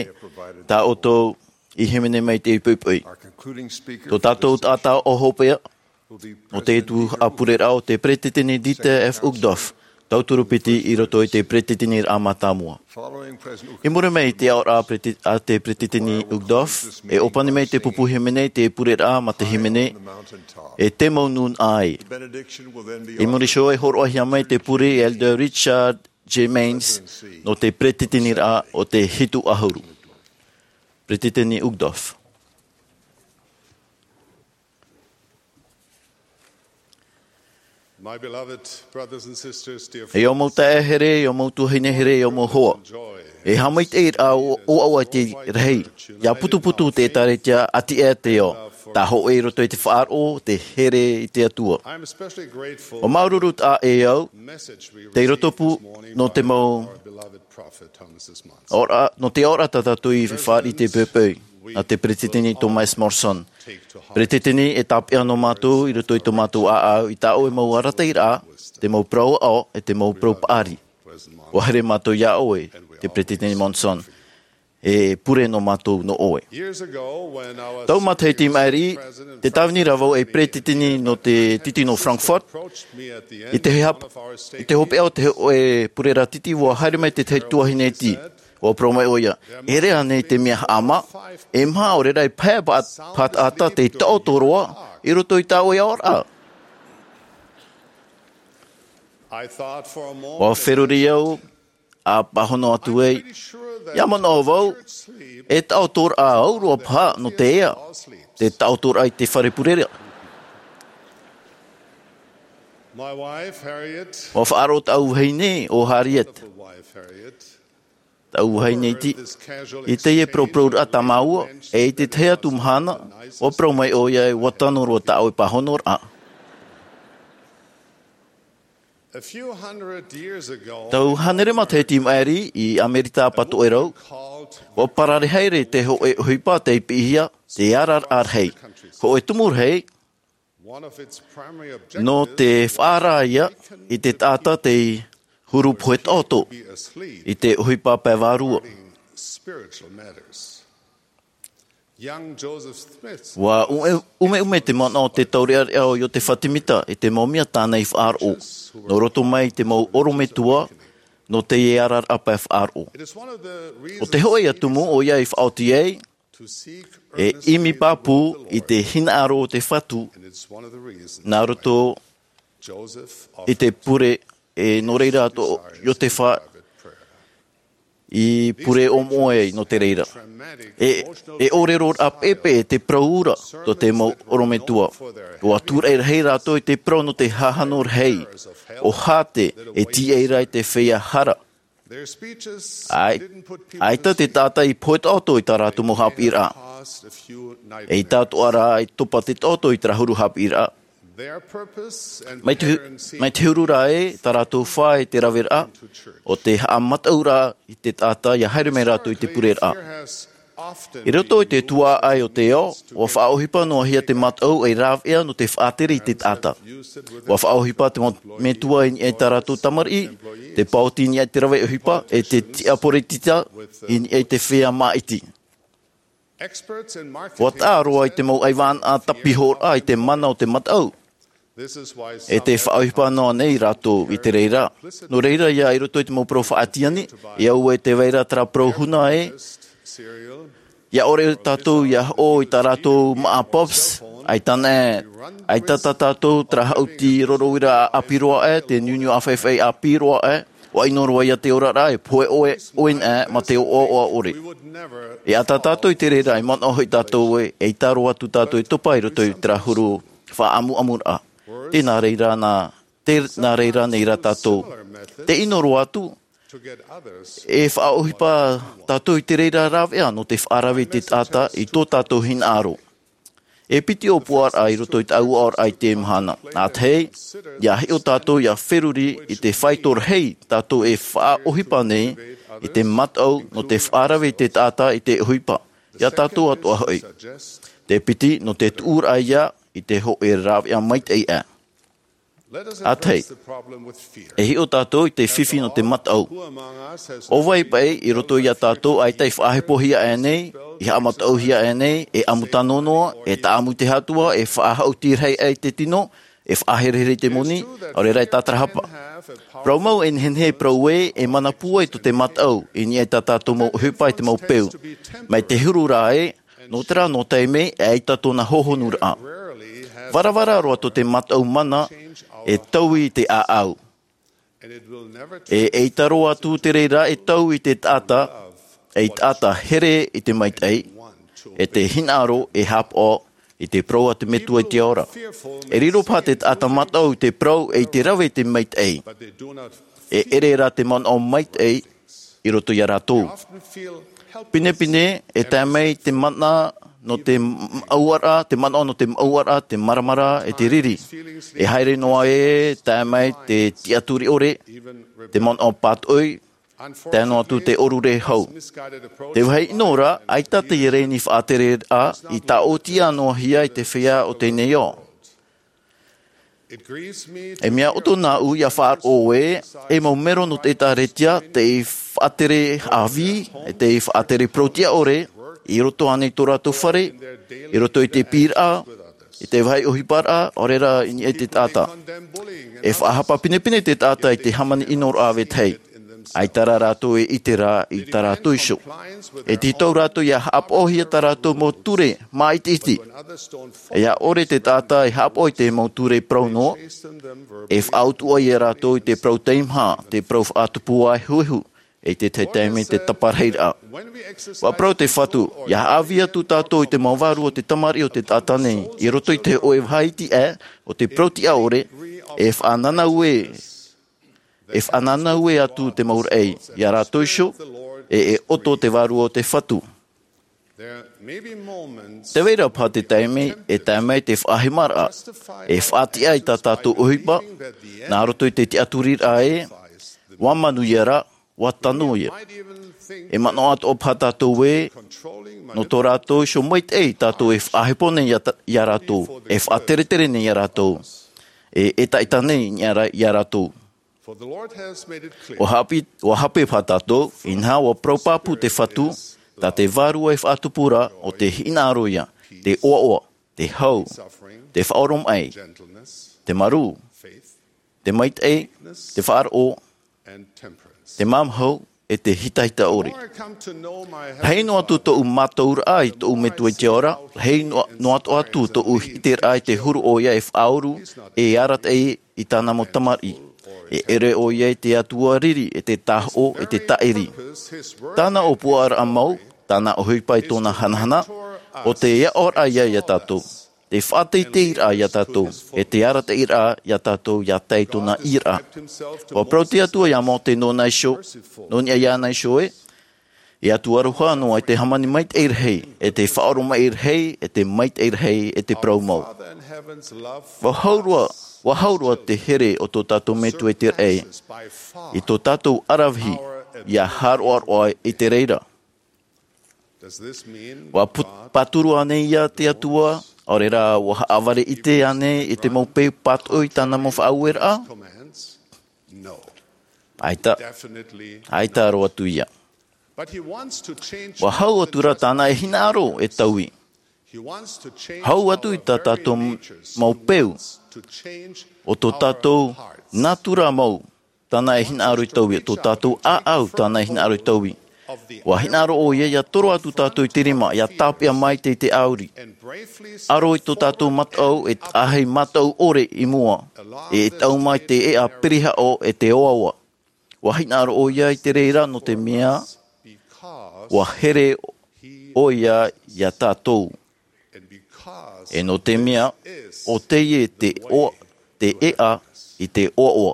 tā ʻoutou i hīmene mai te poʻipoʻi. Tō tātou taʻata ʻohipa nō te tuhaʻa pureraʻa o te Peretiteni Dieter F. Uchtdorf, tauturu piti i roto i te Peretiteniraʻa Mātāmua. I muri mai i te aʻoraʻa a te Peretiteni Uchtdorf, e ʻōpani mai te pupu hīmene i te pureraʻa mā te hīmene e te mau nūnaʻa. I muri iho e hōroʻahia mai te pure e Elder Richard J. Maynes nō te Peretiteniraʻa o te Hitu ʻAhuru. Peretiteni Uchtdorf. E ʻo mau taeaʻe here, e ʻo mau tuahine here, e ʻo mau hoa. E haʻamaitaʻi ra ʻo ʻoaʻoa i te rahi. ʻIa putuputu te ʻēkālesia ʻati ʻē te ao. Tē hoʻi i roto i te faʻaroʻo, te here i te Atua. ʻUa māuruuru taʻa ʻē au, tei roto pū nō te mau ʻaoraʻa, nō te aʻoraʻa tā tātou i fāriʻi i te poʻipoʻi, nā te Peretiteni Thomas Monson. Peretiteni, e tāpeʻa nō mātou i roto i tō mātou ʻāʻau i tā ʻoe mau arataʻiraʻa, te mau parau aʻo, e te mau parau paʻari. ʻUa haere mātou iā ʻoe, te Peretiteni Monson. E pure nō mātou nō ʻoe. Tau matahiti i maʻiri, tē tāvini ra vau ei peretiteni nō te titi nō Frankfurt. I te hap-, i te hopeʻa o te hōʻē pureraʻa titi, ʻua haere mai te tahi tuahine iti. ʻUa parau mai ʻoia, e ʻere ānei te mea haʻamā? E maha ʻaore rā e pae pa-, pātaʻata tei taʻoto roa i roto i tā ʻoe aʻoraʻa. ʻUa feruri au, ʻa pāhono atu ai. ʻIa manaʻo vau, e taʻotoraʻa au roa paha nō te ea, te taʻotoraʻa i te fare pureraʻa. ʻUa faʻaroʻo tāʻu vahine ʻo Harriet. Tāʻu vahine iti. I teie parauparauraʻa tā māua, e i te tahi atu mahana, ʻua parau mai ʻoia ē ʻua tano roa tā ʻoe pāhonoraʻa. Tau hānere matahiti i maʻiri i Amerika Patoʻerau, ʻua parare haere te hōʻē ʻohipa tei piʻihia, te araraʻa rahi. Hōʻē tumu rahi, nō te faʻaara ia i te taʻata tei huru pohe taʻoto i te ʻohipa pae vārua. ʻUa ʻume-, ʻumeʻume te manaʻo o te taureʻareʻa o Iotefa Temita i te mau mea tāna i faʻaroʻo, nō roto mai i te mau ʻorometua, nō teie araraʻa pae faʻaroʻo. ʻO te hōʻē ia tumu ʻoia i faʻaoti ai, e ʻimi pāpū i te hinaʻaro o te Fatu, nā roto i te pure, e nō reira tō Iotefa i pure ʻōmoʻe ai nō te reira. E, e ʻōreroraʻa peʻepeʻe te parau ra tō te mau ʻorometua. ʻUa tūraʻi rahi rātou i te parau nō te hahano rahi, ʻo Hāte, e tīaʻi ra i te feiā hara. ʻAi-, ʻaita te taʻata i pohe taʻoto i tā rātou mau haʻapiʻiraʻa. ʻEita atoʻa rā i topa te taʻoto i terā huru haʻapiʻiraʻa. Mai te hu-, mai te huru ra ē, tā rātou fā i te raveraʻa, ʻo te haʻamataʻuraʻa i te taʻata ʻia haere mai rātou i te pureraʻa. I roto i te tuaʻai o te ao, ʻua faʻaʻohipa noa hia te mataʻu ei rāveʻa nō te faʻatere i te taʻata. ʻUa faʻaʻohipa te mo-, metua i niʻa i tā rātou tamariʻi, te paoti i niʻa i te rave ʻohipa, e te tiʻa poritita i niʻa i te feiā māʻiti. ʻUa taʻa roa i te mau ʻaivānaʻa tāpihoraʻa i te mana o te mataʻu. E tē faʻaʻohipa noa nei rātou i te reira. Nō reira ia i roto i te mau parau faʻatiani, e au e tē vai ra terā parau huna ē, ʻia ʻore tātou ʻia hoʻo i tā rātou māʻa Pops, ʻaita nā, ʻaita tā tātou terā haʻuti roro uira ʻāpī roa ē, te niuniu ʻāfaifai ʻāpī roa ē, ʻua ʻino roa ia te oraraʻa, e pohe ʻoe, ʻoe nā, mā te ʻoaʻoa ʻore. E ʻata tātou i te reira, e manaʻo hoʻi tātou ē, ʻeita roa atu tātou e topa i roto i terā huru faʻaʻamuʻamuraʻa. Tē nā reira nā, tē nā reira nei rā tātou. Tē ʻino roa atu, e faʻaʻohipa tātou i te reira rāveʻa nō te faʻarave i te taʻata i tō tātou hinaʻaro. E piti ʻōpuaraʻa i roto i tāʻu aʻoraʻa i teie mahana. Nā te hei, ʻia hiʻo tātou ʻia feruri i te faito rahi tātou e faʻaʻohipa nei i te mataʻu nō te faʻarave i te taʻata i te ʻohipa, ia tātou atoʻa hoʻi. Te piti nō te tuʻuraʻa ia i te hōʻē rāveʻa maitaʻi aʻe. Ātahi, e hiʻo tātou i te fifi nō te mataʻu. ʻO vai paʻi i roto iā tātou ʻaita i faʻahepohia aʻe nei, i haʻamataʻuhia aʻe nei, e ʻamu tano noa, e taʻamu i te Atua, e faʻahaʻutiraʻa i te tino, e faʻaherehere i te moni, ʻaore rā e tātarahapa. Parau mau e nehenehe e parau ē, e mana pūai tō te mataʻu, i niʻa i tā tātou mau ʻohipa e te mau peu. Mai te huru rā ē, nō terā nō taime, e ʻaita tōna hohonuraʻa. Varavara roa tō te mataʻu mana, e taui i te ʻāʻau. E ʻaita roa atu te reira e taui i te taʻata, e taʻata here i te maitaʻi, e te hinaʻaro e haʻapaʻo i te parau a te Metua i te ao ra. E riro paha te taʻata mataʻu i te parau e i te rave i te maitaʻi. E ʻere rā te manaʻo maitaʻi i roto iā rātou. Pinepine, e tae mai te mana nō te maʻuaraʻa, te manaʻo nō te maʻuaraʻa, te maramara, e te riri. E haere noa ē, tae mai te tiʻaturi ʻore, te manaʻo pātoʻi, tae noa atu te ʻorure hau. Te vāhi ʻino ra, ʻaita te reni faʻatereraʻa i tāʻotiʻa noa hia i te feiā o teie nei ao. E mea ʻoto nāʻu ia faʻaroʻo ē, e mau mero nō te ʻĒtārētia, tei faʻatere ʻāvī, tei faʻatere parau-tiʻa-ʻore, i roto ānei tō rātou fare, i roto i te piʻiraʻa, i te vāhi ʻohiparaʻa, ʻaore rā i niʻa i te taʻata. E faʻahapa pinepine te taʻata i te hāmani ʻinoraʻa vetahi. ʻAita rā rātou e ʻite ra i tā rātou iho. E tītau rātou ia haʻapaʻohia tā rātou mau ture māʻitiʻiti. E ʻaore te taʻata e haʻapaʻo i te mau ture parau noa, e faʻautuʻa ia rātou i te parau teimaha, te parau faʻatupu ā e huehu, e te taime te taparahiraʻa. ʻUa parau te Fatu, ia haʻavī atu tātou i te mau vārua o te tamariʻi o te taʻata nei, i roto i te hōʻē vāhi iti aʻe, o te parau-tiʻa-ʻore, e faʻananau ē, e faʻananau ē atu te mau raʻi, ia rātou iho, e, e ʻoto te vārua o te Fatu. Te vai ra paha te taime, e tae mai te faʻahemaraʻa, e faʻatiʻa i tā tātou ʻohipa, nā roto i te tiʻaturiraʻa ē, ʻua manuia ra, ʻua tano ia. E manaʻo atoʻa paha tātou ē, nō tō rātou iho maitaʻi tātou e faʻahepo nei ia ta-, ia rātou, e faʻateretere nei ia rātou, e, e ʻetaʻeta nei ia rā-, ia rātou. ʻUa hape, ʻua hape paha tātou, inaha ʻua parau pāpū te Fatu, tā te vārua e faʻatupu ra, ʻo te hinaʻaro ia, te ʻoaʻoa, te hau, te faʻaoromaʻi, te marū, te maitaʻi, te faʻaroʻo, te māmāhau, e te hitahita ʻore. Rahi noa atu tōʻu mātauraʻa i tōʻu Metua i te ao ra, rahi noa, noa atu tōʻu ʻiteraʻa i te huru ʻoia e faʻauru, e arataʻi i tāna mau tamariʻi. E ʻere ʻoia i te Atua riri, e te tāhoʻo, e te tāʻiri. Tāna ʻōpuaraʻa mau, tāna ʻohipa i tōna hanahana, ʻo te aʻoraʻa ia ia tātou. Te faʻateiteiraʻa ia tātou, e te arataʻiraʻa ia tātou ia tae i tōna ʻīraʻa. ʻUa parau te Atua ia Mōte nōna iho, nō niʻa iāna iho ē, e Atua aroha noa, e te hāmani maitaʻi rahi, e te faʻaoromaʻi rahi, e te maitaʻi rahi, e te parau mau. ʻUa hau roa, ʻua hau roa te here o tō tātou Metua i te raʻi, i tō tātou aravihi, ia haroaroa i te reira. ʻUa put-, pāturu ānei ia te Atua, ʻaore rā ʻua haʻavare ʻite ānei i te mau peu pātoʻi i tāna mau faʻaueraʻa? ʻAita, ʻaita roa atu ia. ʻUa hau atu rā tāna e hinaʻaro e taui. Hau atu i tā tātou mau peu, ʻo tō tātou nātura mau, tāna e hinaʻaro i taui, tō tātou ʻāʻau, tāna e hinaʻaro i taui. ʻUa hinaʻaro ʻoia ia toro atu tātou i te rima, ia tāpeʻa maitaʻi i te ʻauri. ʻAro i tō tātou mataʻu, e tahi mataʻu ʻore i mua, e tau mai te ʻēʻa pirihaʻo e te oaoa. ʻUa hinaʻaro ʻoia i te reira nō te mea, ʻua here ʻoia ia tātou. E nō te mea, ʻo teie te oa-, te ʻēʻa i te oaoa.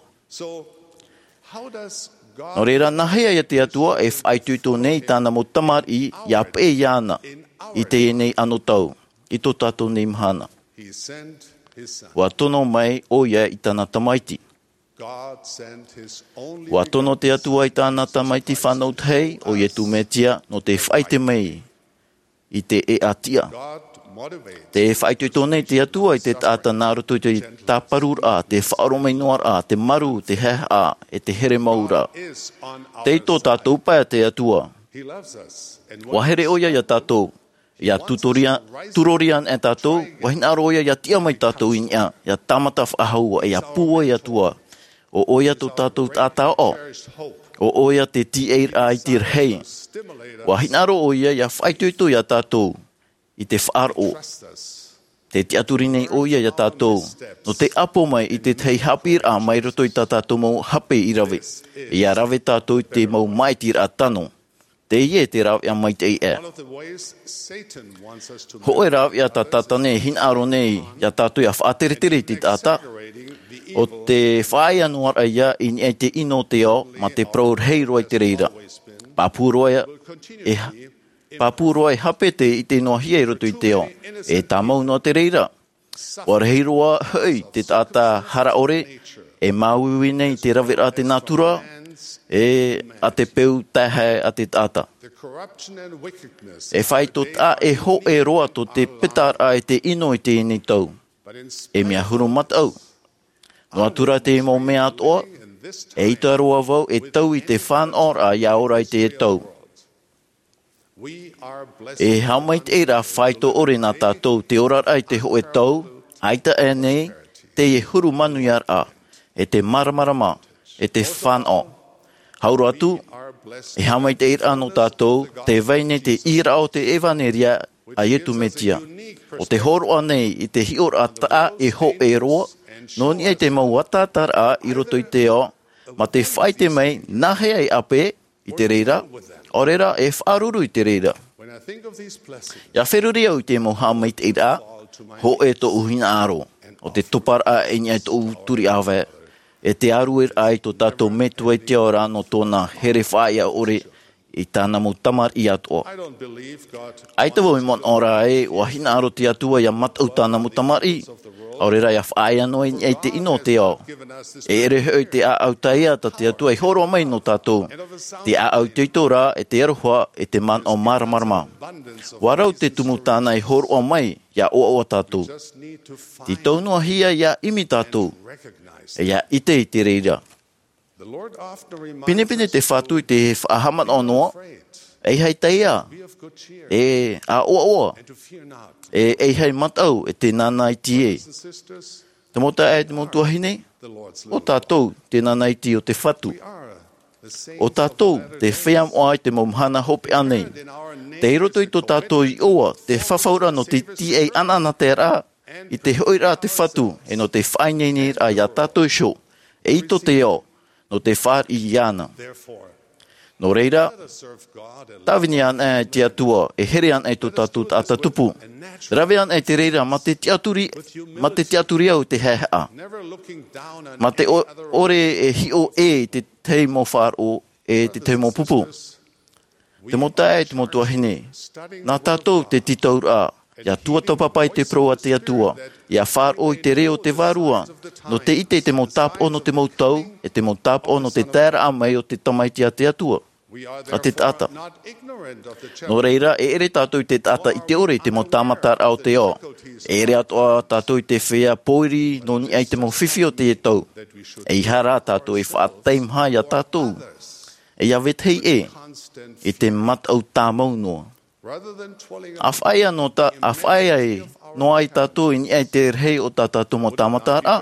Nō reira, nā hea ia te Atua e faʻaitoito nei i tāna mau tamariʻi ia peʻe iāna i teie nei anotau, i tō tātou nei mahana? ʻUa tono mai ʻoia i tāna Tamaiti. ʻUa tono te Atua i tāna Tamaiti fānau tahi, ʻo Iesu Mesia, nō te faʻaʻite mai i te ʻēʻa tiʻa. Te faʻaitoito nei te Atua i te taʻata nā roto i te tāparuraʻa, te faʻaroʻo mai noa raʻa, te maru, te haehaʻa, e te here mau raʻa. Tei tō tātou pae te Atua. Ua here ʻo ia iā tātou. Ia turoria, turoria ana e tātou, ua hinaʻaro ʻo ia ia tiʻa mai tātou i niʻa, ia tāmata faʻahou, ia pūai atu ā. ʻO ʻo ia tō tātou taʻata ʻoʻo. ʻO ʻo ia te tīaʻiraʻa i te rahi. Ua hinaʻaro ʻo ia ia faʻaitoito iā tātou i te faʻaroʻo. Te tiʻaturi nei ʻo ia iā tātou, nō te ʻapo mai i te tahi haʻapiʻiraʻa mai roto i tā tātou mau hape i rave. Ia rave tātou i te mau māʻitiraʻa tano. Teie te rāveʻa maitaʻi ē. Hōʻē rāveʻa tā Tātana e hinaʻaro nei iā tātou ia faʻateretere i te taʻata, ʻo te faʻaea noa raʻa ia i niʻa i te ʻino o te ao, mā te parau rahi roa i te reira. Pāpū roa e, e, pāpū roa e hape te ʻite noa hia i roto i te ao. E tāmau noa te reira. ʻUa rahi roa hoʻi te taʻata hara ʻore, e māuiui nei te raveraʻa a te nātura, e a te peu taehae a te taʻata. E faito taʻa e hōʻē roa tō te petaraʻa e te ʻino i teie nei tau. E mea huru mataʻu. Noa atu rā te mau mea atoʻa, e ʻita roa vau e tau i te fānaʻoraʻa ia ora i te tau. E haʻamaitaʻiraʻa faito ʻore nā tātou te oraraʻa i te hōʻē tau, ʻaita aʻe nei, teie huru manuiaraʻa, e te māramarama, e te fānaʻo. Hau roa atu, e haʻamaitaʻiraʻa nō tātou, tē vai nei te ʻīraʻa o te ʻevaneria a Iesu Mesia. ʻO te hōroʻa nei i te hiʻoraʻa taʻa e hōʻē roa, nō niʻa i te mau ataataraʻa i roto i te ao, mā te faʻaʻite mai, nā hea e ʻape, i te reira, ʻaore rā e faʻaruru i te reira. Ia feruri au i te mau haʻamaitaʻiraʻa, hōʻē tōʻu hinaʻaro, ʻo te toparaʻa i niʻa i tōʻu turiʻāvae, e te arueraʻa i tō tātou Metua i te ao ra nō tōna here faʻaea ʻore i tāna mau tamariʻi atoʻa. ʻAita vau e manaʻo ra ē, ʻua hinaʻaro te Atua ia mataʻu tāna mau tamariʻi, ʻaore rā ia faʻaea noa i niʻa i te ʻino o te ao. E ʻere hoʻi te ʻāʻau taiā tā te Atua i hōroʻa mai nō tātou. Te ʻāʻau itoito rā, e te aroha, e te manaʻo māramarama. ʻUa rau te tumu tāna i hōroʻa mai, ia ʻoaʻoa tātou. Te tau noa hia ia ʻimi tātou. E ia ʻite i te reira. Pinepine te Fatu i te faʻahaʻamanaʻo noa, ʻeiaha e taiā, e ʻāʻoaʻoa, e ʻeiaha e mataʻu, e te nānaiti ē. Te mau taeaʻe, te mau tuahine, ʻo tātou te nānaiti o te Fatu. ʻO tātou te feiā moʻa i te mau mahana hopeʻa nei. Tei roto i tō tātou iʻoa, te fafauraʻa nō te tīaʻi anaanataraʻa, i te hoʻiraʻa a te Fatu, e nō te faʻaineineraʻa ia tātou iho, e ʻito te ao, nō te fāriʻi iāna. Nō reira, tāvini ana i te Atua, e here ana i tō tātou taʻata tupu. Rave ana i te reira, mā te tiʻaturi, mā te tiʻaturi au i te haehaʻa. Mā te ʻo-, ʻore e hiʻo ʻē i te tahi mau faʻaroʻo, e te tahi mau pupu. Te mau taeaʻe, te mau tuahine, nā tātou te tītauraʻa, ia tuatāpapa i te parau a te Atua, ia faʻaroʻo i te reo o te Vārua, nō te ʻite i te mau tāpaʻo nō te mau tau, e te mau tāpaʻo nō te taeraʻa mai o te Tamaiti a te Atua, a te taʻata. Nō reira, e ʻere tātou i te taʻata ʻite ʻore i te mau tāmataraʻa o te ao. E ʻere atoʻa tātou i te feiā pōiri nō niʻa i te mau fifi o teie tau. ʻEiaha rā tātou e faʻataimaha ia tātou. E ia vetahi ʻē, i te mataʻu tāmau noa. A faʻaea nō ta-, a faʻaea e noa ai tātou i niʻa i te rahi o tā tātou mau tāmataraʻa.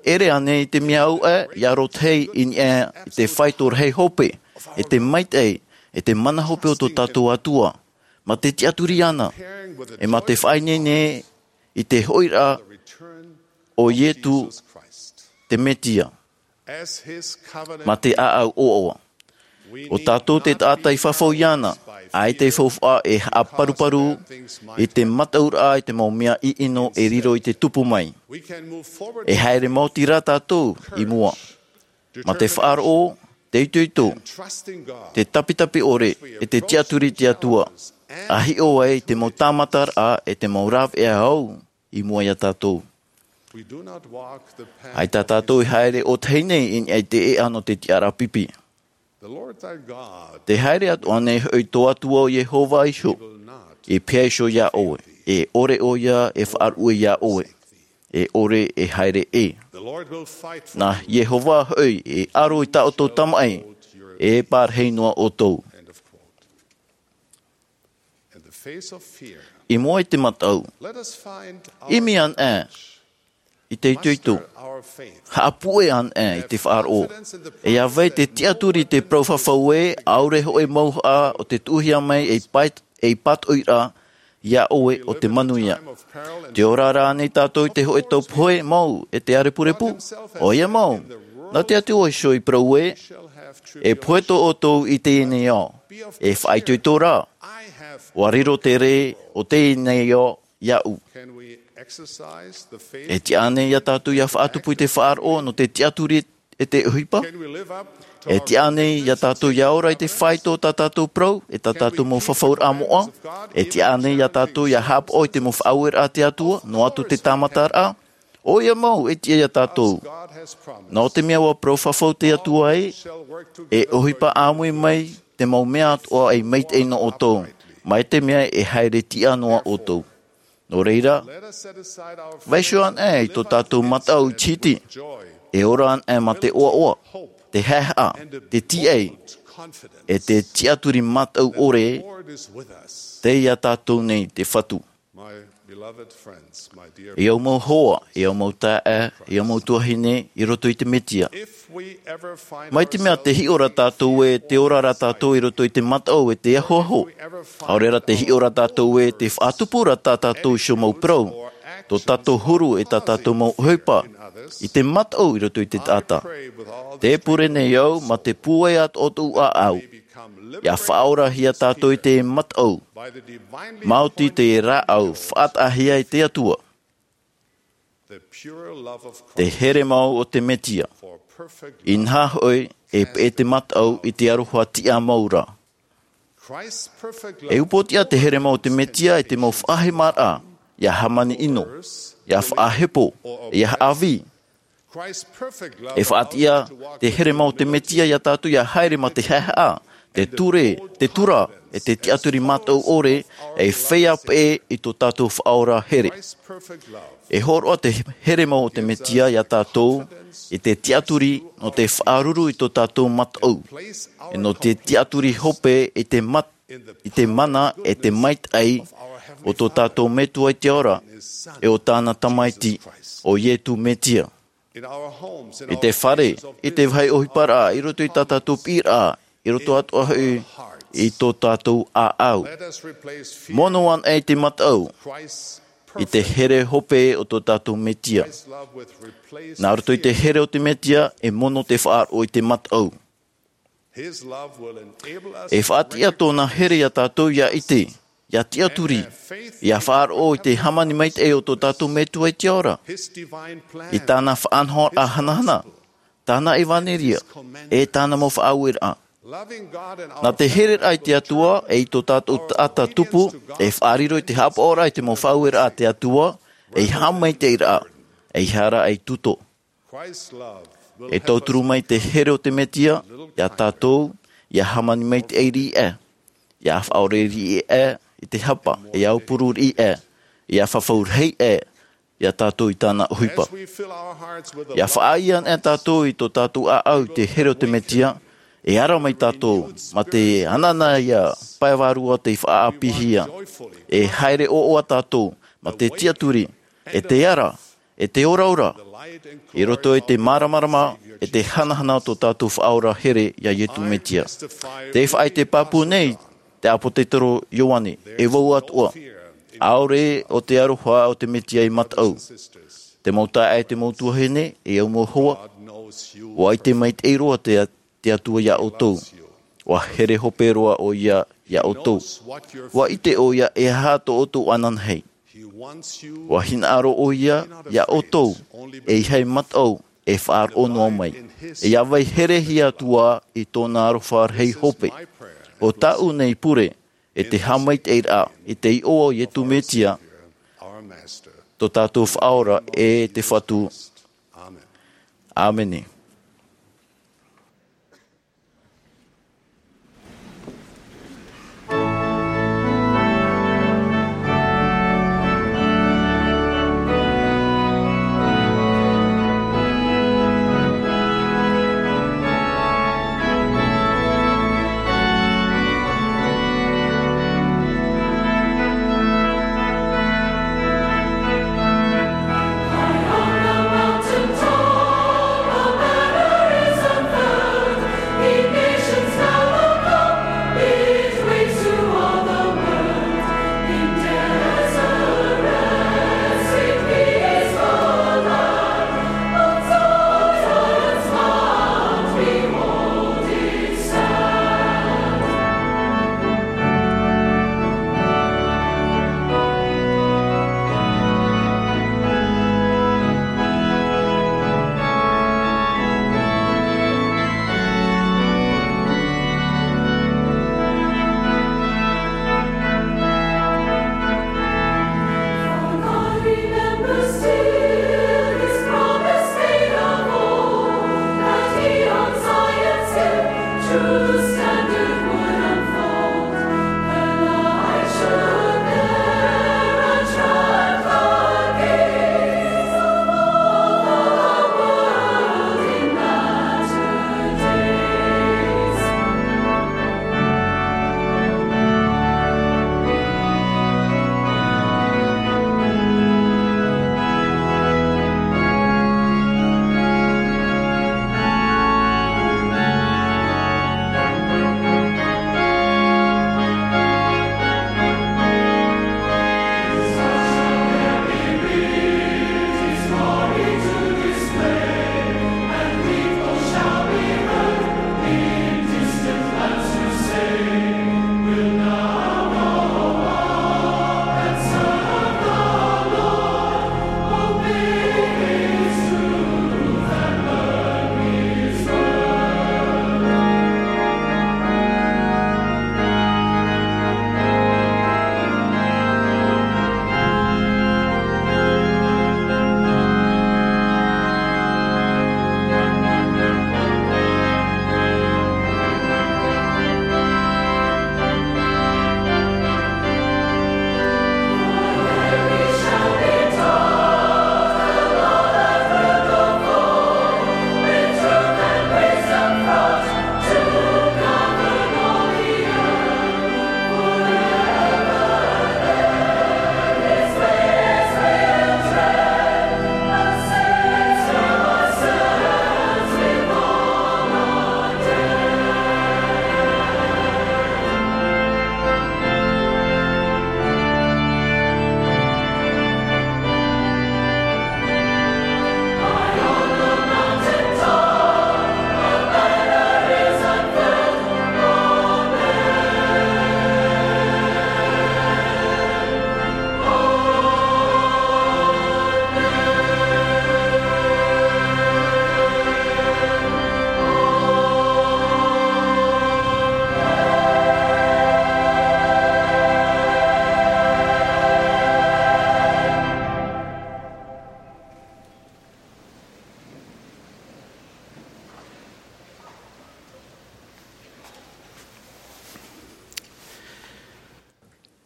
ʻEre ānei te mea au ē, ia rotahi i niʻa i te faito rahi hope, e te maitaʻi, e te mana hope o tō tātou Atua. Mā te tiʻaturi iāna, e mā te faʻaineine i te hoʻiraʻa o Iesu te Mesia. Mā te ʻāʻau ʻoaʻoa. ʻO tātou te taʻata i fafau iāna, ʻaita i faufaʻa e haʻaparuparu i te mataʻuraʻa i te mau mea ʻiʻino e riro i te tupu mai. E haere maoti rā tātou i mua. Mā te faʻaroʻo, te itoito, te tapitapi ʻore, e te tiʻaturi i te Atua. A hiʻo ai te mau tāmataraʻa, e te mau rāveʻa au i mua iā tātou. ʻAita tātou i haere ʻōtahi nei i niʻa i te ʻēʻa nō te tiʻaraʻa pipi. Te haere atu ānei hoʻi tō Atua ʻo Iehova iho, i pīhaʻi iho iā ʻoe. E ʻore ʻoia e faʻaruʻe iā ʻoe. E ʻore e haere ʻē. Nā Iehova hoʻi e aro i tā ʻoutou tamaʻi, e pārahi noa ʻoutou. I mua i te mataʻu, ʻimi anaʻe i te itoito. Haʻapuʻe anaʻe i te faʻaroʻo. E ʻia vai te tiʻaturi i te parau fafau ē, ʻaore hoʻi mauhaʻa o te tuʻuhia mai ei pātoʻiraʻa iā ʻoe o te manuia. Te ora rānei tātou i te hōʻē tau pohe mau e te ʻārepurepu? ʻOia mau. Nā te Atua iho i parau ē, e pohe tō ʻoutou i teie nei ao. E faʻaitoito rā. ʻUa riro te rē o teie nei ao iāʻu. E tiʻa ānei iā tātou ʻia faʻatupu i te faʻaroʻo nō te tiʻaturi e te ʻohipa? E tiʻa ānei iā tātou ʻia ora i te faito o tā tātou parau, e tā tātou mau fafauraʻa moʻa? E tiʻa ānei iā tātou ʻia haʻapaʻo i te mau faʻaueraʻa a te Atua, noa atu te tāmataraʻa? ʻOia mau, e tiʻa iā tātou. Nō te mea ʻua parau fafau te Atua ē, e ʻohipa ʻāmui mai te mau mea atoʻa ei maitaʻi nō ʻoutou, mai te mea e haere tiʻa noa ʻoutou. Nō reira, vaiiho anaʻe i tō tātou mataʻu iti iti, e ora anaʻe mā te ʻoaʻoa, te haʻehaʻa, te tīaʻi, e te tiʻaturi mataʻu ʻore, tei iā tātou nei te Fatu. E au mau hoa, e au mau taeaʻe, e au mau tuahine i roto i te Mesia. Mai te mea tē hiʻo ra tātou ē, tē ora ra tātou i roto i te mataʻu e te ahoaho. ʻAore rā tē hiʻo ra tātou ē, tē faʻatupu ra tā tātou iho mau parau, tō tātou huru e tā tātou mau ʻohipa, i te mataʻu i roto i te taʻata. Tē pure nei au, mā te pūai atoʻa o tōʻu ʻāʻau, ʻia faʻaorahia tātou i te mataʻu, maoti te rāʻau faʻataʻahia e te Atua. Te here mau o te Mesia. Inaha hoʻi, e peʻe te mataʻu i te aroha tiʻa mau ra. E upoʻotiʻa te here mau o te Mesia e te mau faʻahemaraʻa, ʻia hāmani ʻino, ʻia faʻahepo, ʻia haʻavī. E faʻatiʻa te here mau o te Mesia iā tātou ʻia haere mā te haʻehaʻa, te ture, te tura, e te tiʻaturi mataʻu ʻore, e feiā peʻe i tō tātou Faʻaora here. E hōroʻa te here mau o te Mesia iā tātou i te tiʻaturi nō te faʻaruru i tō tātou mataʻu, e nō te tiʻaturi hope i te mat-, i te mana e te maitaʻi o tō tātou Metua i te ao ra, e o tāna Tamaiti, ʻo Iesu Mesia. I te fare, i te vāhi ʻohiparaʻa, i roto i tā tātou piʻiraʻa, i roto atoʻa hoʻi i tō tātou ʻāʻau. Mono anaʻe i te mataʻu, i te here hope o tō tātou Mesia. Nā roto i te here o te Mesia, e mono te faʻaroʻo i te mataʻu. E faʻatiʻa tōna here iā tātou ʻia ʻite, ʻia tiʻaturi, ʻia faʻaroʻo i te hāmani maitaʻi o tō tātou Metua i te ao ra, i tāna faʻanahoraʻa hanahana, tāna ʻevanelia, e tāna mau faʻaueraʻa. Nā te hereraʻa i te Atua, e i tō tātou taʻata tupu, e faʻariro i te haʻapaʻoraʻa i te mau faʻaueraʻa a te Atua, ei haʻamaitaʻiraʻa, ei hara ei tuto. E tauturu mai te here o te Mesia, iā tātou, ʻia hāmani maitaʻi riʻi aʻe, ʻia faʻaʻore riʻi aʻe i te hapa, ʻia aupuru riʻi aʻe, ʻia fafau rahi aʻe, iā tātou i tāna ʻohipa. ʻIa faʻaʻī anaʻe tātou i tō tātou ʻāʻau i te here o te Mesia, e ara mai tātou, mā te ananahi pae vārua tei faʻaʻāpīhia, e haere ʻoaʻoa tātou, mā te tiʻaturi, e te ara, e te oraora, i roto i te māramarama, e te hanahana o tō tātou Faʻaora here iā Iesu Mesia. Tē faʻaʻite pāpū nei te ʻāpōsetolo Ioane, e vau atoʻa. ʻAore ʻo te aroha o te Mesia ei mataʻu. Te mau taeaʻe, te mau tuahine, e au mau hoa, ʻua ʻite maitaʻi roa te te Atua iā ʻoutou. ʻUa here hope roa ʻoia iā ʻoutou. ʻUa ʻite ʻoia e aha tō ʻoutou ananahi. ʻUa hinaʻaro ʻoia iā ʻoutou, ʻeiaha e mataʻu, e faʻaroʻo noa mai. E ʻia vai herehia atu ā i tōna aroha rahi hope. ʻO tāʻu nei pure, e te haʻamaitaʻiraʻa, i te iʻoa o Iesu Mesia, tō tātou Faʻaora e te Fatu. ʻĀmene.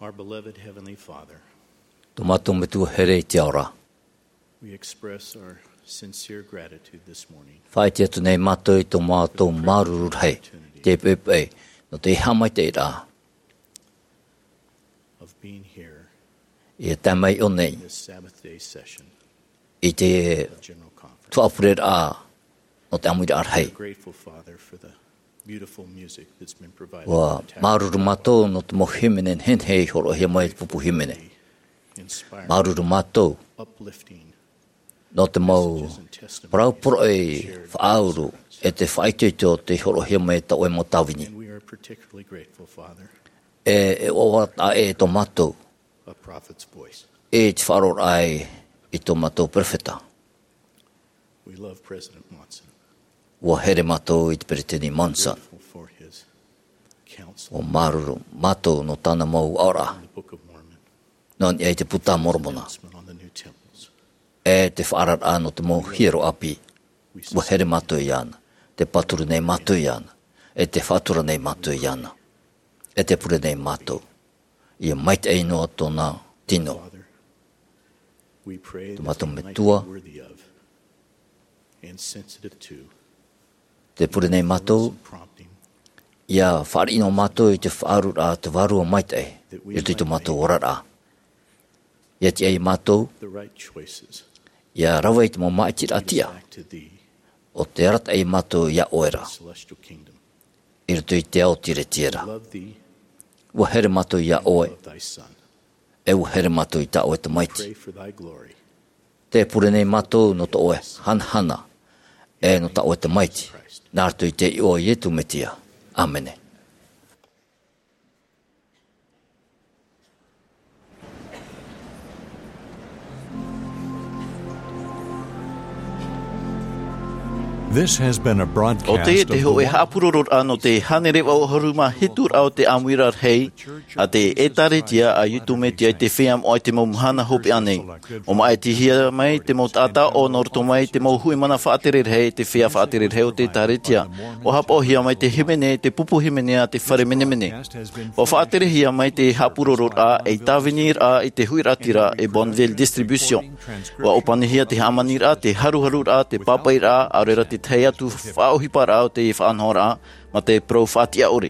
Our beloved Heavenly Father, Tō mātou Metua here i te ao ra. We express our sincere gratitude this morning Faʻaʻite atu nei mātou i tō mātou māuruuru rahi, te poʻipoʻi, nō te haʻamaitaʻiraʻa of being here ia tae mai ʻō nei in this Sabbath day session i te of General Conference. Faʻapureraʻa nō te ʻāmuiraʻa rahi. We're grateful, Father, for the beautiful music that's been provided Ua by the māuruuru mātou nō te mau hīmene nehenehe i hōroʻahia mai i te pupu hīmene. Inspiring, Māuruuru mātou uplifting nō te mau messages and testimonies parau poroʻi shared faʻauru e te faʻaitoito tei hōroʻahia mai tā ʻoe mau tāvini. And we are particularly grateful, Father, E, e ʻoaʻoa taʻa ʻē tō mātou a prophet's voice. E te faʻaroʻoraʻa i tō mātou perofeta. We love President Monson. Ua here mātou i te peresideni Monson. Grateful for his counsel. Ua māuruuru mātou nō tāna mau aʻoraʻa. In the Book of Mormon. Nō niʻa i te puta a Moromona. Announcement on the new temples. E te faʻaararaʻa nō te mau hiero ʻāpī. Ua here mātou iāna. Te pāturu nei mātou iāna. E te faʻatura nei mātou iāna. E te pure nei mātou. Ia maitaʻi noa tōna tino. Father, we pray Tō mātou that we might Metua, be worthy of and sensitive to te pure nei mātou, some prompting ia fāriʻi noa mātou i te faʻaururaʻa te Vārua Maitaʻi, that we i roto i tō might mātou make oraraʻa. Ia tiʻa ia mātou, the right choices ia rave i te mau māʻitiraʻa tiʻa, back to thee o te arataʻi ia mātou iā ʻoe ra, celestial kingdom. I roto i te ao tiretiera. Love thee, Ua here mātou iā ʻoe, love thy son. E ua here mātou i tā ʻoe tamaiti. Pray for thy glory. Te pure nei mātou nō tō ʻoe hanahana, e nō tā ʻoe tamaiti, nā roto i te iʻoa o Ietu Metia. ʻĀmene. This has been a broadcast ʻO teie te hōʻē haʻapurororaʻa nō te hānere vaʻu ʻahuru mā hitu raʻa o te ʻāmuiraʻa rahi a te ʻĒtārētia a Ietu Metia i te Feiā Moʻa i te mau mahana hopeʻa nei. ʻO māʻitihia mai te mau taʻata ʻō nō roto mai te mau huʻimana faʻatere rahi, te feiā faʻatere rahi o te ʻĒtārētia. ʻUa haʻapaʻohia mai te hīmene, te pupu hīmene a te fare menemene. ʻUa faʻaterehia mai te haʻapurororaʻa ei tāviniraʻa i te huiraʻatira e Bonneville Distribution. ʻUa ʻōpanihia te hāmaniraʻa, te haruharuraʻa, te pāpaʻiraʻa, ʻaore rā te tahi atu faʻaʻohiparaʻa o te faʻanahoraʻa, mā te parau faʻatiʻa ʻore.